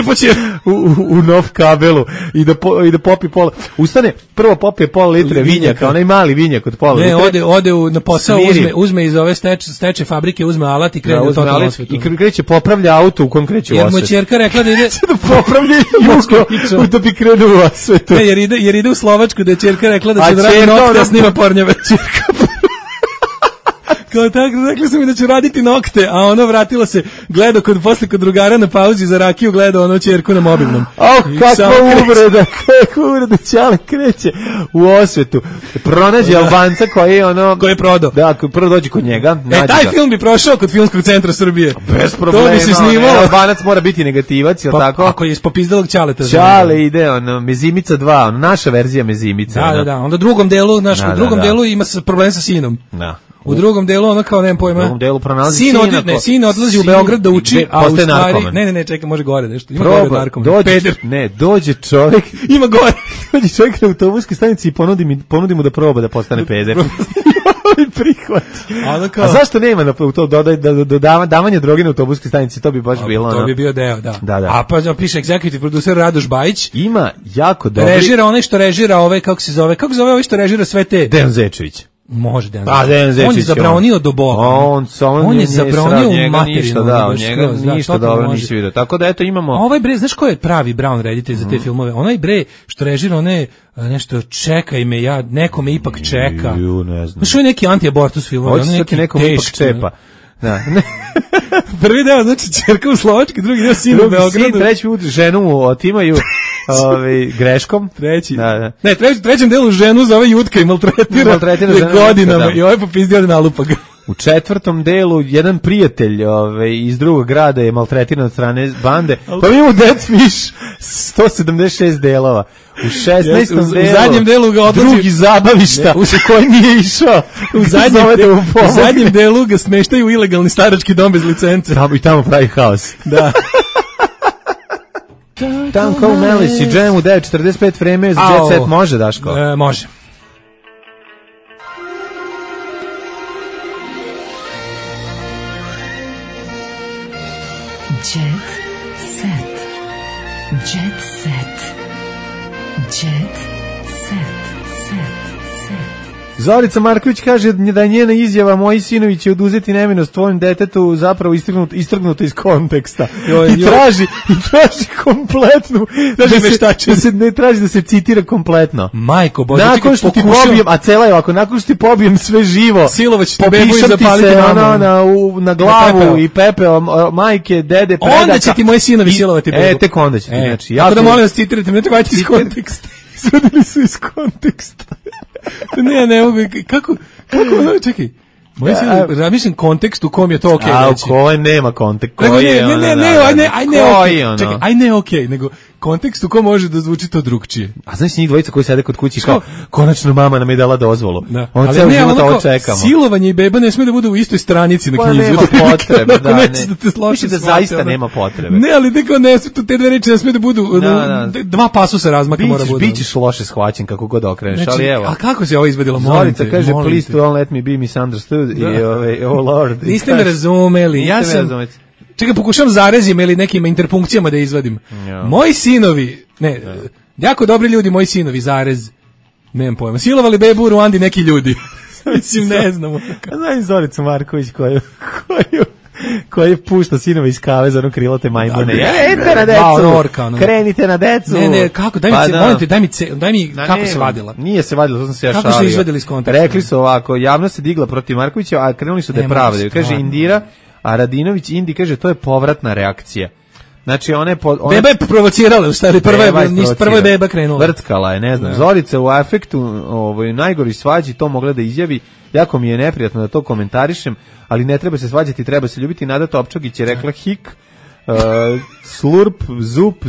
u nov kabelu i da popi pola. Ustane, prvo popije pola litre vinjaka, onaj mali vinjak od pola litre. Ne, ode na posao, uzme iz ove steče fabrike, uzme alat i krene u totalnu osvetu. I kreće, popravlja auto u kojem kreće u osvetu. Jer mu ćerka rekla da ide... da popravlja jugo, da bi krenuo u osvetu. Ne, jer ide u Slovačku, da je ćerka rekla da će da radi nokte, da snima pornjave. Kao tako, rekli su mi da ću raditi nokte, a vratila se, gleda posle kod drugara na pauzi za rakiju, gleda ćerku na mobilnom. Kakva uvreda, Ćale kreće u osvetu. Pronađe Albanca koji je prodao. Da, koji prvo dođe kod njega. Taj film bi prošao kod Filmskog centra Srbije. Bez problema. To bi se snimalo. Albanac mora biti negativac, jel tako? Ako je iz popizdalog Ćaleta. Ćale ide, Mezimica 2, naša verzija Mezimica. Da. Onda u drugom delu ima problem sa sinom. Da. U drugom delu kao nemam pojma. U drugom delu pronalazi sin odlazi u Beograd da uči, a u stvari ne, čekaj, može gore nešto. Ima gore narkoman. Dođe čovjek, ima gore. Dođe čovjek na autobuskoj stanici i ponudi mu da proba da postane peder. prihvati. A zašto nema na to davanje droge na autobuskoj stanici, to bi baš bilo. To bi bio deo, da. A pa piše executive producer Radoš Bajić. Ima jako dobri. Režira onaj što režira kako se zove ovaj što režira sve te. Dejan Zečević. Može Dejan Zečević. On je zabranio do bola. On je zabranio u materinu. Ništa dobro nisi vidio. Tako da eto imamo. Ovaj bre, znaš ko je pravi Brown reditelj za te filmove? Onaj bre što režira one nešto čekaj me, neko me ipak čeka. Ne znam. Znaš, je neki anti-abortus film. Hoće se ti nekom ipak čepa. Da. Prvi deo, znači, ćerka u Slovački, drugi deo sin u Beogradu. Treći put ženu mu otimaju greškom. Treći. Da. Ne, trećem delu ženu zove Jutka i maltretira godinama. Da. I ovaj popizdi od nalupa ga. U četvrtom delu jedan prijatelj iz drugog grada je maltretiran od strane bande. Pa imamo Dead Fish 176 delova. U 16. delu, u zadnjem delu ga odlazi drugi zabavišta u koji nije išao. U zadnjem delu ga smeštaju u ilegalni starački dom bez licence. I tamo pravi haos. Da. Tanko Melis i Jam u 9:45 vreme za Jet Set može, Daško? Može. Jet set. Jet set. Jet set. Zorica Marković kaže da je njena izjava moji sinovi će oduzeti nevinost tvojom detetu zapravo istrgnuto iz konteksta. I traži kompletnu ne traži da se citira kompletno. Majko Bože, nakon što ti pobijem, a cela je ovako, nakon što ti pobijem sve živo, silovać ti bebu i zapaliti na glavu i pepeo majke, dede, predaka. Onda će ti moji sinovi silovati bebu. Tek onda će ti, znači. Tako da molim vas citirajte, ne trebate iz konteksta. Izvodili su iz konteksta. Ne mogu, kako, čekaj, mislim kontekst u kom je to okej. A u kojem nema kontekst. Ne, okej, nego kontekst u kom može da zvuči to drugčije. A znaš njih dvojica koji sede kod kući kao, konačno mama nam je dala dozvolu. On ceo život ovo čekamo. Silovanje i beba ne sme da bude u istoj stranici na knjizi. Nema potrebe, da zaista nema potrebe. Ne, ali neko ne, te dve reči ne sme da budu, dva pasusa razmaka mora bude. Bićeš loše shvaćen kako god okreneš, ali evo. A kako se ovo izvedilo? Zorica kaže, please don't let me be misunderstood i oh lord. Niste me razumeli, ja sam... Čekaj, pokušam zarezima ili nekim interpunkcijama da izvadim. Moji sinovi, jako dobri ljudi, moji sinovi, zarez, nemam pojma, silovali bebu u Ruandi neki ljudi. Mislim, ne znamo. Znam Zoricu Marković koji pušta sinove iz kave za ono krilote majmune. Idite na decu, krenite na decu. Ne, kako, daj mi kako se vadila. Nije se vadila, to sam se ja šalio. Kako su izvedili iz konteksta? Rekli su ovako, javnost se digla protiv Markovića, a krenuli su da je pravdaju. Kaže Indira, a Radinović Indi kaže to je povratna reakcija. Znači beba je provocirala, u stvari prva je beba krenula. Vrckala je, ne znam. Zorica u afektu, najgori svađi to mogla da izjavi. Jako mi je neprijatno da to komentarišem, ali ne treba se svađati, treba se ljubiti. Nada Topčagić je rekla hik, slurp, zup,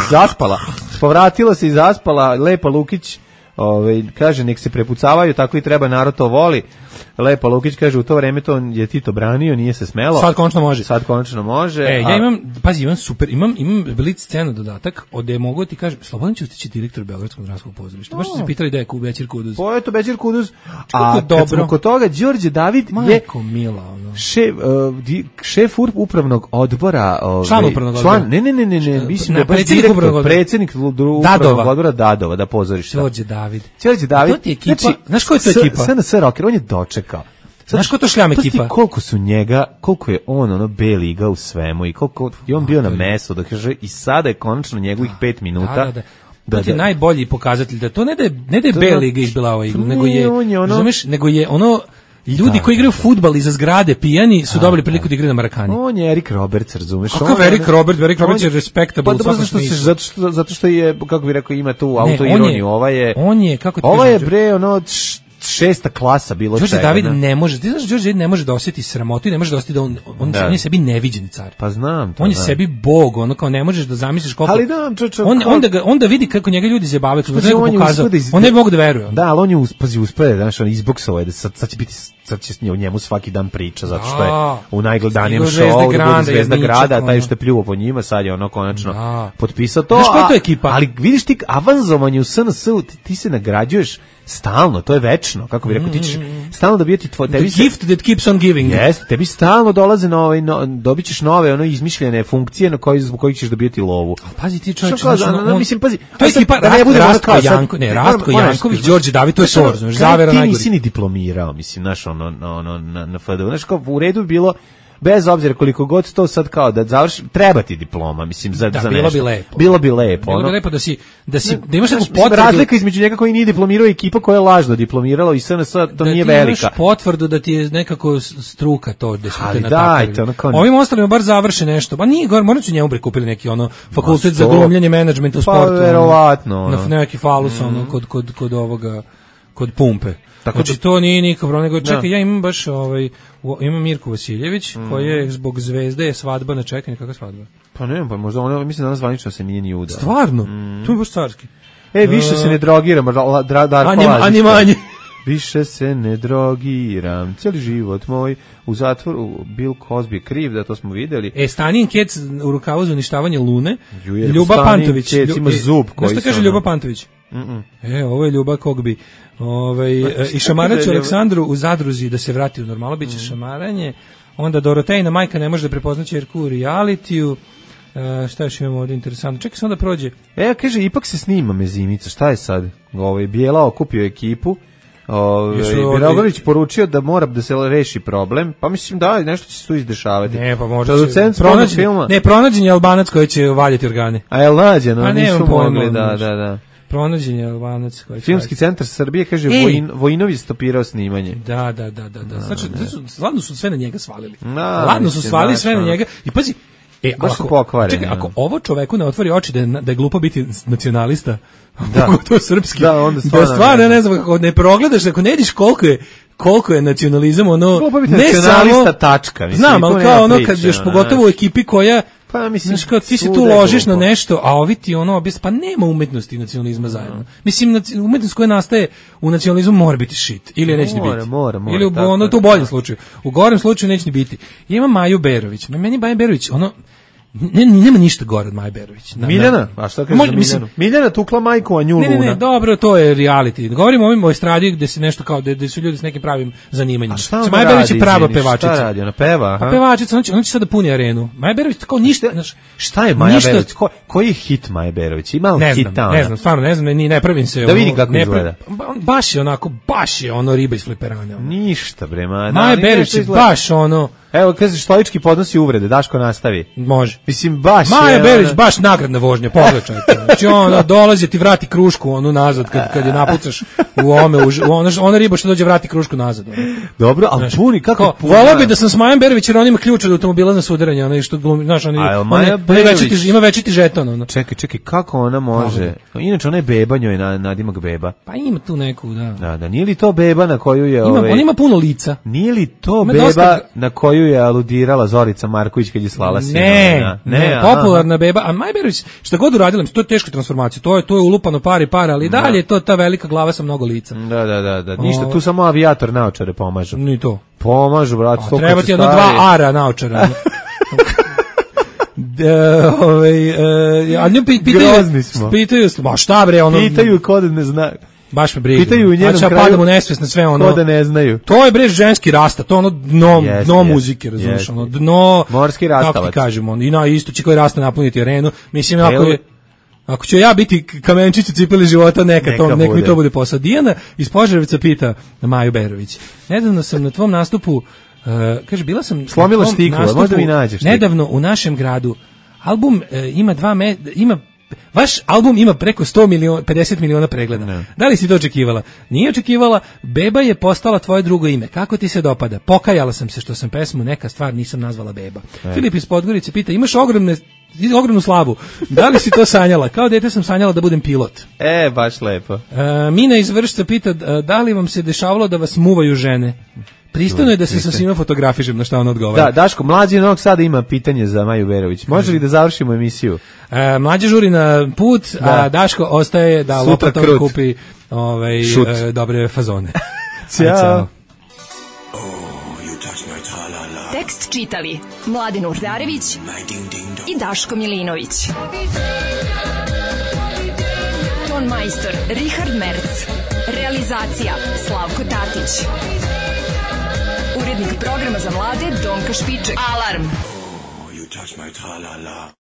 zaspala. Povratila se i zaspala. Lepa Lukić kaže nek se prepucavaju, tako i treba, narod to voli. Lepa Lukić kaže u to vreme to je Tito branio, nije se smelo. Sad konačno može. Ja imam super, imam blic scenu dodatak, ode mogu ti kažem, Slobodan Ćustić je direktor Beogradskog dramskog pozorišta. Baš su se pitali da je Bećir Kuduz. Pa eto Bećir Kuduz. A kad smo kod toga, Đorđe David je šef upravnog odbora, član upravnog odbora. Ne, mislim da je baš direktor, predsjednik upravnog odbora Dadova, da pozorišta. Đorđe David. To ti ekipa, znaš ko je to ekipa? SNS Rocker, on je dočekao. Znaš ko to šljam ekipa? Koliko je on B-liga u svemu i koliko je on bio na mesu, da kaže i sada je konačno njegovih 5 minuta. To je najbolji pokazatelj da to ne da je B-liga izbila ova igru, nego je ono ljudi koji igraju fudbal iza zgrade pijani su dobili priliku da igraju na Marakani. On je Erik Roberts, razumeš? Kakav Erik Roberts je respectable u svakom smislu. Zato što je, kako bih rekao, ima tu autoironiju. Ova je bre, šesta klasa bilo čega. Đorđe David ne može, ti znaš, Đorđe David ne može da osjeti sramotu i ne može da osjeti da on je sebi neviđeni car. Pa znam to. On je sebi bog, kao ne možeš da zamisliš koliko. Ali da, onda vidi kako njega ljudi zabavaju, on ne mogu da veruje. Da, ali on je uspeo, znaš, on izboksao je da sad će biti sad će o njemu svaki dan priča, zato što je u najgledanijem šovu Zvezda grada, taj što je pljuo po njima, sad je ono konačno potpisao to. Znaš koja je to ekipa? Ali vidiš ti, avanzovanje u SNS-u, ti se nagrađuješ stalno, to je večno, kako bi rekao, ti ćeš stalno dobijeti tebi the gift that keeps on giving. Jeste, tebi stalno dolaze nove, dobit ćeš nove, ono, izmišljene funkcije na zbog kojih ćeš dobijeti lovu. A pazi ti čovječ, mislim, pazi, to je ekipa Rastko Janković, Đorđe David, to je SOR, znaš, zavera najgori. Ti nisi ni diplomirao, mislim, znaš, na FDU, znaš, kao u redu bi bilo, bez obzira koliko god to sad kao da završi, treba ti diploma, mislim, za nešto. Bilo bi lepo. Bilo bi lepo. Bilo bi lepo da imaš neku potvrdu. Razlika između njega koji nije diplomirao i ekipa koja je lažno diplomirala i SNS, to nije velika. Da ti imaš potvrdu da ti je nekako struka to, da su te natakali. Ovim ostalima bar završi nešto. Pa nije, morat ću njemu prikupili neki fakultet za glumljanje, menadžment u sportu. Pa verovatno. Na neki falus, kod ovoga, kod pumpe. Znači to nije nikako, nego čekaj, ja imam baš imam Mirku Vasiljević, koja je zbog Zvezde je svadba na čekanju. Kakva svadba? Pa ne, pa možda ona, mislim danas zvanično se nije ni udala. Stvarno? To je baš carski. Više se ne drogiram, ani manje. Više se ne drogiram, cijeli život moj u zatvoru, Bill Cosby je kriv, da to smo videli. Stanin Kec u rukavu za uništavanje Lune, Ljuba Pantović. Ima zub koji se... Znaš što kaže Ljuba Pantović? Ovo je Ljuba Kogbi. I šamaraću Aleksandru u zadruzi da se vrati u normalno, bit će šamaranje. Onda Dorotejna majka ne može da prepozna ćerku u realitiju. Šta još imamo ovdje interesantno? Čekaj samo da prođe. Kaže, ipak se snima Mezimica, šta je sad? Bijela okupio ekipu. Biragović poručio da mora da se reši problem, pa mislim da nešto će se tu izdešavati. Ne, pa možda pronađen je Albanac koji će valjati organe. A jel nađen? Nisu mogli, da. Pronađen je Albanac koji Filmski centar Srbije kaže Vojinović stopirao snimanje. Da. Znači, ladno su sve na njega svalili. Ladno su svalili sve na njega. I pazi, ako ovo čoveku ne otvori oči da je glupo biti nacionalista, to srpski, da stvarno ne znam, kako ne progledaš, ako ne vidiš koliko je nacionalizam, ne samo tačka, znam, ali kao kad još pogotovo u ekipi koja, znaš, kao ti se tu ložiš na nešto, a ovi ti pa nema umetnosti i nacionalizma zajedno. Mislim, umetnost koja nastaje u nacionalizmu mora biti shit, ili neće ni biti. Ili to u boljem slučaju. U gorem slučaju neće ni biti. Ima Maju Berović. Meni Maja Berović, nema ništa gore od Maje Berović. Miljana? A šta kažeš za Miljanu? Miljana tukla majku, a nju Luna. Ne, dobro, to je reality. Govorimo o estradi gde se nešto kao, gde su ljudi s nekim pravim zanimanjima. Maja Berović je prava pevačica. Šta radi? Ona peva? Pa pevačica, ona će sada puni arenu. Maja Berović tako ništa... Šta je Maja Berović? Koji je hit Maja Berović? Ima li hita ona? Ne znam, stvarno ne znam, ne pravim se... Da vidi kako izgleda. Baš je ono riba iz fliperana. Ništa, bre, Maja Berović je baš ono... Evo, kažeš, stoički podnosi uvrede, Daško nastavi. Može. Mislim, baš Maja Berović, baš nagradna vožnja, pogledajte. Znači, ona dolazi, ti vrati krušku, nazad, kad je napucaš u ona riba što dođe vrati krušku nazad. Dobro, ali puni, kako puni? Volao bi da sam s Majom Berović, jer on ima ključ od automobila za sudaranje, što glumi, znaš, ima večiti žeton. Čekaj, kako ona može? Inače, ona je beba, njoj je nadimak beba. Pa ima tu neku, da. Da, nije li to beba na koju je... On ima puno lica. Nije li to beba na koju je aludirala Zorica Marković kad je slala sina? Ne, popularna beba. A Maja Berović, šta god uradila, to je teška transformacija. To je ulupano para, ali dalje je to ta velika glava sa mnogo lica. Da. Ništa, tu samo avijator naočare pomažu. Ni to. Pomažu, brate. Treba ti 2 ara naočara. A nju pitaju, ma šta bre, pitaju ko da ne zna. Baš me briga. Pitaju u njenom kraju. Padam u nesvest na sve ko da ne znaju. To je bre ženski rasta, to dno muzike, razumiješ, dno morski rastavac. Kako ti kažemo, i na isto će koji rasta napuniti arenu. Mislim, ako ću ja biti kamenčić u cipeli života, neka mi to bude posao. Dijana iz Požarevca pita Maju Berović. Nedavno sam na tvom nastupu, kaže, bila sam slomila štiklu, možda mi nađeš. Nedavno u našem gradu album ima vaš album ima preko 50 miliona pregleda. Ne. Da li si to očekivala? Nije očekivala. Beba je postala tvoje drugo ime. Kako ti se dopada? Pokajala sam se što sam pesmu Neka stvar nisam nazvala Beba. Filip iz Podgorice pita, imaš ogromnu slavu. Da li si to sanjala? Kao dete sam sanjala da budem pilot. Baš lepo. Mina iz Vršca pita, da li vam se dešavalo da vas muvaju žene? Pristojno je da se sa svima fotografišem, na šta on odgovara. Da, Daško, Mlađi Novog Sada ima pitanje za Maju Berović. Može li da završimo emisiju? Mlađi žuri na put, a Daško ostaje da lopatom kupi dobre fazone. Ćao. Tekst čitali Mladen Urdarević i Daško Milinović. Ton majstor Richard Merc. Realizacija Slavko Tatić. Urednik programa za mlade Donka Špiček. Alarm!